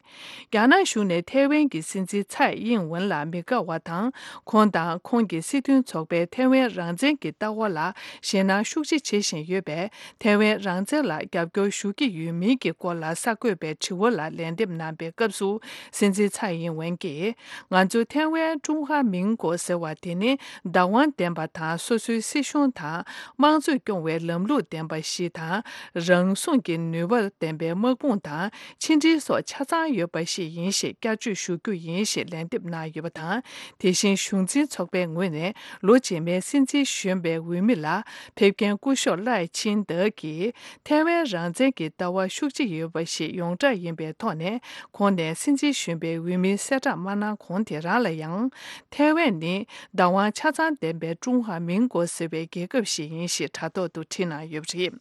རྒྱ་ནག་གཞུང་ནས་ཐའེ་ཝན་གྱི་སྲིད་འཛིན་ཚའེ་ཡིན་ཝེན་ལ་མི་དགའ་བ་དང་། ཁོང་དང་ཁོང་གི་སྲིད་དོན་ཚོགས་པས་ཐའེ་ཝན་རང་བཙན་གྱི་ལྟ་བ་ལ་ཞེད་སྣང་ཤུགས་ཆེ་བྱེད་བཞིན་ཡོད་པས། ཐའེ་ཝན་རང་བཙན་ལ་རྒྱབ་སྐྱོར་ཞུ་གི་ཡོད་མིན་གྱི་སྐོར་ལ་གསར་འགོད་པའི་དྲི་བ་ལ་ལན་འདེབས་གནང་པའི་སྐབས་སུ། སྲིད་འཛིན་ཚའེ་ཡིན་ཝེན་གྱིས། ང་ཚོ་ཐའེ་ཝན་ཀྲུང་ཧྭ་མིང་གོ་ཟེར་བ་དེ་ནི་བདག་དབང་ལྡན་པ་དང་། སོ་སོའི་སྲིད་གཞུང་དང་། དམངས་གཙོས་སྐྱོང་བའི་ལམ་ལུགས་ལྡན་པ་ཞིག་དང་། རང་སྲུང་གི་ནུས་པ་ལྡན་པའི་དམག་དཔུང་དང་། ཕྱི་འབྲེལ་སོགས་ཆ་ཚང་ཡོད་པ་ཞིག་ཡིན་ཞེས་བསྐྱར་བརྗོད་ཞུ་རྒྱུ་ཡིན་ཞེས་ལན་འདེབས་གནང་ཡོད་པ་དང་། དེ་བཞིན་གཞུང་འཛིན་ཚོགས་ ཚོགས་པའི་ངོས་ནས་ལོ་རྗེས་མའི་སྲིད་འཛིན་གཞོན་པའི་འོས་མི་ལ་ཕེབས་མཁན་སྐུ་ཞབས་ལའེ་ཆིན་ཏེ་གིས་ཐའེ་ཝན་རང་བཙན་གྱི་ལྟ་བ་ཤུགས་ཆེ་ཡོད་པ་ཞིག་ཡོངས་གྲགས་ཡིན་པའི་ཐོག་ནས། ཁོང་ནས་སྲིད་འཛིན་གཞོན་པའི་འོས་མིའི་གསལ་བསྒྲགས་མ་གནང་གོང་དེ་རང་ལ་ཡང་། ཐའེ་ཝན་ནི་བདག་དབང་ཆ་ཚང་ལྡན་པའི་ཀྲུང་ཧྭ་མིན་གོ་ཟེར་བའི་རྒྱལ་ཁབ་ཞིག་ཡིན་ཞེས་དྲ་ཐོག་ཏུ་བྲིས་གནང་ཡོད་པ་རེད།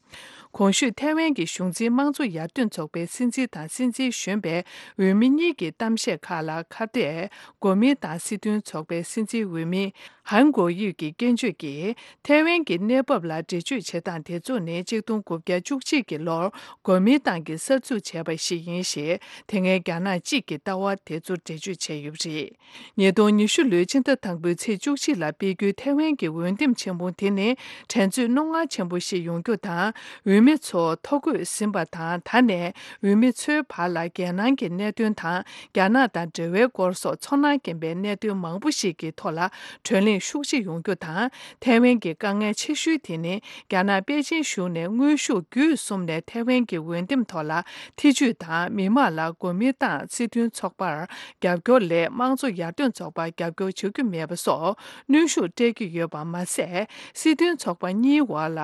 གོང་ཞུས་ཐའེ་ཝན་གྱི་གཞུང་འཛིན་དམངས་གཙོ་ཡར་ཐོན་ཚོགས་པའི་སྲིད་འཛིན་དང་སྲིད་འཛིན་གཞོན་པའི་འོས་མི་གཉིས་ཀྱི་གཏམ་བཤད་ཁག་ལ་ཁ་གཏད་གོ་མིན་ཏང་སྲིད་དོན་ཚོགས་པའི་སྲིད་འཛིན་འོས་མི་ཧན་གོ་ཡུས་ཀྱི་སྐྱོན་བརྗོད་ཀྱིས། ཐའེ་ཝན་གྱི་གནས་བབ་ལ་འགྲེལ་བརྗོད་བྱེད་སྟངས་དེ་ཚོ་ནི་ཆིག་སྟོང་དགུ་བརྒྱ་བཅུ་གཅིག་གི་ལོར་གོ་མིན་ཏང་གིས་གསར་འཛུགས་བྱས་པ་ཞིག་ཡིན་ཞེས། དེ་སྔའི་རྒྱ་ནག་གཅིག་གི་ལྟ་བ་དེ་ཚོ་འགྲེལ་བརྗོད་བྱས་ཡོད་པ་རེད། ཉིས་སྟོང་ཉི་ཤུ་ལོའི་ཕྱི་ཟླ་དང་པོའི་ཚེས་བཅུ་གཅིག་ལ་སྤེལ་རྒྱུའི་ཐའེ་ཝན་གྱི་འོས་འདེམས་ཆེན་མོ་དེ་ནི་འགྲན་རྩོད་རྣོ་ངར་ཆེན་པོ་ཞིག་ཡོང་རྒྱུ་དང་། འོས་མི་ཚོ་ཐོ་འགོད་ཟིན་པ་དང་། ད་ནས་འོས་མི་ཚོའི་བར་ལ་རྒྱལ་ནང་གི་གནད་དོན་དང་། རྒྱ་ནག་དང་འབྲེལ་བའི་སྐོར་སོགས་ཚོར་སྣང་སྐྱེན་པའི་གནད་དོན་མང་པོ་ཞིག་གི་ཐོག་ལ་བགྲོ་གླེང་ཤུགས་ཆེ་ཡོང་རྒྱུ་དང་། ཐའེ་ཝན་གྱི་དཀའ་ངལ་ཆེ་ཤོས་དེ་ནི། རྒྱ་ནག་པེ་ཅིན་གཞུང་ནས་དངོས་ཤུགས་བརྒྱུད་གསུམ་ནས་ཐའེ་ཝན་གྱི་འོས་འདེམས་ཐོག་ལ་ཐེ་ཇུས་དང་། མི་མང་ལ་གོ་མིན་ཏང་སྲིད་དོན་ཚོགས་པར་རྒྱབ་སྐྱོར་ལས། དམངས་གཙོ་ཡར་ཐོན་ཚོགས་པར་རྒྱབ་སྐྱོར་བྱ་རྒྱུ་མེད་པ་སོགས་གནོན་ཤུགས་སྤྲད་ཀྱི་ཡོད་པ་མ་ཟད། སྲིད་དོན་ཚོགས་པ་གཉིས་བར་ལ་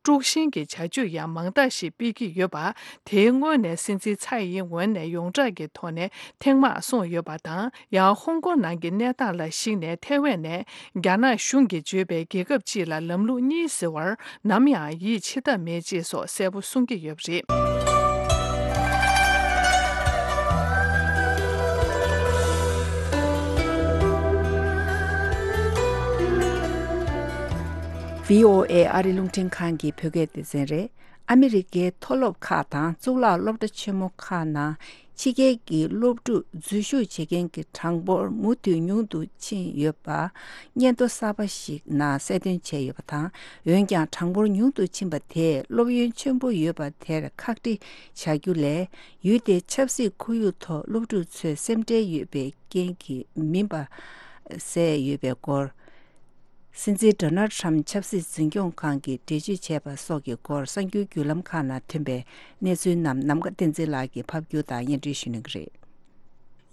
དཀྲུག་ཤིང་གི་བྱ་སྤྱོད་ཡང་མང་དག་ཞིག་སྤེལ་གྱི་ཡོད་པ། དེའི་སྔོན་ནས་སྲིད་འཛིན་ཚའེ་ཡིན་ཝེན་ནས་ཡོངས་གྲགས་ཀྱི་ཐོག་ནས་ཐེངས་མང་གསུངས་ཡོད་པ་དང་། ཡང་ཧོང་ཀོང་ནང་གི་གནས་སྟངས་ལ་གཞིགས་ནས་ཐའེ་ཝན་ནས་རྒྱ་ནག་གཞུང་གིས་བརྗོད་པའི་རྒྱལ་ཁབ་ཅིག་ལ་ལམ་ལུགས་གཉིས་ཟེར་བར་ནམ་ཡང་ཡིད་ཆེས་ཐབས་མེད་ཅེས་སོགས་གསལ་པོ་གསུང་གི་ཡོད་པ་རེད། བྷི་ཨོ་ཨེ་ཨ་རི་རླུང་འཕྲིན་ཁང་གི་བོད་སྐད་སྡེ་ཚན་རེད། ཨ་མི་རི་ཀའི་མཐོ་སློབ་ཁག་དང་གཙུག་ལག་སློབ་གྲྭ་ཆེན་མོ་ཁག་ནང་ཕྱི་རྒྱལ་གྱི་སློབ་ཕྲུག་འཛུལ་ཞུགས་བྱེད་མཁན་གྱི་གྲངས་འབོར་མུ་མཐུད་ཉུང་དུ་ཕྱིན་ཡོད་པ་སྙན་ཐོ་གསར་པ་ཞིག་ནང་གསལ་སྟོན་བྱས་ཡོད་པ་དང་། འོན་ཀྱང་། གྲངས་འབོར་ཉུང་དུ་ཕྱིན་པ་དེས་སློབ་ཡོན་ཆེན་པོ་ཡོད་པ་དེར་ཁག་དཀྲི་བྱ་རྒྱུ་ལས། ཡུལ་དེའི་ཆབ་སྲིད་ཁོར་ཡུག་ཐོག་སློབ་ཕྲུག་ཚོས་སེམས་ཁྲལ་ཡོད་པའི་རྐྱེན་གྱིས་མིན་པ་གསལ་ཡོད་པའི་སྐོར། སྲིད་འཛིན་ཌོ་ནལ་ཌི་ཊརམ་ཕི་ཆབ་སྲིད་འཛིན་སྐྱོང་ཁང་གིས་འགྲེལ་བརྗོད་བྱས་པ་སོགས་ཀྱི་སྐོར་གསར་འགྱུར་བརྒྱུད་ལམ་ཁག་ནང་ཐོན་པའི་གནས་ཚུལ་རྣམས་ནམ་མཁའ་བསྟན་འཛིན་ལགས་ཀྱིས་ཕབ་སྒྱུར་དང་སྙན་སྒྲོན་ཞུ་གནང་གི་རེད།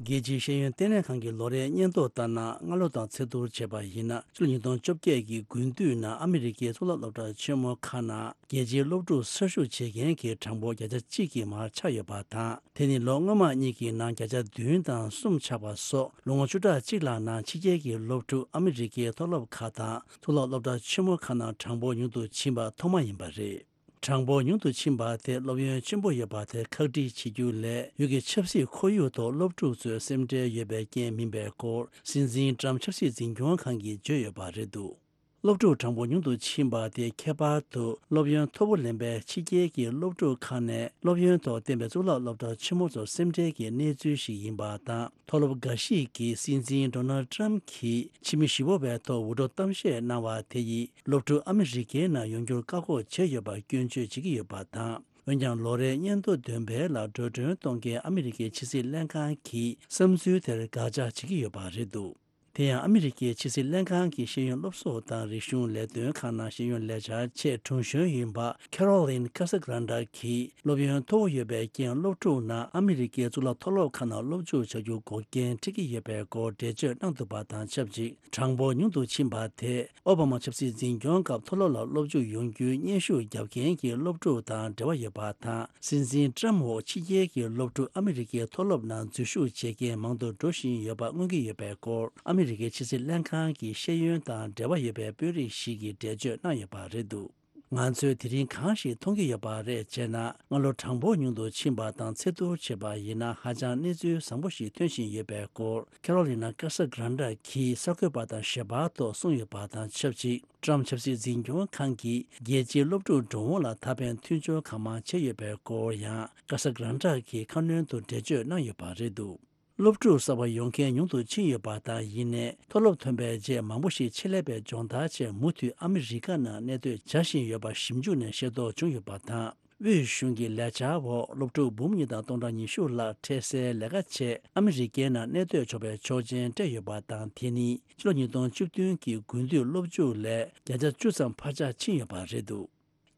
རྒྱལ་སྤྱིའི་ཤེས་ཡོན་ལྟེ་གནས་ཁང་གི་ལོ་རེའི་སྙན་ཐོ་ལྟར་ན། སྔ་ལོ་དང་ཚེས་བསྡུར་བྱས་པ་ཡིན་ན། ཕྱི་ལོ་ཉིས་སྟོང་བཅོ་བརྒྱད་ཀྱི་དགུན་དུས་ནང་ཨ་མི་རི་ཀའི་གཙུག་ལག་སློབ་གྲྭ་ཆེན་མོ་ཁག་ནང་རྒྱལ་སྤྱིའི་སློབ་ཕྲུག་གསར་ཞུགས་བྱེད་མཁན་གྱི་གྲངས་འབོར་བརྒྱ་ཆ་གཅིག་གི་མར་ཆག་ཡོད་པ་དང་། དེ་ནི་ལོ་སྔོན་མ་གཉིས་ཀྱི་ནང་བརྒྱ་ཆ་བདུན་དང་གསུམ་ཆག་པ་སོགས། ལོ་ངོ་བཅུ་ཕྲག་གཅིག་ལྷག་ནང་ཕྱི་རྒྱལ་གྱི་སློབ་ཕྲུག་ཨ་མི་རི་ཀའི་མཐོ་སློབ་ཁག་དང་གཙུག་ལག་སློབ་གྲྭ་ཆེན་མོ་ཁག་ནང་གྲངས་འབོར་ཉུང་དུ་ཕྱིན་པ་ཐོག་མ་ཡིན་པ་རེད། གྲངས་འབོར་ཉུང་དུ་ཕྱིན་པ་དེ་སློབ་ཡོན་ཆེན་པོ་ཡོད་པ་དེ་ཁག་དཀྲི་བྱེད་རྒྱུ་ལས། ཡུལ་གྱི་ཆབ་སྲིད་ཁོར་ཡུག་ཐོག་སློབ་ཕྲུག་ཚོས་སེམས་ཁྲལ་ཡོད་པའི་རྐྱེན་མིན་པའི་སྐོར། སྲིད་འཛིན་ཊརམ་ཕི་ཆབ་སྲིད་འཛིན་སྐྱོང་ཁང་གིས་བརྗོད་ཡོད་པ་རེད་འདུག་སློབ་ཕྲུག་གྲངས་འབོར་ཉུང་དུ་ཕྱིན་པ་དེ་ཁྱད་པར་དུ་སློབ་ཡོན་མཐོ་པོ་ལེན་པའི་ཕྱི་རྒྱལ་གྱི་སློབ་ཕྲུག་ཁག་ནས་སློབ་ཡོན་ཐོག་བསྟན་པའི་གཙུག་ལག་སློབ་གྲྭ་ཆེན་མོ་ཚོར་སེམས་ཁྲལ་གྱི་གནས་ཚུལ་ཞིག་ཡིན་པ་དང་། མཐོ་སློབ་འགའ་ཞིག་གིས་སྲིད་འཛིན་ཌོ་ནལ་ཌི་ཊརམ་ཕི་གྱིས་ཕྱི་མི་བཞི་པོ་བའི་ཐོག་འུར་སྒྲོག་གཏམ་བཤད་གནང་བ་དེ་ཡིས་སློབ་ཕྲུག་ཨ་མི་རི་ཀའི་ནང་ཡོང་རྒྱུར་བཀག་འགོག་བྱས་ཡོད་པར་སྐྱོན་བརྗོད་བྱེད་ཀྱི་ཡོད་པ་དང་། འོན་ཀྱང་། ལོ་རེའི་སྙན་ཐོ་འདོན་སྤེལ་ལ་འགྲོ་གྲོན་གཏོང་མཁན་ཨ་མི་རི་ཀའི་ཕྱི་སྲིད་ལྷན་ཁང་གིས་བསམ་ཚུལ་དེར་དགག་བྱ་བྱེད་ཀྱི་ཡོད་པ་རེད་འདུག་དེ་ཡང་། ཨ་མི་རི་ཀའི་ཕྱི་སྲིད་ལྷན་ཁང་གི་ཤེས་ཡོན་སློབ་གསོ་དང་རིག་གཞུང་ལས་དོན་ཁང་ནང་ཤེས་ཡོན་ལས་འཆར་ཆེད་དྲུང་གཞོན་ཡིན་པ་ཁེ་རོ་ལིན་ཀ་ས་གྷ་རན་ཌ་གིས། སློབ་ཡོན་མཐོ་བོ་ཡོད་པའི་རྐྱེན། སློབ་ཕྲུག་རྣམས་ཨ་མི་རི་ཀའི་གཙུག་ལག་མཐོ་སློབ་ཁག་ནང་སློབ་འཇུག་བྱ་རྒྱུ་འགོག་རྐྱེན་འཕྲད་ཀྱི་ཡོད་པའི་སྐོར་འགྲེལ་བརྗོད་གནང་འདུག་པ་དང་ཆབས་ཅིག་གྲངས་འབོར་ཉུང་དུ་ཕྱིན་པ་དེས། ཨོ་བྷ་མ་ཆབ་སྲིད་འཛིན་སྐྱོང་སྐབས་མཐོ་སློབ་ལ་སློབ་འཇུག་ཡོང་རྒྱུའི་སྙན་ཞུ་བརྒྱབ་མཁན་གྱི་སློབ་ཕྲུག་དང་འབྲེལ་བ་ཡོད་པ་དང་། སྲིད་འཛིན་ཊརམ་འོག་ཕྱི་རྒྱལ་གྱི་སློབ་ཕྲུག་ཨ་མི་རི་ཀའི་མཐོ་སློབ་ནང་འཛུལ་ཞུགས་བྱེད་མཁན་མང་དུ་འགྲོ་བཞིན་ཡོད་པ་མངོན་གྱི་ཡོད་པའི་སྐོར། ཨ་མི་རི་ཀའི་ཕྱི་སྲིད་ལྷན་ཁང་གི་ཤེས་ཡོན་དང་འབྲེལ་བ་ཡོད་པའི་དཔོན་རིགས་ཤིག་གིས་འགྲེལ་བརྗོད་གནང་ཡོད་པ་རེད་འདུག་ང་ཚོས་དེ་རིང་གང་ཞིག་མཐོང་གི་ཡོད་པ་རེད་ཅེ་ན། སྔ་ལོ་གྲངས་འབོར་ཉུང་དུ་ཕྱིན་པ་དང་ཚད་བསྡུར་བྱས་པ་ཡིན་ན། ཧ་ཅང་གནས་ཚུལ་བཟང་པོ་ཞིག་ཐོན་བཞིན་ཡོད་པའི་སྐོར། ཁེ་རོ་ལི་ན་ཀ་ས་གྷ་རན་ཌ་གིས་གསར་འགོད་པ་དང་ཞལ་པར་ཐོག་གསུངས་ཡོད་པ་དང་ཆབས་ཅིག་ཊརམ་ཆབ་སྲིད་འཛིན་སྐྱོང་ཁང་གིས་རྒྱལ་སྤྱིའི་སློབ་ཕྲུག་འགྲོ་འོང་ལ་ཐ་ཕན་མཐུན་སྦྱོར་གང་མང་བྱས་ཡོད་པའི་སྐོར་ཡང་ཀ་ས་གྷ་རན་ཌ་གིས་ཁ་སྣོན་དུ་འགྲེལ་བརྗོད་གནང་ཡོད་པ་རེད་འདུག་སློབ་ཕྲུག་གསར་པ་ཡོང་མཁན་ཉུང་དུ་ཕྱིན་ཡོད་པ་དང་། ཡིན་ནའི་མཐོ་སློབ་ཐོན་པའི་རྗེས་མང་པོ་ཞིག་ཆེད་ལས་པའི་སྦྱོང་བརྡར་ཆེད་མུ་མཐུད་ཨ་མི་རི་ཀ་ནང་གནས་སྡོད་བྱ་བཞིན་ཡོད་པ་ཞིབ་འཇུག་ནས་ཤེས་རྟོགས་བྱུང་ཡོད་པ་དང་། དབུས་གཞུང་གི་ལས་འཆར་འོག་སློབ་ཕྲུག་འབུམ་གཉིས་དང་སྟོང་ཕྲག་ཉི་ཤུ་ལྷག་འཕྲལ་སེལ་ལས་ཀ་ཆེད་ཨ་མི་རི་ཀའི་ནང་གནས་སྡོད་ཆོག་པའི་ཆོག་མཆན་སྤྲད་ཡོད་པ་དང་། དེ་ནི་ཕྱི་ལོ་ཉིས་སྟོང་བཅུ་བདུན་གྱི་དགུན་དུས་སློབ་འཇུག་ལས་བརྒྱ་ཆ་བཅུ་ཙམ་འཕར་ཆག་ཕྱིན་ཡོད་པ་རེད་འདུག་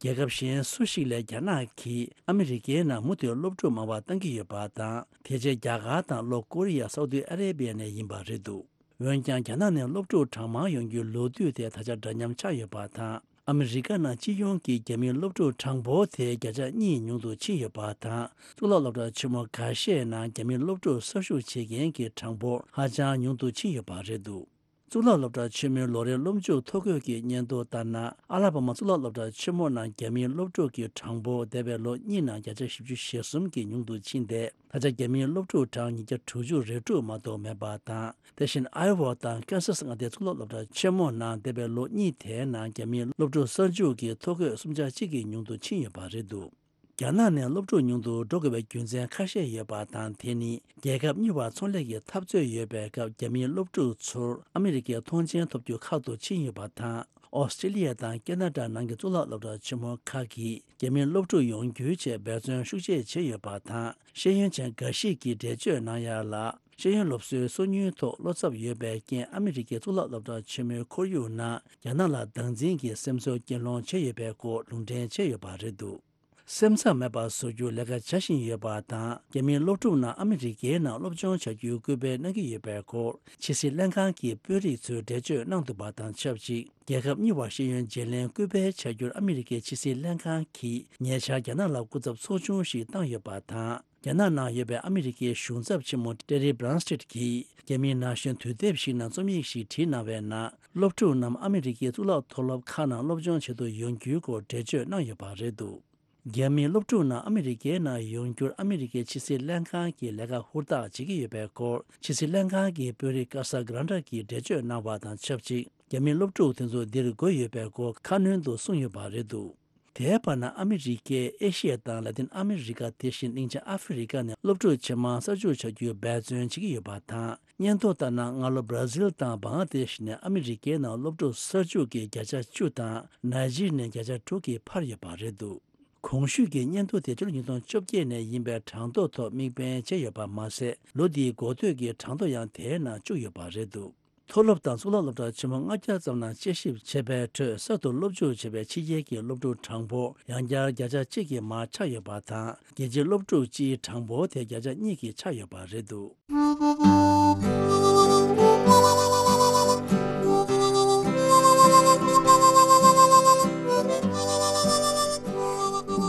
རྒྱལ་ཁབ་གཞན་སུ་ཞིག་ལས་རྒྱ་ནག་གིས་ཨ་མི་རི་ཀའི་ནང་མུ་མཐུད་སློབ་ཕྲུག་མང་བ་བཏང་གི་ཡོད་པ་དང་། དེ་རྗེས་རྒྱ་གར་དང་ལྷོ་ཀོ་རི་ཡ། སའུ་ཏི་ཨ་རེ་བི་ཡ་ནས་ཡིན་པ་རེད་འདུག་འོན་ཀྱང་རྒྱ་ནག་ནས་སློབ་ཕྲུག་གྲངས་མང་ཡོང་རྒྱུའི་ལོ་དུས་དེ་ད་ཆ་འདྲ་མཉམ་ཆགས་ཡོད་པ་དང་། ཨ་མི་རི་ཀ་ནང་སྤྱི་ཡོངས་ཀྱི་རྒྱ་མིའི་སློབ་ཕྲུག་གྲངས་འབོར་དེ་བརྒྱ་ཆ་གཉིས་ཉུང་དུ་ཕྱིན་ཡོད་པ་དང་། གཙུག་ལག་སློབ་གྲྭ་ཆེན་མོ་འགའ་ཤས་ནང་རྒྱ་མིའི་སློབ་ཕྲུག་གསར་ཞུགས་བྱེད་མཁན་གྱི་གྲངས་འབོར་ཧ་ཅང་ཉུང་དུ་ཕྱིན་ཡོད་པ་རེད་འདུག། གཙུག་ལག་སློབ་གྲྭ་ཆེན་མོའི་ལོ་རེའི་སློབ་མཇུག་ཐོ་འགོད་ཀྱི་སྙན་ཐོ་ལྟར་ན། ཨ་ལ་བྷ་མ་གཙུག་ལག་སློབ་གྲྭ་ཆེན་མོ་ནང་རྒྱ་མིའི་སློབ་ཕྲུག་གི་གྲངས་འབོར་འདས་པའི་ལོ་གཉིས་ནང་བརྒྱ་ཆ་བཞི་བཅུ་ཞེ་གསུམ་གྱིས་ཉུང་དུ་ཕྱིན་ཏེ། ད་ཆ་རྒྱ་མིའི་སློབ་ཕྲུག་གྲངས་ཉིས་བརྒྱ་དྲུག་ཅུ་རེ་དྲུག་མ་གཏོགས་མེད་པ་དང་། དེ་བཞིན་ཨའི་ཝ་དང་ཀན་སཱ་སི་མངའ་སྡེའི་གཙུག་ལག་སློབ་གྲྭ་ཆེན་མོ་ནང་འདས་པའི་ལོ་གཉིས་དེའི་ནང་རྒྱ་མིའི་སློབ་ཕྲུག་གསར་འཇུག་གི་ཐོ་འགོད་སུམ་ཆ་གཅིག་གིས་ཉུང་དུ་ཕྱིན་ཡོད་པ་རེད་འདུག། རྒྱ་ནག་ནས་སློབ་ཕྲུག་ཉུང་དུ་འགྲོ་དགོས་པའི་རྒྱུ་མཚན་ཁ་ཤས་ཡོད་པ་དང་། དེ་ནི་རྒྱལ་ཁབ་གཉིས་བར་ཚོང་ལས་ཀྱི་འཐབ་རྩོད་ཡོད་པའི་སྐབས། རྒྱ་མིའི་སློབ་ཕྲུག་ཚོར་ཨ་མི་རི་ཀའི་མཐོང་མཆན་ཐོབ་རྒྱུ་ཁག་ཏུ་ཕྱིན་ཡོད་པ་དང་། ཨོ་སི་ཀྲི་ལི་ཡ་དང་ཀེ་ན་ཌ་ནང་གི་གཙུག་ལག་སློབ་གྲྭ་ཆེན་མོ་ཁག་གིས་རྒྱ་མིའི་སློབ་ཕྲུག་ཡོང་རྒྱུའི་ཆེད་འབད་བརྩོན་ཤུགས་ཆེ་བྱས་ཡོད་པ་དང་། ཤེས་ཡོན་ཅན་འགའ་ཞིག་གིས་འགྲེལ་བརྗོད་གནང་ཡ་ལ། ཤེས་ཡོན་སློབ་གསོའི་སོ་ཉུལ་ཐོག་བློ་འཚབ་ཡོད་པའི་རྐྱེན། ཨ་མི་རི་ཀའི་གཙུག་ལག་སློབ་གྲྭ་ཆེན་མོའི་ཁོར་ཡུག་ནང་རྒྱ་ནག་ལ་སྡང་འཛིན་གྱི་སེམས་ཚོར་སྐྱེད་སློང་བྱས་ཡོད་པའི་སྐོར་ལུང་འདྲེན་བྱས་ཡོད་པ་རེད་འདུག། སེམས་འཚབ་མེད་པར་བཟོ་རྒྱུར་ལས་ཀ་བྱ་བཞིན་ཡོད་པ་དང་། རྒྱ་མིའི་སློབ་ཕྲུག་རྣམས་ཨ་མི་རི་ཀའི་ནང་སློབ་སྦྱོང་བྱ་རྒྱུའི་སྐུལ་སྤེལ་གནང་གི་ཡོད་པའི་སྐོར། ཕྱི་སྲིད་ལྷན་ཁང་གི་དཔོན་རིགས་ཚོས་འགྲེལ་བརྗོད་གནང་འདུག་པ་དང་ཆབས་ཅིག། རྒྱལ་ཁབ་གཉིས་བར་ཤེས་ཡོན་བརྗེ་ལེན་སྐུལ་སྤེལ་བྱ་རྒྱུར་ཨ་མི་རི་ཀའི་ཕྱི་སྲིད་ལྷན་ཁང་གིས་ཉེ་ཆར་རྒྱ་ནག་ལ་སྐུ་ཚབ་ཚོགས་ཆུང་ཞིག་བཏང་ཡོད་པ་དང་། རྒྱ་ནག་ནང་ཡོད་པའི་ཨ་མི་རི་ཀའི་གཞུང་ཚབ་ཆེན་མོ་ཊེ་རི་བྷི་རན་སི་ཊེད་ཀྱིས། རྒྱ་མིའི་ན་གཞོན་དུས་དེབ་ཞིག་ནང་རྩོམ་ཡིག་ཞིག་བྲིས་གནང་བའི་ནང་། སློབ་ཕྲུག་རྣམས་ཨ་མི་རི་ཀའི་གཙུག་ལག་མཐོ་སློབ་ཁག་ནང་སློབ་སྦྱོང་བྱེད་དུ་ཡོང་རྒྱུའི་སྐོར་འགྲེལ་བརྗོད་གནང་ཡོད་པ་རེད་འདུག། རྒྱ་མིའི་སློབ་ཕྲུག་རྣམས་ཨ་མི་རི་ཀའི་ནང་ཡོང་རྒྱུར་ཨ་མི་རི་ཀའི་ཕྱི་སྲིད་ལྷན་ཁང་གིས་ལས་ཀ་ཧུར་ཐག་བྱེད་ཀྱི་ཡོད་པའི་སྐོར། ཕྱི་སྲིད་ལྷན་ཁང་གི་དཔོན་རིགས་ཀ་ས་གྷ་རན་ཌ་གིས་འགྲེལ་བརྗོད་གནང་བ་དང་ཆབས་ཅིག། རྒྱ་མིའི་སློབ་ཕྲུག་དེ་ཚོ་འདིར་དགོས་ཡོད་པའི་སྐོར་ཁ་སྣོན་དུ་གསུངས་ཡོད་པ་རེད་འདུག། དེའི་བར་ན། ཨ་མི་རི་ཀས་ཨེ་ཤི་ཡ་དང་ལ་ཏིན་ཨ་མི་རི་ཀ། དེ་བཞིན་གླིང་ཆེན་ཨ་ཧྥེ་རི་ཀ་ནས་སློབ་ཕྲུག་ཇེ་མང་གསར་འཇུག་བྱ་རྒྱུའི་འབད་བརྩོན་བྱེད་ཀྱི་ཡོད་པ་དང་། སྙན་ཐོ་ལྟར་ན། སྔ་ལོ་བྷ་ར་ཟིལ་དང་བང་ལ་དེཤ་ནས་ཨ་མི་རི་ཀའི་ནང་སློབ་ཕྲུག་གསར་འཇུག་གི་བརྒྱ་ཆ་བཅུ་དང་། ནཱི་ཇི་རི་ནས་བརྒྱ་ཆ་དྲུག་གིས་འཕར་ཡོད་པ་རེད་འདུག། གོང་ཞུས་ཀྱི་སྙན་ཐོ་དེ་ཕྱི་ལོ་ཉིས་སྟོང་བཅོ་བརྒྱད་ནས་ཡིན་པའི་གྲངས་ཐོ་ཐོག་དམིགས་འབེན་བྱས་ཡོད་པ་མ་ཟད། ལོ་འདིའི་འགོ་སྟོད་ཀྱི་གྲངས་ཐོ་ཡང་དེའི་ནང་བཅུག་ཡོད་པ་རེད་འདུག། མཐོ་སློབ་དང་གཙུག་ལག་སློབ་གྲྭ་ཆེན་མོ་ལྔ་བརྒྱ་ཙམ་ནང་དཔྱད་ཞིབ་བྱས་པའི་ཁྲོད། གསར་དུ་སློབ་འཇུག་བྱས་པའི་ཕྱི་རྒྱལ་གྱི་སློབ་ཕྲུག་གྲངས་འབོར་ཡང་བསྐྱར་བརྒྱ་ཆ་གཅིག་གིས་མར་ཆག་ཡོད་པ་དང་། རྒྱལ་སྤྱིའི་སློབ་ཕྲུག་སྤྱིའི་གྲངས་འབོར་དེ་བརྒྱ་ཆ་གཉིས་ཀྱིས་ཆག་ཡོད་པ་རེད་འདུག།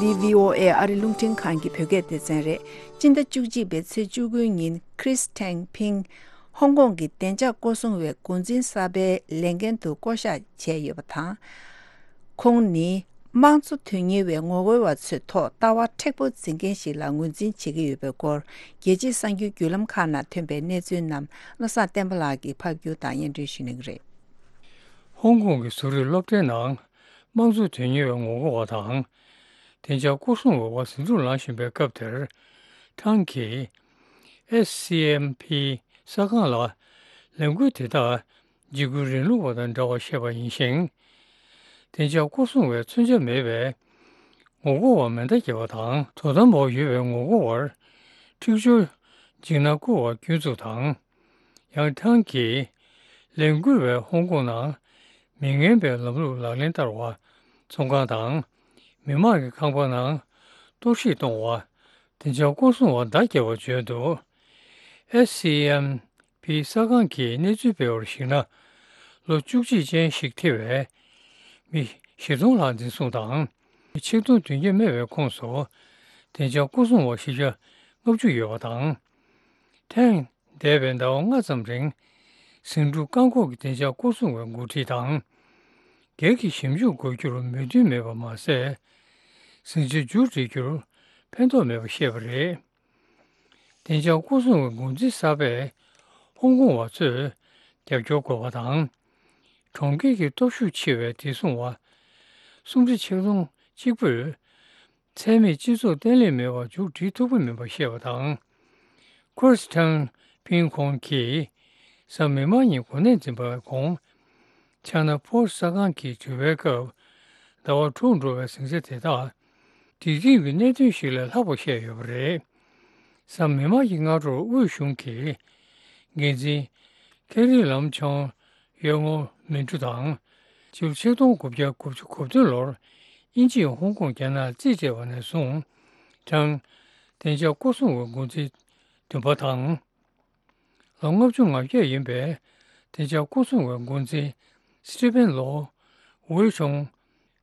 འདི་བྷི་ཨོ་ཨེ་ཨ་རི་རླུང་འཕྲིན་ཁང་གི་བོད་སྐད་སྡེ་ཚན་རེད། སྤྱི་ཟླ་བཅུ་གཅིག་པའི་ཚེས་བཅུ་དགུའི་ཉིན། ཁྲིས་ཐེང་ཕིང་། ཧོང་ཀོང་གི་བདེ་འཇགས་སྐོར་སྲུང་བའི་འགོ་འཛིན་གསར་པའི་ལས་འགན་དུ་བསྐོ་གཞག་བྱས་ཡོད་པ་དང་། ཁོང་ནི་དམངས་གཙོ་དོན་གཉེར་བའི་ངོ་རྒོལ་བ་ཚོའི་ཐོག་ལྟ་བ་མཁྲེགས་པོ་འཛིན་མཁན་ཞིག་ལ་ངོས་འཛིན་བྱེད་ཀྱི་ཡོད་པའི་སྐོར། རྒྱལ་སྤྱིའི་གསར་འགྱུར་བརྒྱུད་ལམ་ཁག་ནང་ཐོན་པའི་གནས་ཚུལ་རྣམས། བློ་བཟང་བསྟན་པ་ལགས་ཀྱིས་ཕབ་སྒྱུར་དང་སྙན་སྒྲོན་ཞུ་གནང་གི་རེད། ཧོང་ཀོང་གི་བཟོ་རིག་སློབ་གྲྭའི་ནང་། དམངས་གཙོ་དོན་གཉེར་བའི་ངོ་རྒོལ་བ་དང་། བདེ་འཇགས་སྐོར་སྲུང་བའི་དབར་ཟིང་འཁྲུག་ལངས་བཞིན་པའི་སྐབས་དེར། ཁྲང་གིས། ཨེ་སི་ཨེམ་ཕི་གསར་ཁང་ལ། ལས་འགུལ་དེ་དག་འཇིགས་སྐུལ་རིང་ལུགས་པ་དང་འདྲ་བ་བཤད་པ་ཡིན་ཞིང་། བདེ་འཇགས་སྐོར་སྲུང་བས་མཚོན་ཆ་མེད་པའི་ངོ་རྒོལ་བར་མེ་མདའ་བརྒྱབ་པ་དང་། དོ་དམ་འོག་ཡོད་པའི་ངོ་རྒོལ་བར་འཁྲིག་སྦྱོར་འཇིགས་སྣང་བསྐུལ་བར་སྐྱོན་འཛུགས་དང་། ཡང་ཁྲང་གིས་ལས་འགུལ་བས་ཧོང་ཀོང་ནང་མི་ངན་པའི་ལམ་ལུགས་ལག་ལེན་བསྟར་བ། ཚོང་ཁང་དང་མི་མང་གི་ཁང་པ་ནང་གཏོར་བཤིག་གཏོང་བ། བདེ་འཇགས་སྐོར་སྲུང་བར་མདའ་བརྒྱབ་པ་བརྗོད་འདུག། ཨེ་སི་ཨེམ་ཕི་གསར་ཁང་གིས་གནས་ཚུལ་སྤེལ་བར་གཞིགས་ན། ལོ་བཅུ་གཅིག་ཅན་ཞིག་ཐེ་བའི་མི་བཞི་སྟོང་ལྷག་འཛིན་བཟུང་དང་། ཆིག་སྟོང་བདུན་བརྒྱ་མེད་པའི་ཁོངས་སུ་བདེ་འཇགས་སྐོར་སྲུང་བ་བཞི་བརྒྱ་ལྔ་བཅུ་ཡོད་པ་དང་། ཐེངས་འདས་པའི་ཟླ་བ་ལྔ་ཙམ་རིང་ཟིང་འཁྲུག་བཀག་འགོག་གི་བདེ་འཇགས་སྐོར་སྲུང་བའི་འགོ་ཁྲིད་དང་སྒེར་གྱི་ཞིབ་འཇུག་དགོས་རྒྱུར་མོས་མཐུན་མེད་པ་མ་ཟད། ཟིང་ཆ་མཇུག་སྒྲིལ་རྒྱུར་ཕན་ཐོགས་མེད་པ་བཤད་པ་རེད། བདེ་འཇགས་སྐོར་སྲུང་བའི་འགོ་འཛིན་གསར་པས་ཧོང་ཀོང་བ་ཚོས་རྒྱབ་སྐྱོར་དགོས་པ་དང་། གྲོང་ཁྱེར་གྱི་སྟོབས་ཤུགས་ཆེ་བའི་བདེ་སྲུང་བ་སུམ་ཁྲི་ཆིག་སྟོང་གཅིག་པོས་ཚད་མེད་སྤྱི་ཚོགས་བརྟན་ལྷིང་མེད་པར་མཇུག་སྒྲིལ་ཐུབ་ཀྱི་མིན་པ་བཤད་པ་དང་། ཁོ་རེས་ཁྲང་ཕིང་ཁོང་གིས་གཟའ་མིག་དམར་ཉིན་གོ་གནས་འཛིན་པའི་གོང་ཆ་ན་ཕོ་གསར་ཁང་གི་དྲི་བའི་སྐབས། ཟླ་བ་དྲུག་འགྲོ་བའི་ཟིང་ཆ་དེ་དག་འཇིག་རྟེན་གྱི་གནད་དོན་ཞིག་ལས་ལྷག་པ་བཤད་ཡོད་པ་རེད། གཟའ་མིག་དམར་གྱི་སྔ་དྲོར་དབུས་གཞུང་གི་འགན་འཛིན་ཁེ་རི་ལམ་ཆང་ཡོལ་ངོ་མིན་ཀྲུ་དང་། ཕྱི་ལོ་ཆིག་སྟོང་དགུ་བརྒྱ་དགུ་བཅུ་གོ་བདུན་ལོར་དབྱིན་ཇིས་ཧོང་ཀོང་རྒྱ་ནག་རྩིས་སྤྲད་པ་ནས་བཟུང་། ཁྲང་བདེ་འཇགས་སྐོར་སྲུང་བའི་འགོ་འཛིན་བདུན་པ་དང་། ལོ་ལྔ་བཅུ་ང་བརྒྱད་ཡིན་པའི་ བདེ་འཇགས་སྐོར་སྲུང་བའི་འགོ་འཛིན་སི་ཊི་ཕན་ལོ་ཝེ་ཤོང་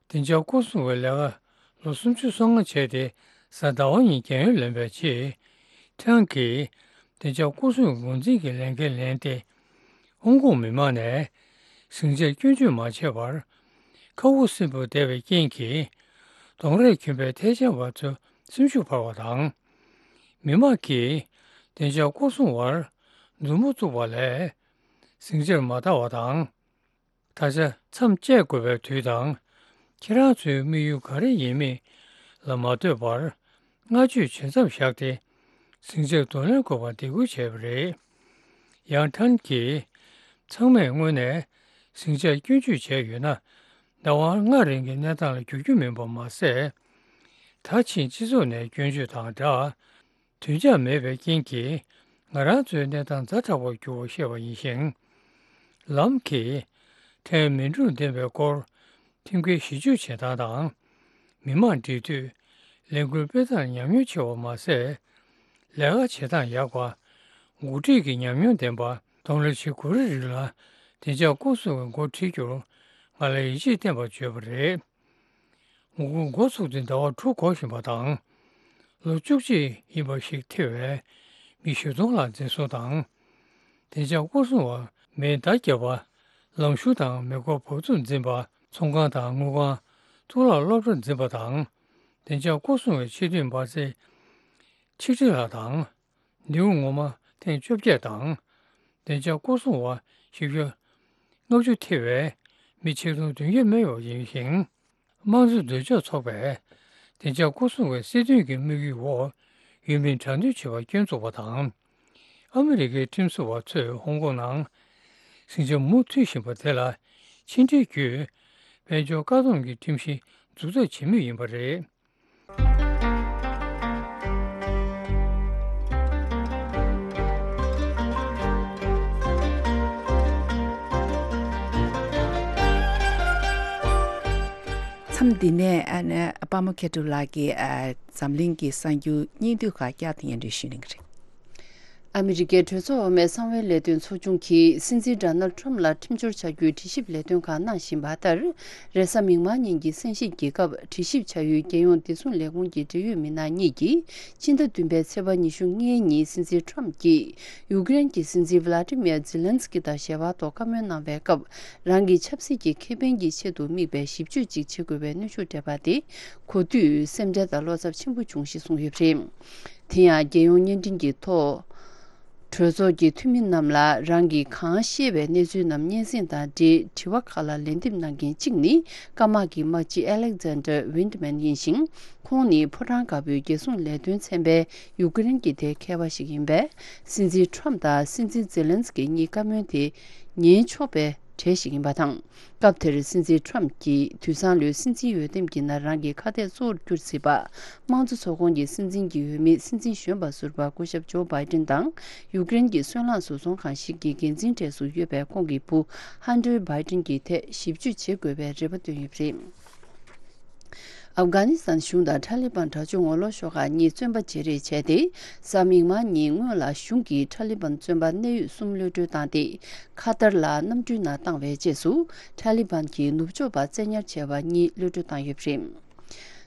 བདེ་འཇགས་སྐོར་སྲུང་བའི་ལས་ཀ་ལོ་སུམ་ཅུ་སོ་ལྔ་བྱས་ཏེ། གཟའ་ཟླ་བ་ཉིན་རྒས་ཡོལ་ལེན་པའི་རྗེས། ཁྲང་གིས་བདེ་འཇགས་སྐོར་སྲུང་འགོ་འཛིན་གྱི་ལས་འགན་ལེན་ཏེ། ཧོང་ཀོང་མི་མང་ནས་ཟིང་ཆར་སྐྱོན་བརྗོད་མ་བྱས་པར་ཁ་དབུགས་སིམ་པོ་བསྡད་པའི་རྐྱེན་གྱིས། གདོང་རས་གྱོན་པའི་ཐལ་ཆ་བ་ཚོ་སེམས་ཤུགས་འཕར་བ་དང་། མི་མང་གིས་བདེ་འཇགས་སྐོར་སྲུང་བར་མཛུབ་མོ་བཙུགས་པ་ལས་ཟིང་ཆར་མ་དར་བ་དང་། ད་ཆ་མཚམས་བཅད་དགོས་པའི་དུས་དང་། ཁྱེད་རང་ཚོའི་དམིགས་ཡུལ་ག་རེ་ཡིན་མིན་ལ་མ་ལྟོས་པར། བསྔགས་བརྗོད་བྱེད་མཚམས་བཞག་སྟེ། ཟིང་ཆར་གདོང་ལེན་དགོས་པར་འདེད་སྐུལ་བྱས་པ་རེད། ཡང་ཁྲང་གིས། ཚང་མས་སྔོན་ནས་ཟིང་ཆར་སྐྱོན་བརྗོད་བྱས་ཡོད་ན། ཟླ་བ་ལྔ་རིང་གི་གནས་སྟངས་ལ་འགྱུར་རྒྱུ་མིན་པ་མ་ཟད། ད་ཕྱིན་སྤྱི་ཚོགས་ནས་སྐྱོན་བརྗོད་དང་སྦྲགས། བདུན་ཆགས་མེད་པའི་རྐྱེན་གྱིས། ང་རང་ཚོའི་གནས་སྟངས་ཛ་དྲག་པར་འགྱུར་བར་བཤད་པ་ཡིན་ཞིང་། ལམ་གྱིས་ཁྲལ་མི་འགྲོ་བདེན་པའི་སྐོར། ཁྲིམས་འགལ་གཞི་བཅོས་བྱེད་སྟངས་དང་། མི་མང་འབྲེལ་མཐུད། ལས་འགུལ་སྤེལ་སྟངས་ཉམས་མྱོང་ཆེ་བ་མ་ཟད། ལས་ཀ་བྱེད་སྟངས་ཡག་པ། འགོ་ཁྲིད་ཀྱི་ཉམས་མྱོང་ལྡན་པ། གདོང་ལེན་བྱེད་དགོས་རེད། རིགས་ལ་བདེ་འཇགས་སྐོར་སྲུང་གི་འགོ་ཁྲིད་རྒྱུར་ང་ལ་ཡིད་ཆེས་བརྟན་པར་བརྗོད་པ་རེད། ངོ་རྒོལ་འགོ་ཚུགས་ཏེ་ཟླ་བ་དྲུག་འགོར་བཞིན་པ་དང་། ལོ་བཅུ་གཅིག་ཡིན་པ་ཞིག་ཐེ་བའི་མི་བཞི་སྟོང་ལྷག་འཛིན་བཟུང་དང་། བདེ་འཇགས་སྐོར་སྲུང་བ་མེ་མདའ་བརྒྱབ་པ། ལམ་ཞུགས་དང་མེ་འཁོར་འབབ་ཚུགས་འཛིན་པ། ཚོང་ཁང་དང་དངུལ་ཁང་། གཙུག་ལག་སློབ་གྲྭ་འཛིན་པ་དང་། བདེ་འཇགས་སྐོར་སྲུང་བའི་ཆེས་མཐོའི་འབར་རྫས་ཆིག་ཁྲི་ལྷག་དང་། ནེའུ་ངོ་མ་ཐེངས་བཅོ་བརྒྱད་དང་། བདེ་འཇགས་སྐོར་སྲུང་བ་བཞི་བརྒྱ་ལྔ་བཅུ་ཐེ་བའི་མི་ཆིག་སྟོང་བདུན་བརྒྱ་མེད་པ་ཡིན་ཞིང་། དམངས་གཙོ་འདོད་ཕྱོགས་ཚོགས་པས་བདེ་འཇགས་སྐོར་སྲུང་བའི་སྲིད་དོན་གྱི་དམིགས་ཡུལ་འོག་ཡུལ་མིའི་དྲག་གནོན་བྱེད་པར་སྐྱོན་བཙུགས་པ་དང་། ཨ་མི་རི་ཀའི་ཁྲིམས་བཟོ་བ་ཚོས་ཧོང་ཀོང་ནང་ཟིང་ཆ་མུ་མཐུད་བཞིན་པ་དེ་ལ་ཕྱི་འབྲེལ་བརྒྱུད་དཔལ་འབྱོར་བཀག་སྡོམ་གྱི་ཁྲིམས་གཞི་འཛུགས་ཐབས་བྱེད་མུས་ཡིན་པ་རེད། མཚམས་འདི་ནས་ཨ་ནི་པདྨ་མཁས་གྲུབ་ལགས་ཀྱིས་ཨ་འཛམ་གླིང་གི་གསར་འགྱུར་སྙིང་བསྡུས་ཁག་བསྐྱར་དུ་སྙན་སྒྲོན་ཞུ་གནང་གི་རེད། ཨ་མི་རི་ཀའི་གྲོས་ཚོགས་འོག་མའི་གསང་བའི་ལས་དོན་ཚོགས་ཆུང་གིས་སྲིད་འཛིན་ཌོ་ནལ་ཁྲམ་ལ་ཁྲིམས་སྦྱོར་བྱ་རྒྱུའི་དྲི་ཞིབ་ལས་དོན་ཁག་གནང་བཞིན་པ་ལྟར། རེས་གཟའ་མིག་དམར་ཉིན་གྱི་གསན་བཞེས་ཀྱི་སྐབས་དྲི་ཞིབ་བྱ་ཡུལ་རྒྱལ་ཡོངས་བདེ་སྲུང་ལས་ཁུངས་ཀྱི་འབྲེལ་ཡོད་མི་སྣ་གཉིས་ཀྱིས་སྤྱི་ཟླ་བདུན་པའི་ཚེས་པ་ཉི་ཤུ་ལྔའི་ཉིན་སྲིད་འཛིན་ཁྲམ་གྱིས་ཡུ་ཀེ་རེན་གྱི་སྲིད་འཛིན་ཝི་ལ་ཏི་མིར་ཛི་ལན་སི་ཀི་དང་ཞལ་པར་ཐོག་བཀའ་མོལ་གནང་བའི་སྐབས། རང་གི་ཆབ་སྲིད་ཀྱི་ཁེ་ཕན་གྱི་ཆེད་དུ་དམིགས་པའི་ཞིབ་དཔྱོད་ཅིག་བྱེད་དགོས་པའི་གནོན་ཤུགས་སྤྲད་པ་དེ་གོ་དུས་སེམས་ཁྲལ་དང་བློ་འཚབ་ཆེན་པོ་བྱུང་ཞེས་གསུངས་ཡོད་པ་རེད། དེ་ཡང་རྒྱལ་ཡོངས་བརྙན་འཕྲིན་གྱི་ཐོག་གྲོས་ཚོགས་ཀྱི་འཐུས་མི་རྣམས་ལ་རང་གིས་གང་ཤེས་པའི་གནས་ཚུལ་རྣམས་སྙན་སེང་དང་འབྲེལ་དྲི་བ་ཁག་ལ་ལན་འདེབས་གནང་མཁན་གཅིག་ནི་སྐམ་དམག་གི་དམག་སྤྱི་ཨེ་ལེག་ཛན་ཌར་ཝིན་ཌི་མན་ཡིན་ཞིང་། ཁོང་ནི་ཕོ་བྲང་དཀར་པོའི་རྒྱལ་སྲུང་ལས་དོན་ཚན་པའི་ཡུ་ཀེ་རེན་གྱི་ཐད་མཁས་པ་ཞིག་ཡིན་པས། སྲིད་འཛིན་ཁྲམ་དང་སྲིད་འཛིན་ཛེ་ལན་སི་ཀི་གཉིས་བཀའ་མོལ་དེ་ཉན་ཆོག་པའི་གྲས་ཤིག་ཡིན་པ་དང་། སྐབས་དེར་སྲིད་འཛིན་ཁྲམ་གྱིས་དུས་སང་ལོའི་སྲིད་འཛིན་འོས་འདེམས་ཀྱི་ནང་རང་གི་ཁ་གཏད་གཙོ་བོར་གྱུར་སྲིད་པ། དམངས་གཙོ་ཚོགས་ཁོངས་ཀྱི་སྲིད་འཛིན་གྱི་འོས་མི་སྲིད་འཛིན་གཞོན་པ་ཟུར་པ་སྐུ་ཞབས་ཇོ་བྷའི་ཏིན་དང་། ཡུཀ་རེན་གྱི་སོལ་རླངས་བཟོ་ཚོང་ཁང་ཞིག་གི་འགན་འཛིན་གྲས་སུ་ཡོད་པའི་ཁོང་གི་བུ་ཧན་ཏེར་བྷའི་ཏིན་གྱི་ཐད་ཞིབ་དཔྱོད་བྱེད་དགོས་པའི་རེ་བ་བཏོན་ཡོད་པ་རེད། ཨབ་གྷ་ནི་སི་ཐན་གཞུང་དང་ཐ་ལི་བན་དྲག་སྤྱོད་ངོ་ལོག་ཤོག་ཁག་གཉིས་བཙོན་པ་བརྗེ་རེས་བྱས་ཏེ། གཟའ་མིག་དམར་ཉིན་སྔོན་ལ་གཞུང་གིས་ཐ་ལི་བན་བཙོན་པ་གནད་ཡོད་གསུམ་གློད་གྲོལ་བཏང་སྟེ། ཁ་ཏར་ལ་གནམ་གྲུའི་ནང་བཏང་བའི་རྗེས་སུ། ཐ་ལི་བན་གྱིས་ནུབ་ཕྱོགས་པ་བཙན་ཉར་བྱས་པ་གཉིས་གློད་གྲོལ་བཏང་ཡོད་པ་རེད།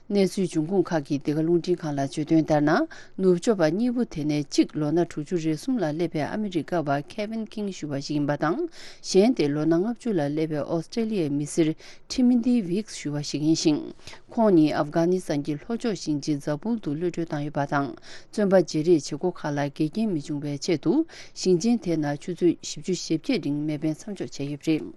གནས་ཚུལ་འབྱུང་ཁུངས་ཁག་གིས་འདི་ག་རླུང་འཕྲིན་ཁང་ལ་བརྗོད་དོན་ལྟར་ན། ནུབ་ཕྱོགས་པ་གཉིས་པོ་དེ་ནས་གཅིག་ལོ་ན་དྲུག་ཅུ་རེ་གསུམ་ལ་སླེབས་པའི་ཨ་མི་རི་ཀ་བ་ཁེ་ཝིན་ཁིང་ཞུ་བ་ཞིག་ཡིན་པ་དང་། གཞན་དེ་ལོ་ན་ལྔ་བཅུ་ལ་སླེབས་པའི་ཨོ་སི་ཀྲེ་ལི་ཡའི་མི་སེར་ཁྲི་མི་དི་ཝིག་ཞུ་བ་ཞིག་ཡིན་ཞིང་། ཁོང་ཉིད་ཨབ་གྷ་ནི་སི་ཐན་གྱི་ལྷོ་ཕྱོགས་ཞིང་ཆེན་ཛ་བུལ་དུ་གློད་གྲོལ་བཏང་ཡོད་པ་དང་། བཙོན་པ་བརྗེ་རེས་བྱེད་སྒོ་ཁག་ལ་འགལ་རྐྱེན་མི་འབྱུང་བའི་ཆེད་དུ། ཞིང་ཆེན་དེ་ནང་ཆུ་ཚོད་བཞི་བཅུ་ཞེ་བརྒྱད་རིང་མེ་འཕེན་མཚམས་འཇོག་བྱས་ཡོད་པ་རེད།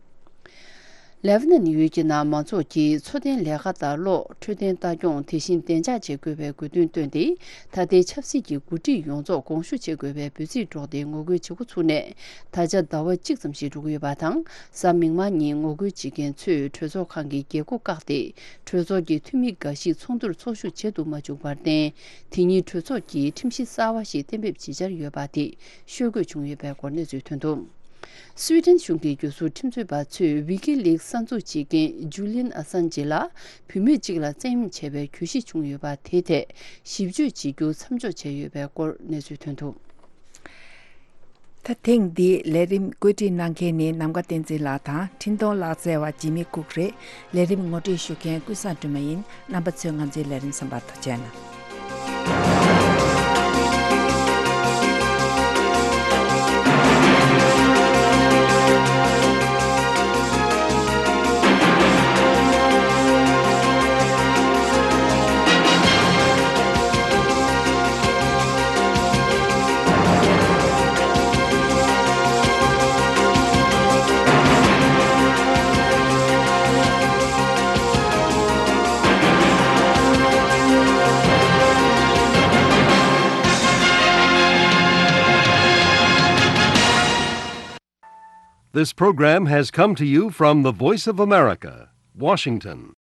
ལེ་བྷ་ནན་ཡུལ་གྱི་ནང་མང་ཚོགས་ཀྱིས་འཚོ་རྟེན་ལས་ཀ་དང་གློག་འཕྲོད་བསྟེན་ལྟ་སྐྱོང་དེ་བཞིན་བདེ་འཇགས་བྱེད་དགོས་པའི་དགོས་འདུན་བཏོན་ཏེ། ད་ལྟའི་ཆབ་སྲིད་ཀྱི་འགོ་ཁྲིད་ཡོངས་རྫོགས་དགོངས་ཞུ་བྱེད་དགོས་པའི་འབོད་ཚིག་སྒྲོག་སྟེ་ངོ་རྒོལ་བྱེད་འགོ་ཚུགས་ནས། ད་ཆ་ཟླ་བ་གཅིག་ཙམ་ཞིག་འགྲོ་གི་ཡོད་པ་དང་། གཟའ་མིག་དམར་ཉིན་ངོ་རྒོལ་བྱེད་མཁན་ཚོས་གྲོས་ཚོགས་ཁང་གི་རྒྱལ་སྒོ་བཀག་སྟེ། གྲོས་ཚོགས་ཀྱི་འཐུས་མི་འགའ་ཞིག་ཚོགས་འདུར་ཚོགས་ཞུགས་བྱེད་དུ་མ་བཅུག་པར་བརྟེན། དེ་ཉིན་གྲོས་ཚོགས་ཀྱི་ཁྲིམས་གཞི་གསར་བ་ཞིག་གཏན་འབེབས་བྱེད་འཆར་ཡོད་པ་དེ་ཤོད་དགོས་བྱུང་ཡོད་པའི་སྐོར་གནས་ཚུལ་ཐོན་འདུག་སུའེ་ཏེན་གཞུང་གི་རྒྱུ་ཟུར་ཁྲིམས་རྩོད་པ་ཚོས་ཝི་ཀི་ལིག་གསར་འཛུགས་བྱེད་མཁན་ཇུ་ལིན་ཨ་སན་ཇེ་ལ་བུད་མེད་ཅིག་ལ་བཙན་གཡེམ་བྱས་པའི་གྱོད་གཞི་བྱུང་ཡོད་པ་དེའི་ཐད་ཞིབ་དཔྱོད་བྱེད་རྒྱུ་མཚམས་འཇོག་བྱས་ཡོད་པའི་སྐོར་གནས་ཚུལ་ཐོན་འདུག་ཐེངས་འདིའི་ལས་རིམ་བཀོད་སྒྲིག་གནང་མཁན་ནི་ནམ་མཁའ་བསྟན་འཛིན་ལགས་དང་འཕྲིན་གཏོང་ལག་རྩལ་བ་འཇིགས་མེད་ལྐུགས་རེད། ལས་རིམ་ངོ་སྤྲོད་ཞུ་མཁན་ཀུན་བཟང་སྒྲོལ་མ་ཡིན། རྣམ་པ་ཚོས་ང་ཚོའི་ལས་རིམ་གསན་པར་ཐུགས་རྗེ་གནང་། This program has come to you from the Voice of America, Washington.